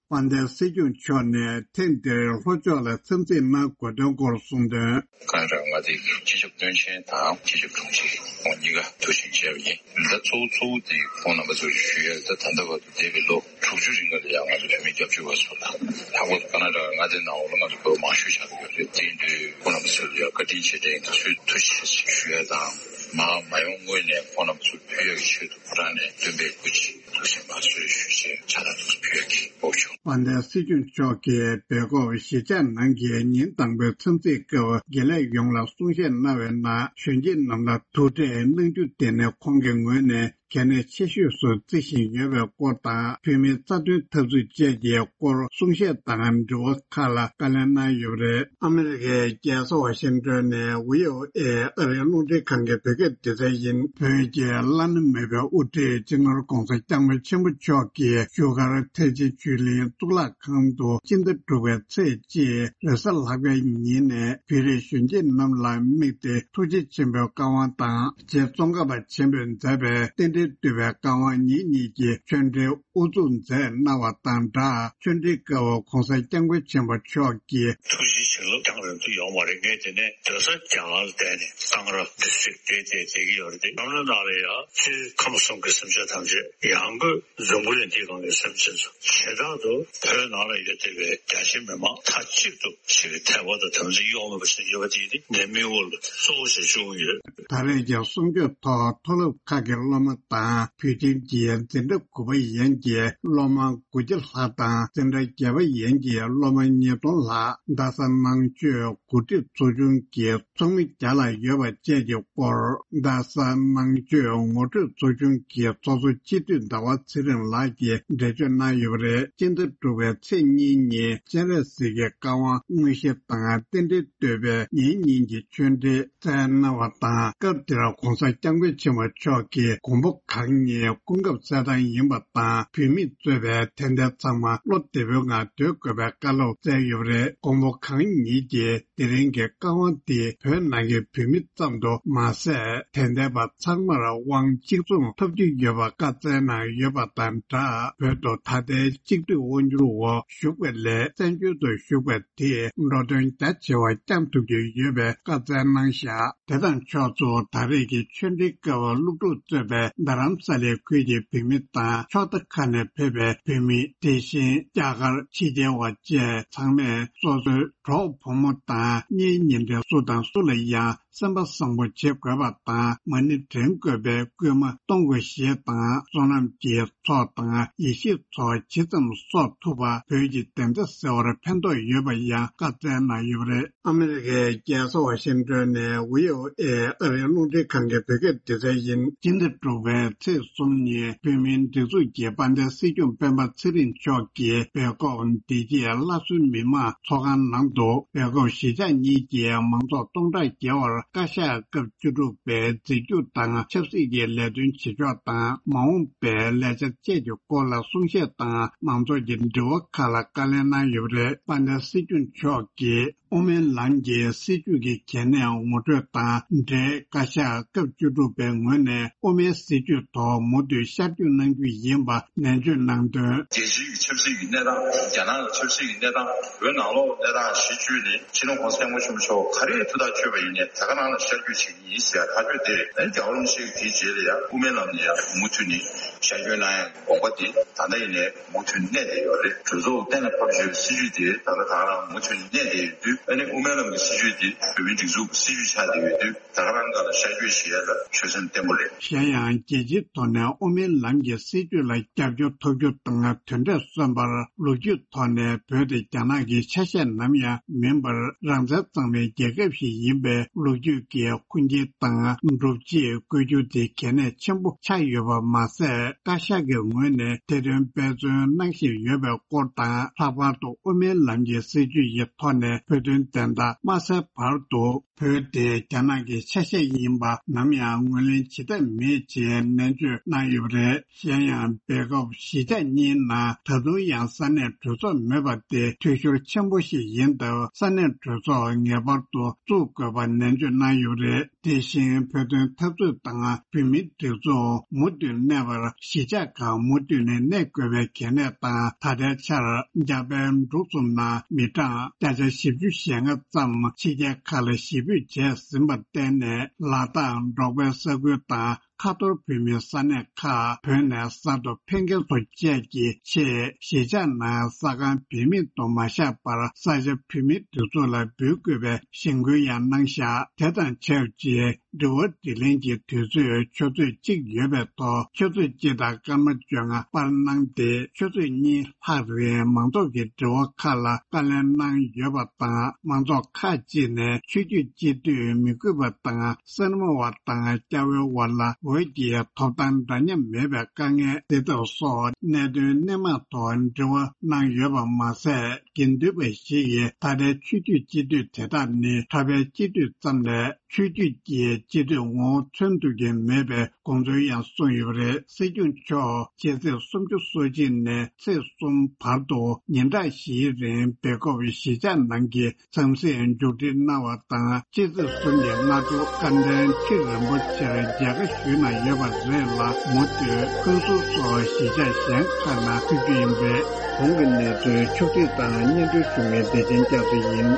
དཔལ་ལྡན་སྲིད་སྐྱོང་མཆོག་ནས་ཐེངས་འདིར་ལྷོ་ཕྱོགས་ལ་འཚམས་གཟིགས་གནང་དགོས་དོན་སྐོར་གསུངས་དོན། ཀར་ནཱ་ཊ་ཀ་མངའ་སྡེའི་སྤྱི་ཁྱབ་བློན་ཆེན་དང་སྤྱི་ཁྱབ་དྲུང་ཆེ་ཁོང་གཉིས་ཀ་ཐུགས་ཆེན་མཇལ་བ་ཡིན། ད་གཙོ་བོ་གཙོ་བོ་དེ་ཁོང་རྣམ་པ་ཚོར་ཞུ་ཡ། ད་ད་ལྟ་བར་དུ་འདས་པའི་ལོ་དྲུག་ཅུ་རིང་ལ་ཡང་ང་ཚོ་བོད་མི་སྐྱབས་བཅོལ་བ་ཚོ་ལ་ལྷག་པར་དུ་ཀར་ནཱ་ཊ་ཀ་མངའ་སྡེ་ནང་ལོགས་ལ་ང་ཚོ་བོད་མང་ཤོས་ཆགས་ཀྱི་ཡོད་རེད། དེ་ཡིན་དུས་ཁོང་རྣམ་པ་ཚོ་ལ་ཡང་བཀའ་དྲིན་རྗེས་དྲན་དང་ཐུགས་ཆེ་ཞུ་ཡ་དང་། མ་མ་ཡོང་སྔོན་ནས་ཁོང་རྣམ་པ་ཚོ་ཕུལ་ཡ་གི་ཆེད་དུ་ཁོ་རང་ནས་འདོན་པའི་སྐུ་མཁྱེན་ཐུགས་ཆེན་མ་གསོལ་ཞུ་ཞེས་ཕྱག་རྟགས་ཐུགས་སུ་ཕུལ་ཡ་གི་འབོད་ཞུ། དཔལ་ལྡན་སྲིད་སྐྱོང་མཆོག་གིས་སྦེལ་ཀོབ་གཞིས་ཆགས་ནང་གི་ཉིན་དང་པོའི་འཚམས་གཟིགས་སྐབས་དགེ་ལས་ཡོངས་ལ་གསུང་བཤད་གནང་བའི་ནང་། གཞོན་སྐྱེས་རྣམས་ལ་ཐུགས་ཁྲལ་གནང་རྒྱུ་དེ་ནི་ཁོང་གི་ངོས་ནས་གལ་གནད་ཆེ་ཤོས་སུ་བརྩི་བཞིན་ཡོད་པའི་སྐོར་དང་། བོད་མིའི་རྩ་དོན་འཐབ་རྩོད་བཅས་ཀྱི་སྐོར་གསུང་བཤད་དང་དྲི་བ་ཁག་ལ་བཀའ་ལན་གནང་ཡོད་པ་རེད། ཨ་མི་རི་ཀའི་རྒྱལ་ས་ཝ་ཤིང་ཏོན་ནས་བྷི་ཨོ་ཨེ་ཨ་རིའི་རླུང་འཕྲིན་ཁང་གི་བོད་སྐད་སྡེ་ཚན་ཡིན། བོད་ཀྱི་བླ་ན་མེད་པའི་དབུ་ཁྲིད་སྤྱི་ནོར་༧གོང་ས་༧སྐྱབས་མགོན་ཆེན་པོ་མཆོག་གིས་བཞུགས་སྒར་ཐེག་ཆེན་ཆོས་གླིང་གཙུག་ལག་ཁང་དུ་སྤྱི་ཟླ་དྲུག་པའི་ཚེས་གཅིག་རེས་གཟའ་ལྷག་པའི་ཉིན་ནས་བོད་རིགས་གཞོན་སྐྱེས་རྣམས་ལ་དམིགས་ཏེ་ཐུགས་རྗེ་ཆེན་པོའི་བཀའ་དབང་དང་། རྗེ་ཙོང་ཁ་པ་ཆེན་པོས་མཛད་པའི་རྟེན་འབྲེལ་བསྟོད་པའི་བཀའ་དབང་ཉིན་གཉིས་ཀྱི་ཆོས་འབྲེལ་དབུ་འཛུགས་མཛད་གནང་བ་དང་སྦྲགས། ཆོས་འབྲེལ་སྐབས་༧གོང་ས་༧སྐྱབས་མགོན་ཆེན་པོ་མཆོག་གིས། ཐུགས་རྗེ་བྱིན་རླབས་རྒྱང་རིང་དུ་ཡོང་བ་རེད། ངས་དེ་ནས་སྡོད་ས་རྒྱ་གར་ལ་བསྡད་ནས་གཙང་ར་འདི་ཚོ་བསྡད་བསྡད་བསྡད་ཀྱི་ཡོད་རེད་དེ། གནམ་ལོ་ནང་ལ་ཡང་ཕྱིར་ཁམས་གསུམ་གྱི་སེམས་ཅན་ཐམས་ཅད་ཡང་སྒོས་འཛམ་བུ་གླིང་འདིའི་སྒང་གི་སེམས་ཅན་ཚོ་བྱེ་བྲག་ཏུ་བོད་ནང་ལ་ཡོད་བསྡད་པའི་རྒྱ་ཆེ་མི་མང་མཐའ་གཅིག་ཏུ་ཞིག་གི་དད་པ་དང་དམ་ཚིག་གཡོ་མེད་པ་ཞིག་ཡོད་པ་དེ་ནི་ངའི་མིག་དབང་ལ་གཙོ་བོ་ཞིག་བྱུང་ཡོད། ད་རེས་ཀྱི་གསུང་ཆོས་ཐོག་མཐོ་སློབ་ཁག་གི་སློབ་མ་དང་བོད་ཁྱིམ་གྱི་འཛིན་གྲྭ་དགུ་པ་ཡན་གྱི་སློབ་མ་དགུ་བརྒྱ་ལྷག་དང་འཛིན་གྲྭ་བརྒྱད་པ་ཡན་གྱི་སློབ་མ་ཉིས་སྟོང་ལྷག་རྡ་ས་ནང་ཆོས་འགོ་ཁྲིད་ཚོགས་ཆུང་གི་ཚོགས་མི་བརྒྱ་ལྷག་ཡོད་པ་བཅས་ཀྱི་སྐོར། རྡ་ས་ནང་ཆོས་ངོ་སྤྲོད་ཚོགས་ཆུང་གི་ཚོགས་གཙོ་སྤྱི་འཐུས་ཟླ་བ་ཚེ་རིང་ལགས་ཀྱིས་འགྲེལ་བརྗོད་གནང་ཡོད་པ་རེད། སྤྱི་ཟླ་དྲུག་པའི་ཚེས་གཉིས་ཉིན་སྤྱན་རས་གཟིགས་ཀྱི་བཀའ་དབང་དངོས་གཞི་དང་རྟེན་འབྲེལ་བསྟོད་པའི་ཉིན་གཉིས་ཀྱི་ཆོས་འབྲེལ་སྩལ་གནང་བ་དང་། སྐབས་དེར་༧གོང་ས་༧སྐྱབས་མགོན་ཆེན་པོ་མཆོག་གིས་མགོན་པོ་གང་ཉིད་སྐུ་ཁམས་གསལ་ཐང་ཡིན་པ་དང་། བོད་མིས་གཙོས་པའི་དད་ལྡན་ཚང་མ་བློ་བདེ་པོའི་ངང་སྡོད་དགོས་པའི་བཀའ་སློབ་སྩལ་ཡོད་པ་རེད། མགོན་པོ་གང་ཉིད་ཀྱིས་དེ་རིང་གི་བཀའ་དབང་འདིས་བོད་ནང་གི་བོད་མི་ཙམ་དུ་མ་ཟད། དད་ལྡན་པ་ཚང་མར་དབང་གཅིག་མཚུངས་ཐོབ་ཀྱི་ཡོད་པ་བཀའ་སྩལ་གནང་ཡོད་པ་དང་སྦྲགས། བོད་དུ་ད་ལྟའི་གཅིག་སྡུད་དབང་སྒྱུར་འོག་བཞུགས་པ་ལས་བཙན་བྱོལ་དུ་བཞུགས་པ་དེས་འགྲོ་དོན་རྒྱ་ཆེ་བ་བསྐྱང་ཐུབ་ཀྱི་ཡོད་པའི་བཀའ་སྩལ་གནང་བཞག་དེ་དང་ཕྱོགས་མཚུངས། ད་རེས་ཀྱི་ཆོས་འབྲེལ་སྐབས་སློབ་ཕྲུག་གཙོས་པའི་རྡ་རམ་ས་ལའི་ཁུལ་གྱི་བོད་མི་དང་ཕྱོགས་མཐའ་ཁག་ནས་ཕེབས་པའི་བོད་མི། དེ་བཞིན་རྒྱ་གར་ཕྱི་རྒྱལ་བ་བཅས་ཚང་མས་སོ་སོའི་གྲོགས་བུ་མོ་དང་གཉེན་ཉེ་འབྲེལ་སུ་དང་སུ་ལ་ཡང་ སེམས་པ་བཟང་པོ་བྱེད་དགོས་པ་དང་། མ་ཎི་བགྲང་དགོས་པའི་སྐུལ་མ་གཏོང་དགོས་ཞེས་དང་། བསོད་ནམས་ཀྱི་ཚོགས་དང་ཡེ་ཤེས་ཚོགས་ཇི་ཙམ་གསོག་ཐུབ་པ། བོད་ཀྱི་བདེན་མཐའ་གསལ་བར་ཕན་ཐོགས་ཡོད་པ་ཡང་བཀའ་སྩལ་གནང་ཡོད་པ་རེད། ཨ་མི་རི་ཀའི་རྒྱལ་ས་ཝ་ཤིང་ཏོན་ནས་ཝི་ཨོ་ཨེ་ཨ་རིའི་རླུང་འཕྲིན་ཁང་གི་བོད་སྐད་སྡེ་ཚན་ཡིན། སྤྱི་ཟླ་དྲུག་པའི་ཚེས་གསུམ་ཉིན་བོད་མིའི་སྒྲིག་འཛུགས་ཀྱི་དཔལ་ལྡན་སྲིད་སྐྱོང་སྤེན་པ་ཚེ་རིང་མཆོག་གིས་སྦེལ་ཀོབ་བདེ་སྐྱིད་སླར་གསོའི་མི་དམངས་ཚོགས་ཁང་ནང་དུ། སྦེལ་ཀོབ་གཞིས་ཆགས་གཉིས་ཀྱི་མང་ཚོགས་སྟོང་ཕྲག་བརྒལ་བར་བཀའ་ཤག་སྐབས་བཅུ་དྲུག་པའི་འཛིན་སྐྱོང་དང་ཆབ་སྲིད་ཀྱི་ལས་དོན་བྱེད་ཕྱོགས་དང་། མ་འོངས་པའི་ལས་འཆར་བཅས་ཀྱི་སྐོར་ལ་གསུང་བཤད་དང་། མང་ཚོགས་ཀྱི་དྲི་བ་ཁག་ལ་བཀའ་ལན་གནང་ཡོད་པ་རེད། དཔལ་ལྡན་སྲིད་སྐྱོང་མཆོག་གིས། དབུ་མའི་ལམ་གྱི་སྲིད་བྱུས་ཀྱི་གལ་གནད་ངོ་སྤྲོད་དང་འབྲེལ། བཀའ་ཤག་སྐབས་བཅུ་དྲུག་པའི་ངོས་ནས་དབུ་མའི་སྲིད་བྱུས་ཐོག་མུ་མཐུད་ཤར་བསྐྱོད་གནང་རྒྱུ་ཡིན་པ་ནན་བརྗོད་གནང་དོན། རྒྱལ་སྤྱིའི་ཆབ་སྲིད་ཀྱི་གནས་སྟངས། རྒྱ་ནག་གི་ཆབ་སྲིད་ཀྱི་གནས་སྟངས། བོད་ནང་ལོགས་གནས་སྟངས་གཞི་བཅོལ་ནས། སྤྱི་ནོར་༸གོང་ས་༸སྐྱབས་མགོན་ཆེན་པོ་མཆོག་ག་རེ་ཐུགས་ཐག་ཆོད་པ་ཡིན་ནའི་དེ་ག་ནང་ལ་ཤར་བསྐྱོད་བྱེད་ཀྱི་ཡིན་ཟེར་ཐག་གཅོད་དེ། ཨ་ནི་རྒྱལ་བ་རིན་པོ་ཆེ་གིས་དེའི་རྗེས་ལ་ཡང་དབུ་མའི་ལམ་ནས་ཡང་མུ་མཐུད་ནས་ཤར་བསྐྱོད་གནང་ཡག་གི་དགོངས་པ་དེ་ད་ལྟ་ཡིན་ནའི་མུ་མཐུད་གནས་བསྡད་ཡོད་རེད། གྲོས་ཚོགས་གཏན་ལ་ཕབ་བྱས་པའི་སྲིད་བྱུས་དེ་ད་ལྟ་ད་ག་རང་མུ་མཐུད་གནས་བསྡད་ཡོད་དུས། ཨ་ནི་དབུ་མའི་ལམ་གྱི་སྲིད་བྱུས་དེ་བོད་མིའི་སྒྲིག་འཛུགས་ཀྱི་སྲིད་བྱུས་ཆགས་བསྡད་ཡོད་དུས། ད་ག་རང་སྒང་ལ་ཤར་བསྐྱོད་བྱེད་ཡ་ལ་ཆོད་སེམས་བརྟན་པོ་རེད། གཞན་ཡང་རྒྱལ་སྤྱིའི་ཐོག་ནས་དབུ་མའི་ལམ་གྱི་སྲིད་བྱུས་ལ་རྒྱབ་སྐྱོར་ཐོབ་རྒྱུ་དང་། དེ་འདྲ་སོན་པར་ལོ་རྒྱུས་ཐོག་ནས་བོད་དེ་རྒྱ་ནག་གི་ཆ་ཤས་ནམ་ཡང་མིན་པར། རང་བཙན་གཙང་མའི་རྒྱལ་ཁབ་ཞིག་ཡིན་པའི་ལོ་རྒྱུས་ཀྱི་ཁུངས་སྐྱེལ་དང་སྒྲུབ་བྱེད་བཀོད་རྒྱུ་དེ་གལ་གནད་ཆེན་པོ་ཆགས་ཡོད་པ་མ་ཟད། བཀའ་ཤག་གི་ངོས་ནས་དེ་དོན་འབད་བརྩོན་གནང་བཞིན་ཡོད་པའི་སྐོར་དང་། ལྷག་པར་དུ་དབུ་མའི་ལམ་གྱི་སྲིད་བྱུས་ཀྱི་ཐོག་ནས་བོད་དོན་བདེན་མཐའ་མ་གསལ་བར་དུ། བོད་དེ་རྒྱ་ནག་གི་ཆ་ཤས་ཡིན་པ་ནམ་ཡང་ངོས་ལེན་བྱེད་ཐབས་མེད་ཅེས་ནན་བརྗོད་གནང་ཡོད་པ་རེད། གཞན་ཡང་སྦེལ་ཀོབ་གཞིས་ཆགས་གཉིས་ནང་ད་དུང་ཡང་ས་གནས་གྲོས་ཚོགས་མེད་པ་དེ་འཐུས་ཤོར་ཆེན་པོ་ཞིག་ཡིན་སྟབས། ས་གནས་གྲོས་ཚོགས་ངེས་པར་དུ་བཙུགས་དགོས་པ་ནན་བརྗོད་གནང་ཡོད་པ་རེད། དེ་བཞིན་བོད་དོན་འཐབ་རྩོད་དང་བོད་མིའི་སྒྲིག་འཛུགས་མུ་མཐུད་གནས་པར་གཞིས་ཆགས་ཁག་མུ་མཐུད་ནས་གནས་དགོས་པའི་གལ་གནད་དང་། ད་ལྟའི་ཆར་འཇར་པན་འབྲུག་གསུམ་ནང་མི་གྲངས་བརྒྱ་ཆ་བཞི་བཅུ་ཞེ་ལྔ་ཙམ་ཕྱི་རྒྱལ་ཁག་ལ་གཞིས་སྤོས་བྱས་ཟིན་པར་བརྟེན་ནས། ལ་དྭགས་འབྲོག་པའི་ས་ཁུལ་དང་ཁ་ཐོར་བོད་མིའི་ས་གནས་ཁག་བོད་ནས་གསར་དུ་འཕེན་མཁན་ཚོ་བཅས་ཀྱི་ཆེད། གཞིས་ཆགས་ནང་ས་ཁང་བེད་མེད་དུ་མ་བཞག་པར། ས་ཆ་བོད་མིའི་སྒྲིག་འཛུགས་ལ་འབུལ་དགོས་པའི་གཞེན་སྐུལ་ཡང་གནང་བཞག་དེ་དང་ཆབས་ཅིག་དྲི་བ་དྲིས་ལན་གྱི་དུས་ཚོད་ཆུ་ཚོད་གཅིག་ཡོད་པའི་ཐོག་ཆུ་ཚོད་གཅིག་དང་སྐར་མ་བཅོ་ལྔ་སྤར་གནང་སྟེ། ཆུ་ཚོད་གཉིས་ལྷག་རིང་མང་ཚོགས་ཀྱི་དྲི་བ་ཁག་ལ་བཀའ་ལན་གནང་ཡོད་པ་དང་། མང་ཚོགས་ཁག་ཅིག་ནས་ཆོས་བརྒྱུད་སྤྱི་འཐུས་མི་དགོས་པ་དང་། སེར་མོ་བ་དང་སྐྱ་བོའི་བར་ལ་འོས་ཀྱི་ཐོབ་ཐང་འདྲ་མཉམ་མེད་པའི་དཀའ་ངལ་སེལ་ཐབས་སོགས་གནད་དོན་སྣེ་མང་ཐོག་འབྲེལ་བ་གནང་ཡོད་པ་མ་ཟད། དགེ་འདུན་པ་ཞིག་གིས་ད་ལྟའི་ཆོས་བརྒྱུད་སྤྱི་འཐུས་དེ་དག་ནི་གྲྭ་པའི་སྤྱི་འཐུས་ཙམ་ལས། ཆོས་བརྒྱུད་ཀྱི་སྤྱི་འཐུས་ངོ་བོ་མཚོན་ཐུབ་ཀྱི་མེད་པའི་དགོངས་ཚུལ་ཡང་གསུངས་ཡོད་པ་རེད། སྲིད་སྐྱོང་མཆོག་ཕྱི་ཚེས་སུམ་ཅུ་སོ་གཅིག་ནས་ཚེས་གསུམ་བར་དུ་ཉིན་གྲངས་བཞིའི་རིང་སྦེལ་ཀོབ་གཞིས་ཆགས་ནང་གི་འཚམས་གཟིགས་མཇུག་སྒྲིལ་གནང་བ་དང་། སྤྱི་ཚེས་གསུམ་གྱི་སྔ་དྲོ་བཀའ་དྲིན་ཁྲི་རིན་པོ་ཆེར་མཇལ་ཁ་ཞུས་གནང་ཡོད་པ་རེད་ལ། མུ་མཐུད་ཀུན་གསལ་སོགས་གཞིས་ཆགས་གཞན་ཁག་ནང་ཕེབས་རྒྱུ་ཡིན་པས། གོང་གི་གནས་ཚུལ་ཕྱོགས་སྒྲིག་དང་སྙན་སྒྲོན་ཞུ་མཁན་བདེ་ཆེན་སྐྱབས་སུ་ཡིན།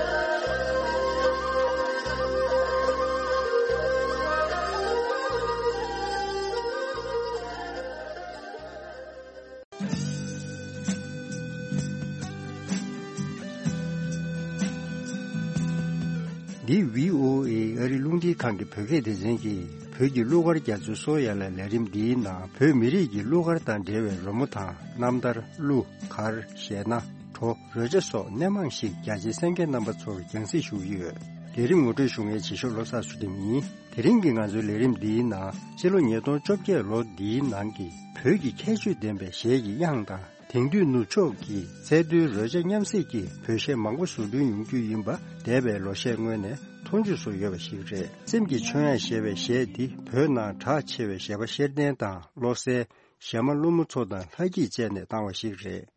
འདི་བྷི་ཨོ་ཨེ་ཨ་རི་རླུང་འཕྲིན་ཁང་གི་བོད་སྐད་སྡེ་ཚན་གྱིས་བོད་ཀྱི་གླུ་གར་རྒྱ་མཚོའི་སོ་ཡན་ལག་ལས་རིམ་འདིའི་ནང་བོད་མི་རིགས་ཀྱི་གླུ་གར་དང་འབྲེལ་བའི་རོལ་མོ་དང་། རྣམ་ཐར། གླུ། གར། གཞས་སྣ། བྲོ། རོལ་ཆ་སོགས་སྣེ་མང་ཞིག་རྒྱ་ཆེའི་གསན་མཁན་རྣམ་པ་ཚོར་རྒྱང་སྲིང་ཞུ་གི་ཡོད། ལས་རིམ་ངོ་སྤྲོད་ཞུ་མཁན་རྗེས་ཤོག་བློ་བཟང་ཚུལ་ཁྲིམས་ཡིན། དེ་རིང་གི་ང་ཚོའི་ལས་རིམ་འདིའི་ནང་། སྤྱི་ལོ་ཉིས་སྟོང་བཅོ་བརྒྱད་ལོ་འདིའི་ནང་གི་བོད་ཀྱི་ཁྱད་ཆོས་ལྡན་པའི་གཞས་ཀྱི་དབྱངས་དང་། དེང་དུས་ནུབ་ཕྱོགས་ཀྱི་ཚད་རྡུལ་རོལ་ཆ་མཉམ་བསྲེས་ཀྱི་བོད་གཞས་མང་པོ་བཟོ་སྐྲུན་ཡོང་རྒྱུ་ཡིན་པ་འདས་པའི་ལོ་ཤས་སྔོན་ནས་མཐོང་ཆོས་སུ་ཡོད་པ་ཞིག་རེད། སེམས་ཀྱི་མཆོད་དབྱངས་ཞེས་པའི་གཞས་འདི་བོད་ནང་གྲགས་ཆེ་བའི་གཞས་པ་ཤེར་ལྡན་དང་བློ་གསལ། གཞས་མ་ཀླུ་མོ་མཚོ་དང་ལྷ་སྐྱིད་བཅས་ནས་བཏང་བ་ཞིག་རེད།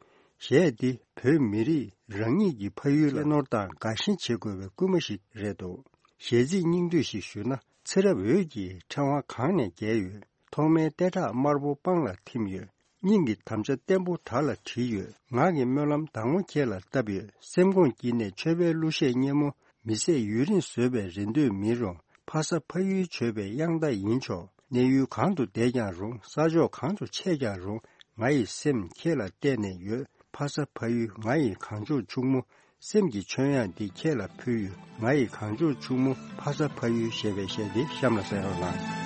གཞས་འདི་བོད་མི་རིགས་རང་ཉིད་ཀྱི་ཕ་ཡུལ་ལ་གནས་སྐོར་དང་དགའ་ཞེན་བྱེད་དགོས་པའི་སྐུལ་མ་ཞིག་རེད་འདུག་གཞས་ཚིག་སྙིང་བསྡུས་ཤིག་ཞུས་ན། ཚེ་རབས་འོད་ཀྱི་ཕྲེང་བ་གང་ནས་རྒྱས་ཡོད། ཐོག་མའི་ལྟེ་ཁྲག་དམར་པོ་སྤང་ལ་ཐིམ་ཡོད། སྙིང་གི་དམ་བཅའ་བརྟན་པོ་དར་ལ་བྲིས་ཡོད། ངག་གི་སྨོན་ལམ་དྭངས་མོ་ཁྱེད་ལ་བཏབ་ཡོད། སེམས་ཁོང་དཀྱིལ་ནས་མཆོད་པའི་གླུ་གཞས་སྙན་མོ། མི་ཟད་ཡུན་རིང་བཟོད་པའི་རེ་འདོད་མིན་རུང་། ཕ་ས་ཕ་ཡུལ་མཆོད་པའི་དབྱངས་རྟ་ཡིན་ཆོག་གནས་ཡུལ་གང་དུ་བསྡད་ཀྱང་རུང་། ས་ཕྱོགས་གང་དུ་ཆས་ཀྱང་རུང་། ང་ཡི་སེམས་ཁྱེད་ལ་གཏད་ནས་ཡོད། ཕ་ས་ཕ་ཡུལ་ང་ཡི་གངས་ལྗོངས་ཕྱུག་མོ། སེམས་ཀྱི་མཆོད་ཡང་འདི་ཁྱེད་ལ་ཕུལ་ཡོད། ང་ཡི་གངས་ལྗོངས་ཕྱུག་མོ་ཕ་ས་ཕ་ཡུལ་ཞེས་པའི་གཞས་འདི་གཤམ་ལ་གསན་རོགས་གནང་།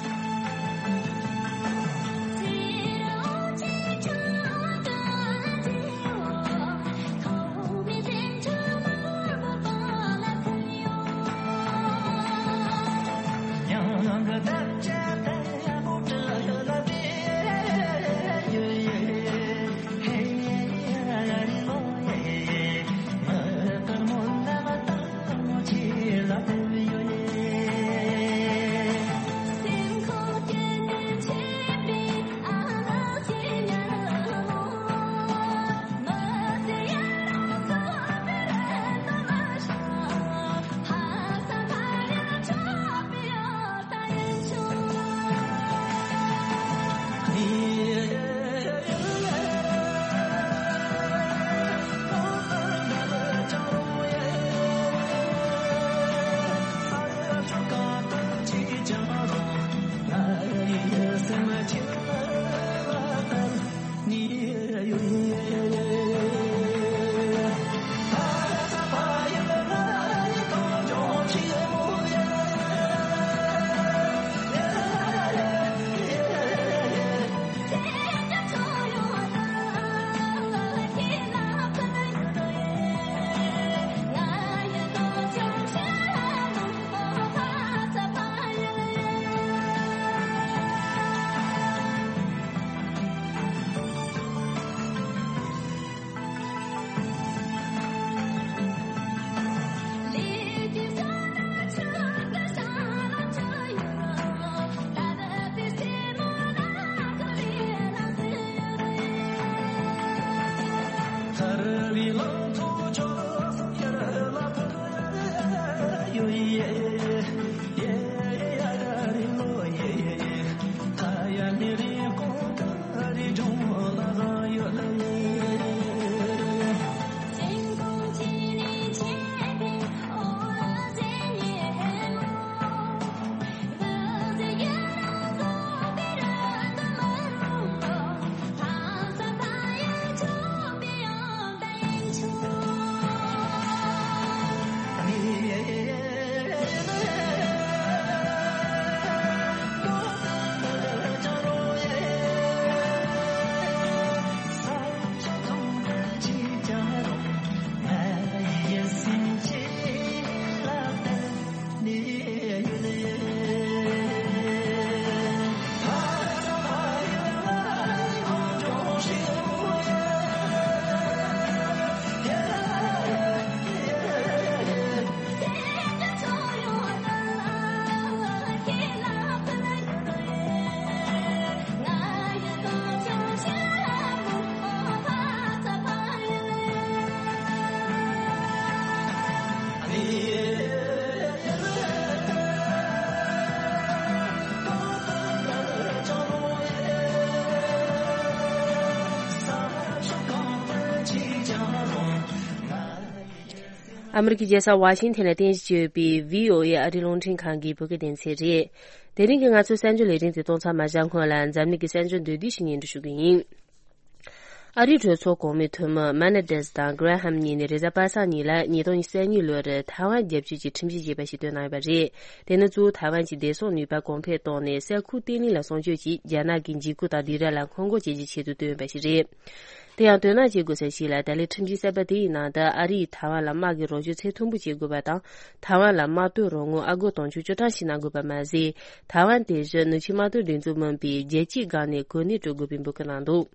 ཨ་མི་རི་ཀའི་རྒྱལ་ས་ཝ་ཤིང་ཐན་ལ་རྟེན་གཞི་བྱས་ཡོད་པའི་བྷི་ཨོ་ཨེ་ཨ་རིའི་རླུང་འཕྲིན་ཁང་གི་བོད་སྐད་སྡེ་ཚན་རེད། དེ་རིང་གི་ང་ཚོའི་གསར་འགྱུར་ལས་རིམ་དེ་གཏོང་མཚམས་མ་བཞག་སྔོན་ལ་འཛམ་གླིང་གི་གསར་འགྱུར་མདོར་བསྡུས་ཤིག་སྙན་སྒྲོན་ཞུ་གི་ཡིན། ཨ་རིའི་གྲོས་ཚོགས་གོང་མའི་འཐུས་མི་མེ་ནེ་ཌེས་དང་གྷི་རེ་ཧམ་གཉིས་ནས་རེས་གཟའ་པ་སངས་ཉིན་ལ་ཉིས་སྟོང་ཉི་ཤུ་རྩ་གཉིས་ལོར་ཐའེ་ཝན་རྒྱབ་སྐྱོར་གྱི་ཁྲིམས་གཞི་ཅེས་པ་ཞིག་བཏོན་གནང་ཡོད་པ་རེད། དེ་ནི་གཙོ་བོ་ཐའེ་ཝན་གྱི་བདེ་སྲུང་ནུས་པ་གོང་འཕེལ་གཏོང་ནས་ས་ཁུལ་བརྟན་ལྷིང་ལ་སྲུང་སྐྱོབ་ཀྱིས་རྒྱ་ནག་གི་འཇིགས་སྐུལ་དང་ལྡིང་ར་ལ་སྔོན་འགོག་བྱེད་ཀྱི་ཆེད་དུ་བཏོན་ཡོད་པ་ཞིག་རེད། དེ་ཡང་དོ་སྣང་བྱེད་དགོས་ས་ཞིག་ལ། ད་ལན་ཁྲིམས་གཞི་གསར་པ་དེ་ཡི་ནང་དུ་ཨ་རིས་ཐའེ་ཝན་ལ་དམག་གི་རོགས་སྐྱོར་ཚད་མཐོན་པོ་བྱེད་དགོས་པ་དང་། ཐའེ་ཝན་ལ་དམག་དོན་རོགས་དངུལ་ཨ་སྒོར་དུང་ཕྱུར་བཅུ་གྲངས་ཤིག་གནང་དགོས་པ་མ་ཟད། ཐའེ་ཝན་དེ་བཞིན་ནུབ་ཕྱོགས་དམག་དོན་སྒྲིག་འཛུགས་མིན་པའི་རྒྱལ་སྤྱིའི་སྒང་ནས་གོ་གནས་སྤྲོད་དགོས་པའི་འབོད་སྐུལ་གནང་འདུག་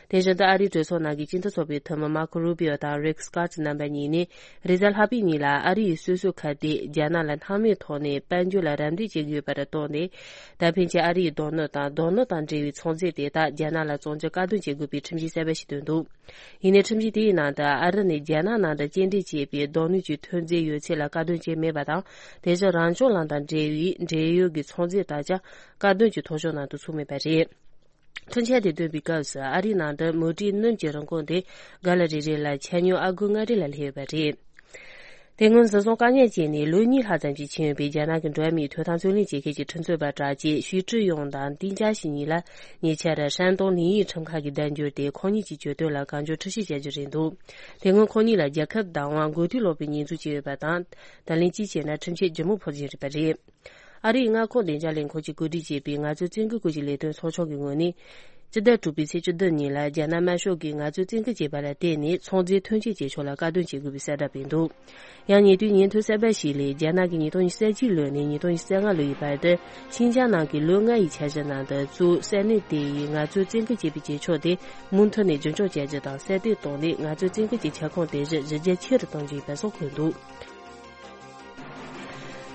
དེ་བཞིན་དུ་ཨ་རིའི་གྲོས་ཚོགས་ནང་གི་སྤྱི་འཐུས་ཚོགས་པའི་འཐུས་མི་མར་ཁོ་རུ་པི་ཨོ་དང་རིག་སྐོད་རྣམ་པ་གཉིས་ནས་རེས་གཟའ་ལྷག་པའི་ཉིན་ལ་ཨ་རི་ཡི་སོ་སོའི་ཁ་གཏད་རྒྱ་ནག་ལ་སྣང་མེད་ཐོག་ནས་དཔལ་འབྱོར་ལ་རམ་འདེགས་བྱེད་ཀྱི་ཡོད་པར་བརྟེན་ནས། ད་ཕན་ཆད་ཨ་རི་ཡི་རྡོ་སྣུམ་དང་རྡོ་སྣུམ་དང་འབྲེལ་བའི་ཚོང་རྫས་དེ་དག་རྒྱ་ནག་ལ་བཙོང་རྒྱུ་བཀག་སྡོམ་བྱེད་དགོས་པའི་ཁྲིམས་གཞི་གསར་པ་ཞིག་བཏོན་འདུག་ཡིན་ནའི་ཁྲིམས་གཞི་དེའི་ནང་དུ་ཨ་རི་ནས་རྒྱ་ནག་ནང་དུ་སྐྱེལ་འདྲེན་བྱས་པའི་རྡོ་སྣུམ་གྱི་ཐོན་རྫས་ཡོད་ཚད་ལ་བཀག་སྡོམ་བྱས་མེད་པ་དང་། དེ་བཞིན་རང་བྱུང་ལམ་དང་འབྲེལ་བའི་འབྲེལ་ཡོད་ཀྱི་ཚོང་རྫས་དག་ཀྱང་བཀག་སྡོམ་གྱི་ཐོ་གཞུང་ནང་དུ་ཚུད་མེད་པ་རེད། ཁྲིམས་འཆར་དེ་བཏོན་པའི་སྐབས་སུ་ཨ་རིའི་ནང་དུ་མུ་ཏིག་སྣུམ་གྱི་རིན་གོང་དེ་ག་ལ་རེ་རེ་ལ་ཆ་སྙོམས་ཨ་སྒོར་ལྔ་རེ་ལ་སླེབས་ཡོད་པ་རེད། དེ་སྔོན་སྲིད་བཟུང་བཀག་ཉར་བྱས་ནས་ལོ་གཉིས་ལྷག་ཙམ་ཞིག་ཕྱིན་ཡོད་པའི་རྒྱ་ནག་གི་འགྲོ་བ་མིའི་ཐོབ་ཐང་རྩོད་ལེན་བྱེད་མཁན་གྱི་ཁྲི་ཚོ་པ་གྲགས་ཅན་ཞུས་ཀྲི་ཡུང་དང་ཏིན་ཅཱ་ཞི་གཉིས་ལ་ཉེ་ཆར་ཧྲན་ཏུང་ལིན་ཡིག་ཁྲིམས་ཁང་གིས་བརྡ་འབྱོར་ཏེ། ཁོང་གཉིས་ཀྱི་གྱོད་དོན་ལ་གང་མགྱོགས་འཁྲི་བཤེར་བྱ་རྒྱུ་རེད་འདུག་དེ་སྔོན་ཁོང་གཉིས་ལ་རྒྱལ་ཁབ་བདག་དབང་མགོ་ཐོག་ལོག་པའི་ཉེས་འཛུགས་བྱས་ཡོད་པ་དང་། ད་ལན་གཅིག་བྱས་ན་ཁྲིམས་ཆད་ལྗིད་མོ་ཕོག་བཞིན་རེད་པ་རེད། ཨ་རིའི་མངའ་ཁོངས་བདེ་འཇགས་ལས་ཁུངས་ཀྱིས་གོ་སྒྲིག་བྱས་པའི་ངལ་རྩོལ་བཙན་སྐུལ་སྐོར་གྱི་ལས་དོན་ཚོགས་ཆུང་གི་ངོས་ནས། སྤྱི་ཟླ་དྲུག་པའི་ཚེས་བཅུ་བདུན་ཉིན་ལ་རྒྱ་ནག་དམར་ཤོག་གིས་ངལ་རྩོལ་བཙན་སྐུལ་བྱས་པ་ལ་བརྟེན་ནས་ཚོང་རྫས་ཐོན་སྐྱེད་བྱེད་ཕྱོགས་ལ་བཀག་སྡོམ་བྱེད་དགོས་པའི་གསལ་བསྒྲགས་སྤེལ་འདུག་ཡང་ཉེ་དུས་ཉིན་ཐོ་གསར་པ་ཞིག་ལས། རྒྱ་ནག་གིས་ཉིས་སྟོང་ཉི་ཤུ་རྩ་གཅིག་ལོ་ནས་ཉིས་སྟོང་ཉི་ཤུ་རྩ་ལྔ་ལོ་ཡི་བར་དུ་ཤིན་ཅང་ནང་གི་ལོ་ལྔ་ཡི་འཆར་གཞི་ནང་དུ་གཙོས་ས་གནས་དེ་ཡི་ངལ་རྩོལ་བཙན་སྐུལ་བྱེད་པའི་བྱེད་ཕྱོགས་དེ་མུ་མཐུད་ནས་རྒྱུན་འཁྱོངས་བྱ་རྒྱུ་དང་། གསར་གཏོད་བཏང་ནས་ངལ་རྩོལ་བཙན་སྐུལ་གྱི་ཁྱབ་ཁོངས་དེ་བཞིན་གཞི་རྒྱ་ཆེ་རུ་གཏོང་རྒྱུ་ཡིན་པ་སོགས་འཁོད་འདུག་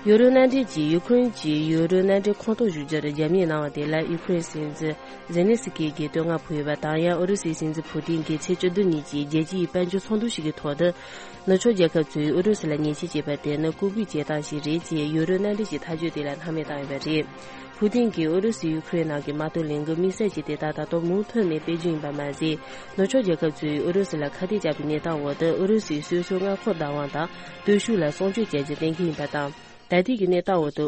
ཡུ་རོབ་མནའ་འབྲེལ་གྱིས་ཡུ་ཁུ་རེན་གྱི་ཡུ་རོབ་མནའ་འབྲེལ་ཁོངས་གཏོགས་ཞུ་རྒྱུར་རྒྱབ་གཉེར་གནང་བ་དེ་ལ་ཡུ་ཁུ་རེན་སྲིད་འཛིན་ཛེ་ལན་སི་ཀི་གིས་བསྟོད་བསྔགས་ཕུལ་ཡོད་པ་དང་། ཡང་ཨུ་རུ་སུའི་སྲིད་འཛིན་ཕུ་ཏིན་གྱིས་ཚེས་བཅུ་བདུན་ཉིན་གྱི་རྒྱལ་སྤྱིའི་དཔལ་འབྱོར་ཚོགས་འདུ་ཞིག་གི་ཐོག་ཏུ། ནུབ་ཕྱོགས་རྒྱལ་ཁབ་ཚོས་ཨུ་རུ་སུ་ལ་ཉེས་ཆད་བཅད་པ་དེ་ནི་ལྐུགས་པའི་བྱེད་སྟངས་ཤིག་རེད་ཅེས་ཡུ་རོབ་མནའ་འབྲེལ་གྱི་ཐག་གཅོད་དེ་ལ་སྣང་མེད་བཏང་ཡོད་པ་རེད། ཕུ་ཏིན་གྱིས་ཨུ་རུ་སུས་ཡུ་ཁུ་རེན་ནང་གི་དམག་དོན་ལས་འགུལ་དམིགས་བསལ་གྱིས་དེ་དག་ད་དུང་མུ་མཐུད་ནས་སྤེལ་རྒྱུ་ཡིན་པ་མ་ཟད། ནུབ་ཕྱོགས་རྒྱལ་ཁབ་ཚོས་ཨུ་རུ་སུ་ལ་ཁ་གཏད་བཅག་པའི་གནས་སྟངས་འོག་ཏུ་ཨུ་རུ་སུས་སོ་སོའི་མངའ་ཁོངས་བདག་དབང་དང་སྟོབས་ཤུགས་ལ་སྲུང་སྐྱོབ་བྱ་རྒྱུ་གཏན་འཁེལ་ཡིན་པ་དང་། ད་ལྟའི་གི་གནས་སྟངས་འོག་ཏུ།